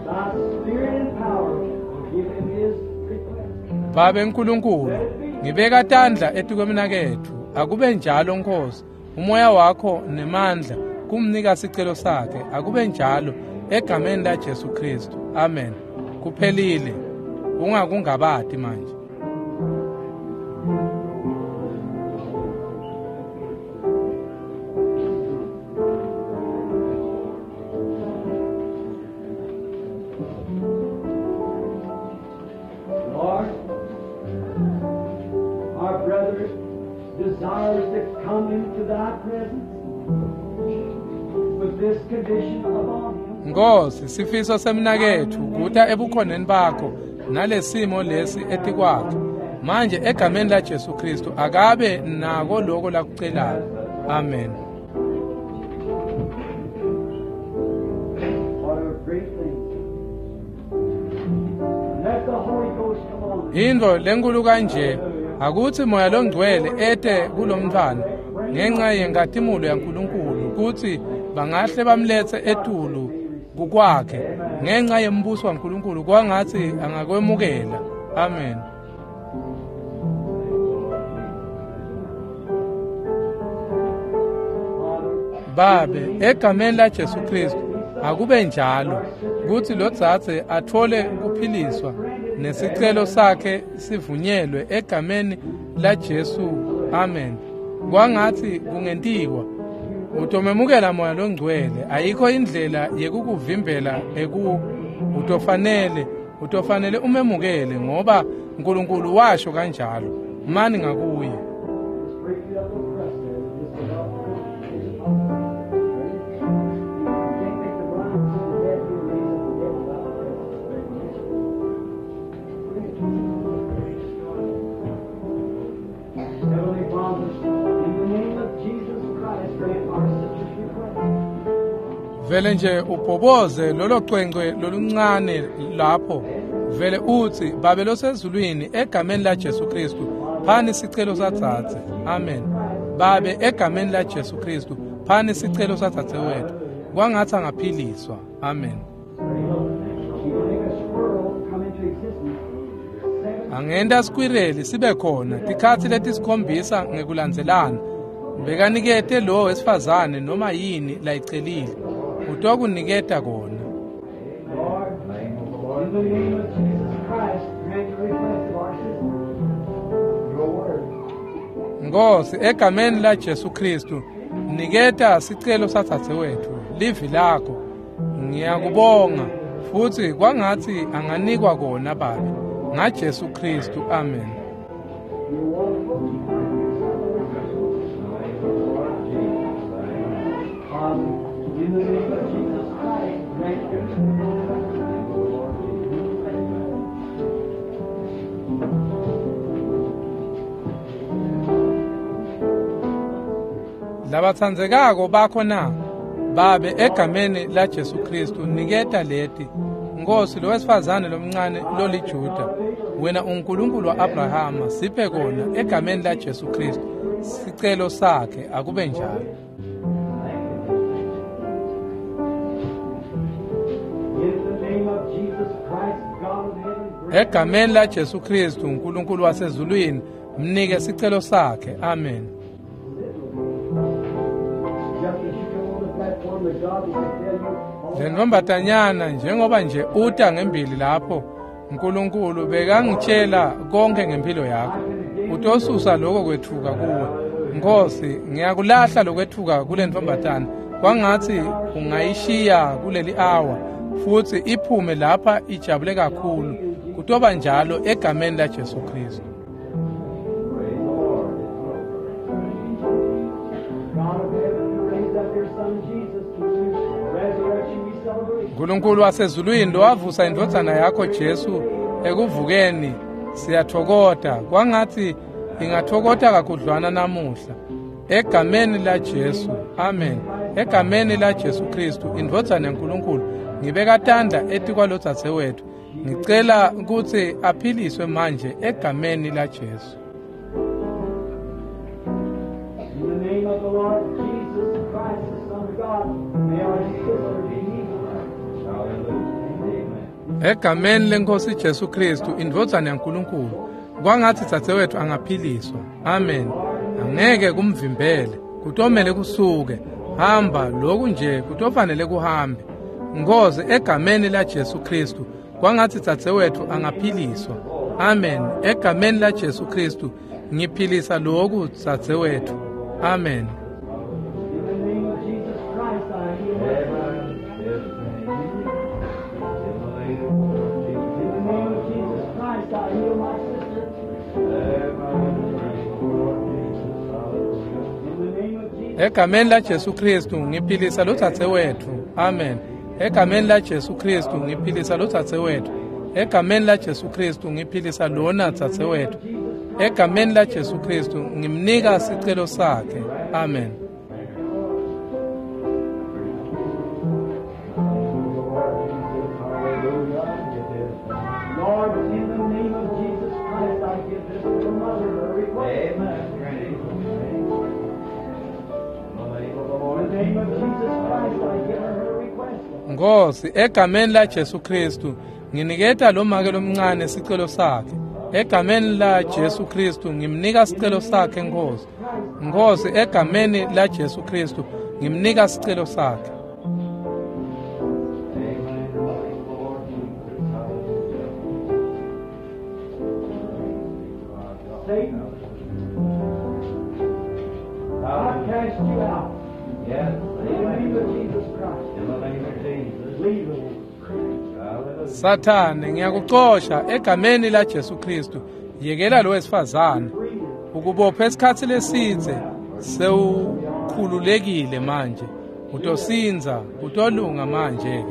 Thy spirit and power will give him his request. Babe Nkulunkulu, ngibeka tandla etikwemnaketfu. Akube njalo Nkosi, umoya wakho nemandla kumnika sicelo sakhe. Akube njalo egameni laJesu Kristu. Amen. Kuphelile. Ungakungabati manje. Lord, our brother desires to come into thy presence with this condition upon him. Nkosi, sifiso semnaketfu kuta ebukhoneni bakho nalesimo lesi etikwakhe. Manje egameni laJesu Kristu, akabe nako loko lakucelako. Amen. What a great thing. Let the Holy Ghost come on. Intfo lenkulu kanje, akutsi Moya Longcwele ete kulomntfwana ngenxa yenkatimulo yaNkulunkulu, kutsi bangahle bamletse etulu kukwakhe ngenxa yembuso waNkulunkulu, kwangatsi angakwemukela. Amen. Babe, egameni laJesu Kristu, akube njalo kutsi lodzadze atfole kuphiliswa nesicelo sakhe sivunyelwe egameni laJesu. Amen. Kwangatsi kungentiwa. Utomemukela Moya Longcwele. Ayikho indlela yekukuvimbela eku utofanele. Utofanele umemukele ngoba uNkulunkulu washo kanjalo. Mani ngakuye. Vele nje ubhoboze lolo cwencwe loluncane lapho, vele uthi, Babe losezulwini, egameni la Jesu Kristu, phani sicelo sadzadze. Amen. Babe, egameni la Jesu Kristu, phani sicelo sadzadze wethu. Kwangathi angaphiliswa. Amen. Angenta skwireli sibe khona tikhatsi letisikhombisa ngekulandzelana. Bekanikete lo wesifazane noma yini layicelile. Utokuniketa kona. Nkosi, egameni la Jesu Kristu, niketa sicelo sadzadze wethu, livi lakho. Ngiyakubonga futhi kwangathi anganikwa kona Babe ngaJesu Kristu. Amen. Labatsandzekako bakho na Babe, egameni la Jesu Kristu, niketa leti. Nkosi, lo wesifazane lomncane loliJuda, wena uNkulunkulu wa-Abrahama, siphe kona egameni la Jesu Kristu. Sicelo sakhe akube njalo. Egameni la Jesu Kristu, uNkulunkulu wasezulwini, mnike sicelo sakhe. Amen. Lentombatanyana, njengoba nje uta ngembili lapho, uNkulunkulu bekangitshela konke ngempilo yakho. Utosusa lokho kwethuka kuwe. Nkosi, ngiyakulahla lokwethuka kule ntombatana. Kwangathi ungayishiya kuleli hour futhi iphume lapha ijabule kakhulu. Kutoba njalo egameni la Jesu Kristu. uNkulunkulu wasezulwini lowavusa indvodzana yakho Jesu ekuvukeni, siyathokota. Kwangathi ingathokota kakhudlwana namuhla egameni la Jesu. Amen. Egameni la Jesu Kristu, indvodzana yaNkulunkulu, ngibeka tandla etikwalodzadze wethu. Ngicela kutsi aphiliswe manje egameni la Jesu. In the name of the Lord Jesus Christ, the Son of God, may our sister be healed. Egameni lenkosi Jesu Kristu, indvodzana yaNkulunkulu, kwangathi dzadzewethu angaphiliswa. Amen. Angeke kumvimbele, kutomele kusuke. Hamba lokhu nje kutofanele kuhambe. Nkosi, egameni la Jesu Kristu, kwangathi dzadzewethu angaphiliswa. Amen. Egameni la Jesu Kristu, ngiphilisa lokhu dzadzewethu. Amen. In the name of Jesus Christ, I heal my sister. In the name of Jesus Christ, I heal my sister. In the name of Jesus. Egameni la Jesu Kristu ngiphilisa lodzadzewethu. Amen. Egameni la Jesu Kristu ngiphilisa lodzadzewethu. Egameni la Jesu Kristu ngiphilisa lona dzadzewethu. Egameni la Jesu Kristu ngimnika sicelo sakhe. Amen. Lord, in the name of Jesus Christ, I give this little mother her request. In the name of Jesus Christ, I give her her request. Nkosi, egameni la Jesu Kristu nginiketa lo make lomncane sicelo sakhe. Egameni la Jesu Kristu ngimnika sicelo sakhe Nkosi. Nkosi, egameni la Jesu Kristu ngimnika sicelo sakhe. Satan, I cast you out. Yes. In the name of Jesus Christ. In the name of Jesus. Leave the woman. Sathane, ngiyakucosha egameni la Jesu Kristu. Yekela lo wesifazane. Ukubophe isikhathi lesidze, sewukhululekile manje. Utosinza, utolunga manje ke.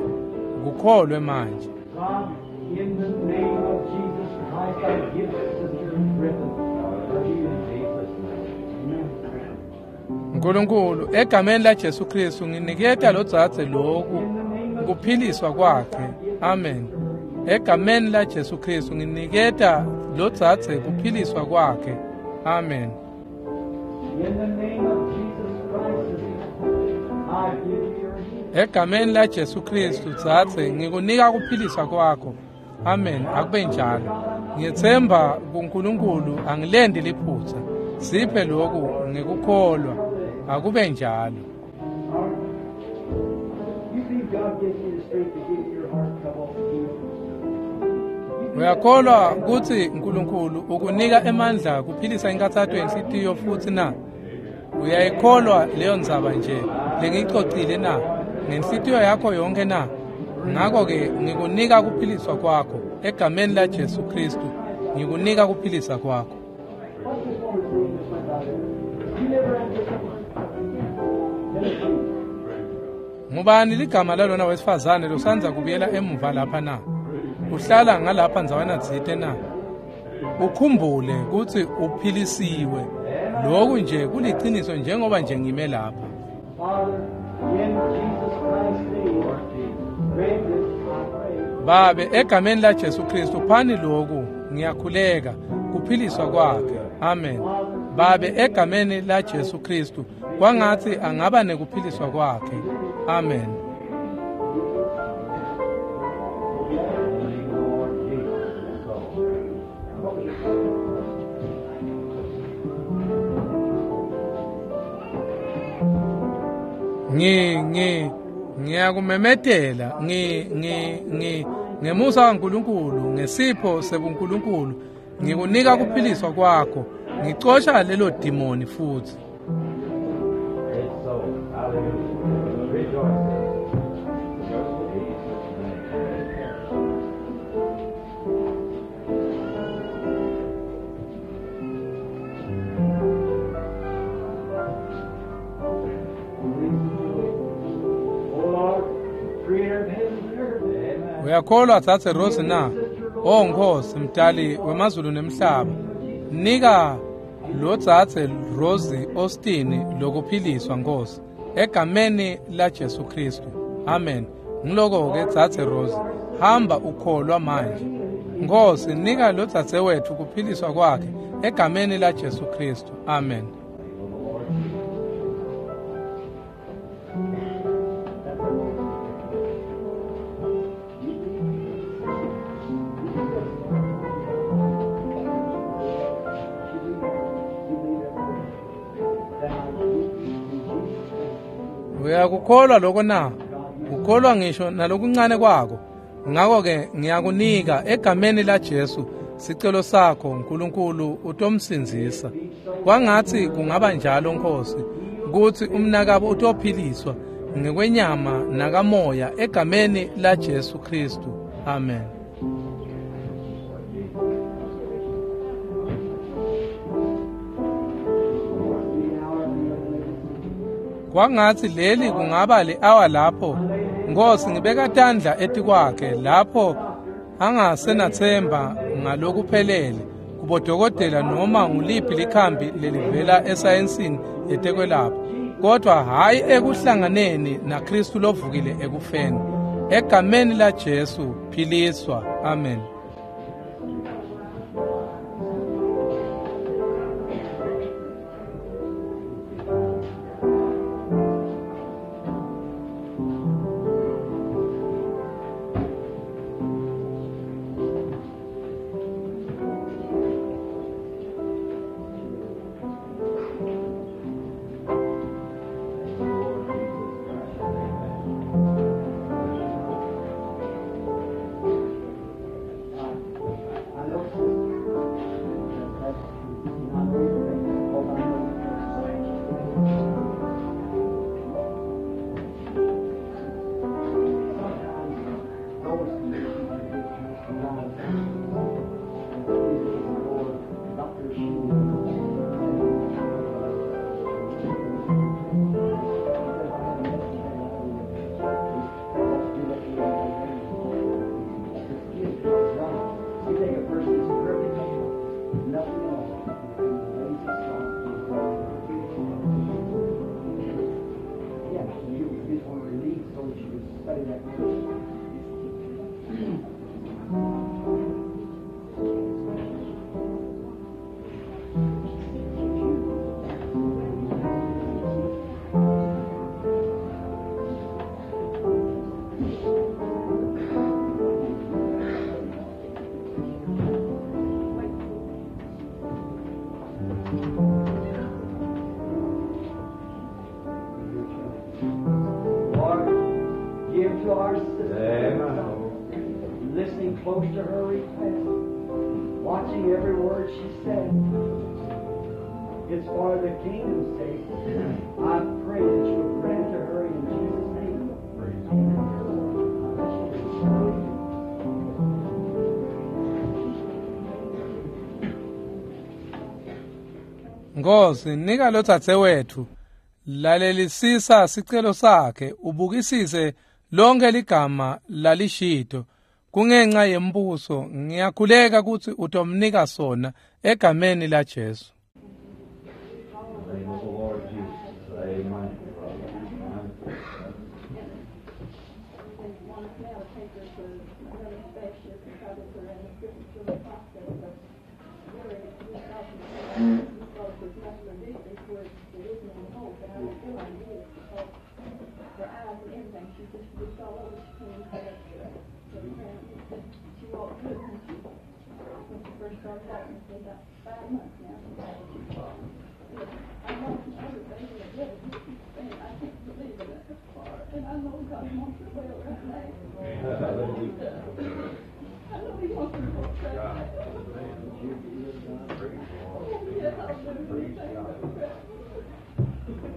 Ukukholwe manje. God, in the name of Jesus Christ, I give Sister Griffin her healing. Amen. Nkulunkulu, egameni la Jesu Kristu nginiketa lo dzadze lokhu kuphiliswa kwakhe. Amen. Egameni la Jesu Kristu nginiketa lo dzadze kuphiliswa kwakhe. Amen. In the name of Jesus Christ, sister, I give you your healing. Egameni la Jesu Kristu dzadze ngikunika kuphiliswa kwakho. Amen. Akube njalo. Ngiyethemba kuNkulunkulu angilendi liphutha. Siphe lokhu ngikukholwa. Akube njalo. You believe God gives you the strength to give your heart trouble healing? Uyakholwa kutsi uNkulunkulu ukunika emandla kuphilisa inkathato yenhlitiyo futsi na? Uyayikholwa leyo ndzaba nje lengiyicocile na? Ngenhlitiyo yakho yonke na? Ngakho-ke ngikunika kuphiliswa kwakho egameni la Jesu Kristu. Ngikunika kuphilisa kwakho. What's this woman's name that went out there? You never had this Tennessee. Ngubani ligama lalona wesifazane losandza kubuyela emuva lapha na? Uhlala ngalapha ndzawana tsite na? Ukhumbule kutsi uphilisiwe. Lokhu nje kuliciniso njengoba nje ngime lapha. Father, in Jesus Christ's name, grant this, I pray. Babe, egameni la Jesu Kristu phani lokhu ngiyakhuleka kuphiliswa kwakhe. Amen. Babe, egameni la Jesu Kristu kwangathi angaba nekuphiliswa kwakhe. Amen. Lord Jesus. So. Ngi ngi ngiyakumemetela ngi ngi ngi ngemusa kaNkulunkulu ngesipho sebuNkulunkulu ngikunika kuphiliswa kwakho. Ngicosha lelo demoni futhi. It's so. Hallelujah. Rejoice. In Jesus' name. O Lord, creator of heaven and earth. Amen. Uyakholwa Dzadze Rose na? O Nkosi mdali wemazulu nemhlaba, nika lo Dzadze Rose Austin lokuphiliswa Nkosi egameni la Jesu Kristu. Amen. Ngiloko ke Dzadze Rose, hamba ukholwa manje. Nkosi nika lo dzadze wethu kuphiliswa kwakhe egameni la Jesu Kristu. Amen. Uyakukholwa lokho na? Ukholwa ngisho nalokuncane kwako. Ngakho-ke ngiyakunika egameni la Jesu sicelo sakho uNkulunkulu utomsindzisa. Kwangathi kungaba njalo Nkosi ukuthi umnakabo utophiliswa ngekwenyama nakamoya egameni la Jesu Kristu. Amen. Kwangathi leli kungaba le-awa lapho Nkosi ngibeka tandla etikwakhe lapho angasenathemba ngalokuphelele kubodokotela noma nguliphi likhambi lelivela esayensini yetekwelapha, kodwa hhayi ekuhlanganeni naKristu lovukile ekufeni. Egameni la Jesu philiswa. Amen. to our sister. Amen. Listening close to her request, watching every word she said. It's for the kingdom's sake. I pray that you will grant to her in Jesus' name. Amen. Nkosi, nika lo dzadzewetfu, lalelisisa sicelo sakhe, ubukisise lonke ligama lalishito. Kungenxa yembuso, ngiyakhuleka kutsi utomnika sona egameni la Jesu. In the name of the Lord Jesus. Amen.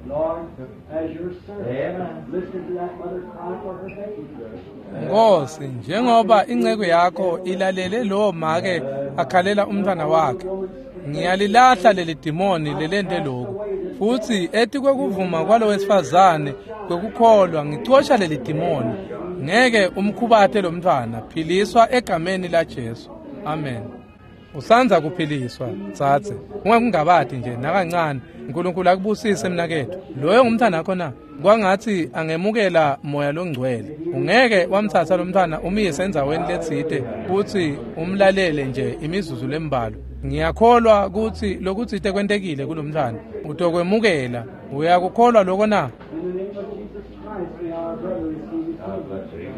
Lord, as your servant, Amen. listen to that mother cry for her baby. Nkosi, njengoba inceku yakho ilalele lowo make akhalela umntwana wakhe, ngiyalilahla leli dimoni lelente lokhu. Futhi etikwekuvuma kwalo wesifazane kwekukholwa ngicosha leli dimoni. Ngeke umkhubate lo mntwana, philiswa egameni la Jesu. Amen. Usanza kuphiliswa, dzadze. Ungakungabati nje nakancane. uNkulunkulu akubusise mnaketfu. Loyo ngumntwana wakho na? Kwangathi angemukela moya longcwele. Ungeke wamthatha lo mntwana umyise endzaweni letsite futhi umlalele nje imizuzu lembalwa. Ngiyakholwa kutsi lokutsite kwentekile kulo mntwana. Utokwemukela. Uyakukholwa loko na? In the name of Jesus Christ, may our brother receive his God healing. bless you.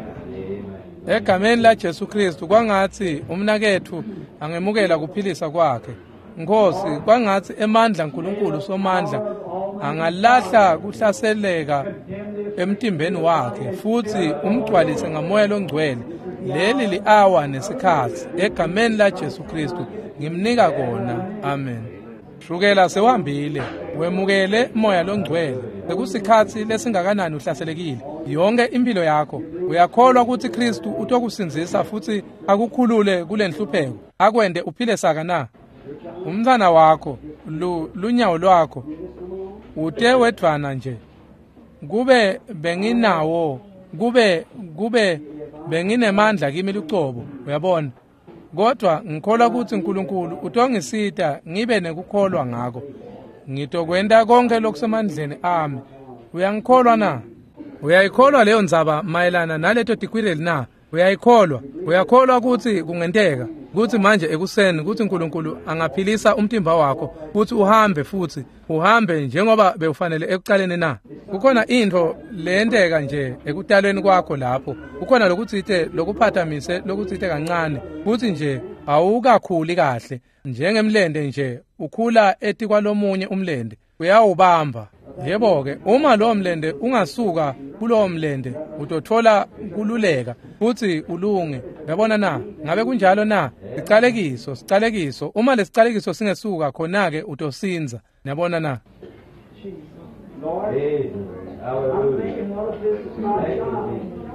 Amen. Egameni la Jesu Kristu kwangathi umnaketfu angemukela kuphilisa kwakhe. Nkosi, kwangathi emandla uNkulunkulu somandla angalahla kuhlaseleka emtimbeni wakhe futhi umgcwalise ngamoya longcwele. Leli li-awa nesikhatsi egameni la Jesu Kristu ngimnika kona. Amen. Shukela sewuhambile, wemukele moya longcwele. Sekusikhatsi lesingakanani uhlaselekile yonke impilo yakho. Uyakholwa kutsi Kristu utokusindzisa futhi akukhulule kule nhlupheko, akwente uphile saka na? Umntwana wakho, lunyawo lwakho, ute wedvwana nje. Kube benginawo, kube benginemandla kimi lucobo, uyabona. Kodwa ngikholwa kutsi uNkulunkulu utongisita ngibe nekukholwa ngako. Ngitokwenta konke lokusemandleni ami. Uyangikholwa na? Uyayikholwa leyo ndzaba mayelana naleto tikwireli na? Uyayikholwa? Uyakholwa kutsi kungenteka kutsi manje ekuseni kutsi uNkulunkulu angaphilisa umtimba wakho futhi uhambe futhi uhambe njengoba bewufanele ekucaleni na? Kukhona intfo leyenteka nje ekutalweni kwakho lapho. Kukhona lokutsite lokuphatamise lokutsite kancane futhi nje awukakhuli kahle njengemlende nje ukhula etikwalomunye umlende uyawubamba. Yebo-ke, uma lowo mlende ungasuka kulowo mlende utothola kululeka futhi ulunge. Uyabona na? Ngabe kunjalo na? Sicalekiso, sicalekiso. Uma lesicalekiso singesuka khona-ke utosinza. Niyabona na? Lord, Jesus. I'm Hallelujah. thinking, what if this is my Thank you, child? Jesus.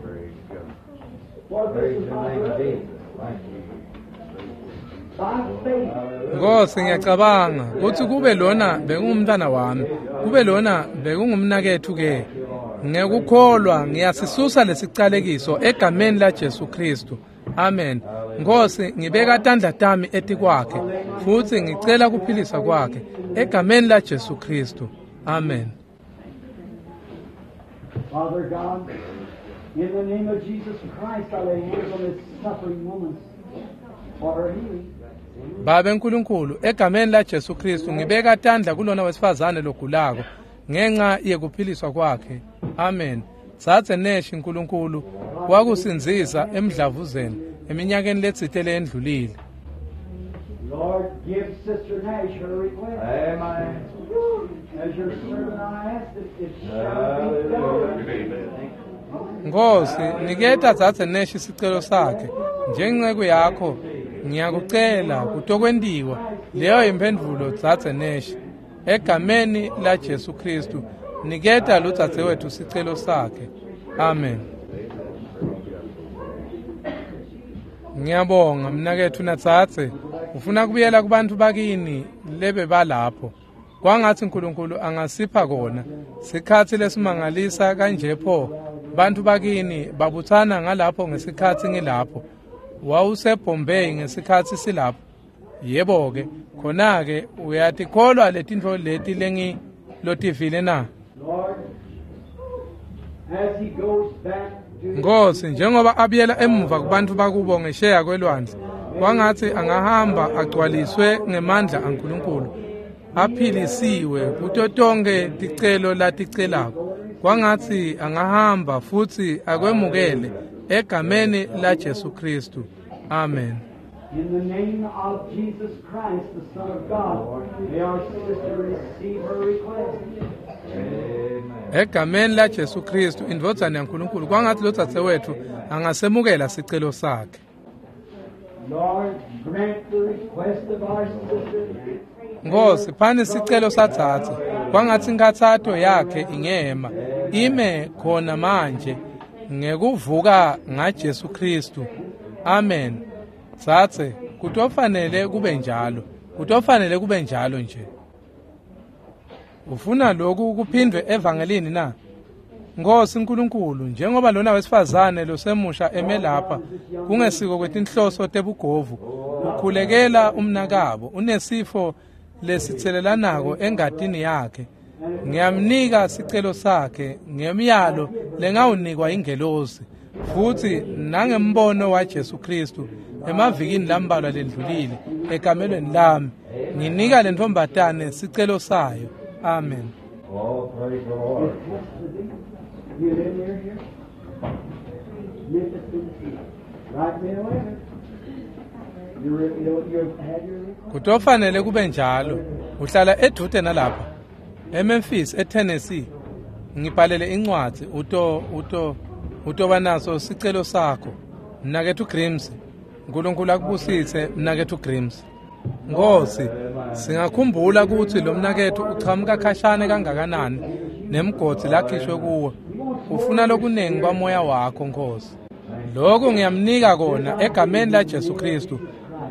Praise God. What if this Praise is your my name, brother? Jesus. Thank you. By faith, Nkosi, ngiyacabanga kutsi kube lona bekungumntwana wami, kube lona bekungumnaketfu ke. Ngekukholwa ngiyasisusa lesicalekiso egameni la Jesu Kristu. Amen. Nkosi, ngibeka tandla tami etikwakhe futhi ngicela kuphilisa kwakhe egameni la Jesu Kristu. Amen. Father God, in the name of Jesus Christ, I lay hands on this suffering woman for her healing. Babe nkulunkulu, egameni la Jesu Kristu ngibeka tandla kulona wesifazane logulako ngenxa yekuphiliswa kwakhe. Amen. Tsatse neshi nkulunkulu wakusindzisa emdlavuzeni eminyakeni letsite leyendlulile. Lord, give Sister Nash her request. Amen. As your servant I ask it, it shall be done. Hallelujah. Nkosi, niketa Dzadze Nash sicelo sakhe. Njengenceku yakho, ngiyakucela kutokwentiwa. Leyo imphendvulo Dzadze Nash. Egameni la Jesu Kristu, niketa lodzadzewetfu sicelo sakhe. Amen. Ngiyabonga mnaketfu nadzadze. Ufuna kubuyela kubantfu bakini lebebalapho. Kwangatsi uNkulunkulu angasipha kona. Sikhatsi lesimangalisa kanje pho. Bantfu bakini babutsana ngalapho ngesikhatsi ngilapho. WawuseBombay ngesikhatsi silapho. Yebo-ke, khona-ke uyatikholwa letintfo leti lengilotivile na? Lord, as he goes back to his Nkosi, njengoba abuyela emuva kubantfu bakubo ngesheya kwelwandle, kwangatsi angahamba agcwaliswe ngemandla aNkulunkulu, aphilisiwe kuto tonkhe ticelo laticelako. Kwangatsi angahamba futsi akwemukele egameni la Jesu Kristu. Amen. In the name of Jesus Christ, the Son of God, may our sister receive her request. Egameni la Jesu Kristu, indvodzana yaNkulunkulu, kwangatsi lodzadzewetfu angasemukela sicelo sakhe. Lord, grant the request of our sister. Nkosi, phani sicelo sadzadze. Kwangatsi inkhatsato yakhe ingema ime khona manje ngekuvuka ngaJesu Kristu. Amen. Dzadze, kutofanele kube njalo. Kutofanele kube njalo nje. Ufuna lokhu kuphindwe evangelini na? Nkosi uNkulunkulu, njengoba lona wesifazane losemusha eme lapha, kungesiko kwetinhloso tebugovu, ukhulekela umnakabo, unesifo lesitselelanako engatini yakhe. Ngiyamnika sicelo sakhe ngemiyalo lengawunikwa ingelosi, futhi nangembono waJesu Kristu emavikini lambalwa lendlulile ekamelweni lami. Nginika lentfombatane sicelo sayo. Amen. Oh, praise the Lord. You live near here? Memphis, Tennessee. Write me a letter. You had your request? Kutofanele kube njalo. Uhlala edvute nalapha, eMemphis, eTennessee. Ngibhalele incwadzi uto uto utoba naso sicelo sakho. Mnaketfu Grimes, uNkulunkulu akubusise mnaketfu Grimes. Nkosi, singakhumbula kutsi lo mnaketfu uchamuka khashane kangakanani nemgodzi lakhishwe kuwo. Ufuna lokunengi kwamoya wakho, Nkosi. Lokhu ngiyamnika kona egameni la Jesu Kristu.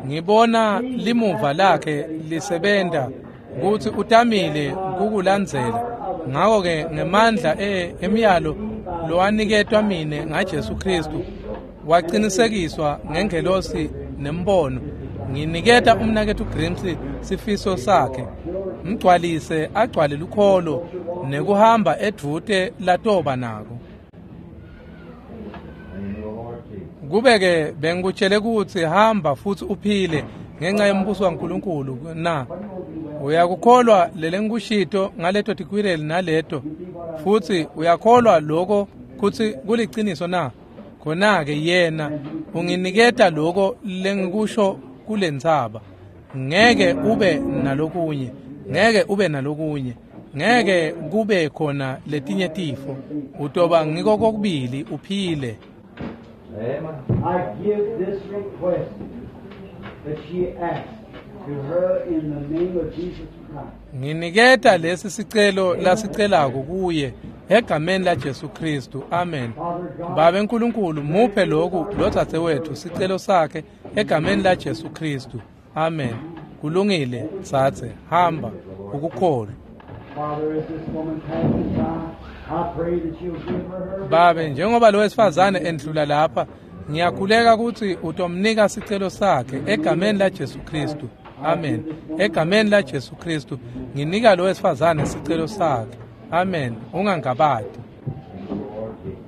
Ngibona limuva lakhe lisebenta kutsi utamile kukulandzela. Ngako-ke ngemandla emiyalo lowaniketwa mine ngaJesu Kristu, wacinisekiswa ngengelosi nembono. Nginiketa umnaketfu Grimes sifiso sakhe. Mgcwalise agcwale lukholo nekuhamba edvute latoba nako. Name of the Lord Jesus. Kube-ke bengikutshele kutsi hamba futsi uphile ngenxa yembuso waNkulunkulu na? Uyakukholwa lelengikushito ngaleto tikwireli naleto, futsi uyakholwa loko kutsi kuliciniso na? Khona-ke yena unginiketa loko lengikusho kulentsaba. Ngeke ube nalokunye, ngeke ube nalokunye, ngeke kube khona letinye tifo. Utoba ngiko kokubili uphile. Amen. I give this request that she asked to her in the name of Jesus Christ. Nginiketa lesi sicelo lasicelako kuye egameni la Jesu Kristu. Amen. Babe uNkulunkulu, muphe lokhu lodzadzewetfu sicelo sakhe egameni la Jesu Kristu. Amen. Kulungile, dzadze, hamba ukukholwa. Father, as this woman passes by, I pray that you'll give her her Babe, njengoba lo wesifazane endlula lapha, ngiyakhuleka kutsi utomnika sicelo sakhe egameni la Jesu Kristu. Amen. Egameni la Jesu Kristu, nginika lo wesifazane sicelo sakhe. Amen. Ungangabati. Thank the Lord Jesus.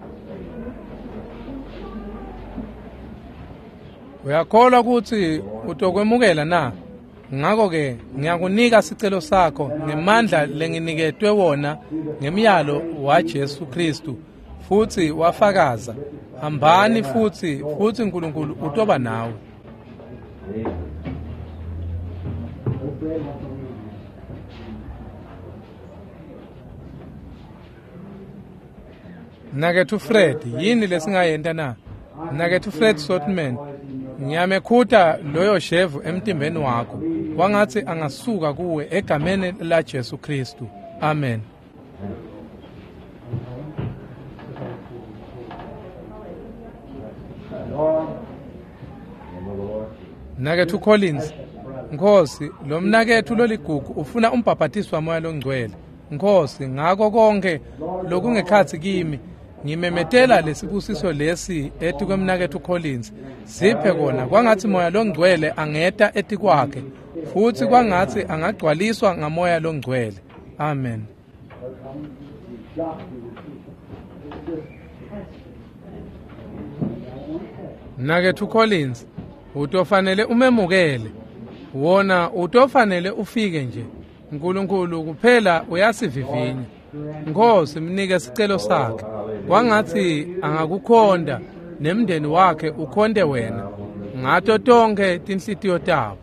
Uyakholwa kutsi utokwemukela na? Ngako-ke ngiyakunika sicelo sakho ngemandla lenginiketwe wona ngemiyalo waJesu Kristu, futsi wafakaza. Hambani futsi, futsi uNkulunkulu utoba nawe. Jesus. Old bread won't go in. Mnaketfu Fred, yini lesingayenta na? Mnaketfu Fred Sothmann, ngiyamekhuta loyo shevu emtimbeni wakho. Kwangatsi angasuka kuwe egameni la Jesu Khristu. Amen. Lord, Mnaketfu Collins, Nkhosi, lo mnaketfu loligugu ufuna umbhabhatiso waMoya loNgcwele. Nkhosi, ngako konke lokungekhatsi kimi, ngimemetela lesibusiso lesi etikwemnaketfu Collins. Siphe kona kwangatsi Moya loNgcwele angeta etikwakhe, futsi kwangatsi angagcwaliswa ngaMoya loNgcwele. Amen. Mnaketfu Collins, utofanele umemukele. Wona utofanele ufike nje. Nkulunkulu kuphela uyasivivinya. Nkhosi, mnike sicelo sakhe. Kwangatsi angakukhonta nemndeni wakhe ukhonte wena ngato tonkhe tinhlitiyo tabo.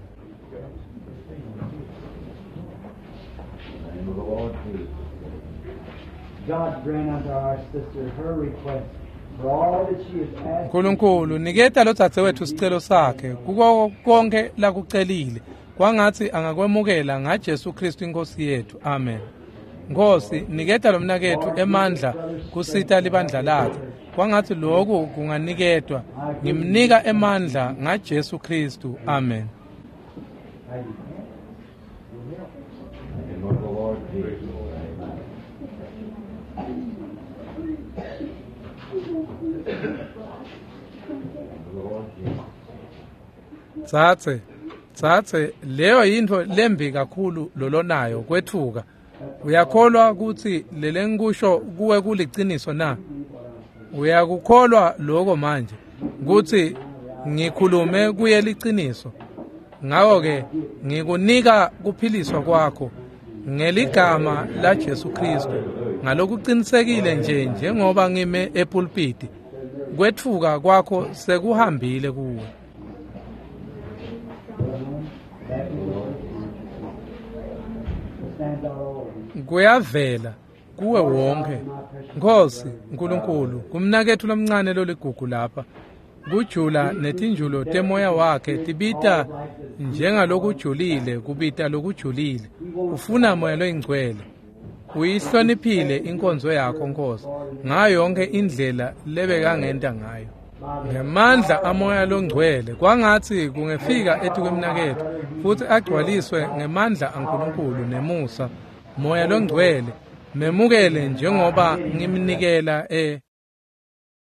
Name of the Lord Jesus. God grant unto our sister her request for all that she has asked. Nkulunkulu niketa lodzadzewetfu sicelo sakhe kuko konke lakucelile. Kwangatsi angakwemukela ngaJesu Khristu inkosi yethu. Amen. Nkhosi, niketa lomnaketfu emandla kusita libandla lakhe. Kwangatsi loku kunganiketwa. Ngimnika emandla ngaJesu Khristu. Amen. Name of the Lord Jesus. Amen. Name of the Lord Jesus. Tsatse, tsatse, leyo yintfo lembi kakhulu lolonayo kwetfuka. Uyakholwa kutsi lelengikusho kuwe kuliciniso na? Uyakukholwa lokho manje kutsi ngikhulume kuye liciniso. Ngako-ke ngikunika kuphiliswa kwakho ngeligama laJesu Khristu ngalokucinisekile nje njengoba ngime epulpiti. Kwetfuka kwakho sekuhambile kuwe. Stands all over. Kuyavela kuwe wonke. Nkhosi Nkulunkulu, kumnaketfu lomncane loligugu lapha. Kujula netinjulo temoya wakhe tibita njengalokujulile kubita lokujulile. Ufuna moya loyingcwele. Uyihloniphile inkonzo yakho Nkhosi ngayo yonke indlela lebekangenta ngayo. Ngemandla amoya longcwele kwangatsi kungefika etikwemnaketfu futsi agcwaliswe ngemandla aNkulunkulu nemusa. Moya longcwele memukele njengoba ngimnikela e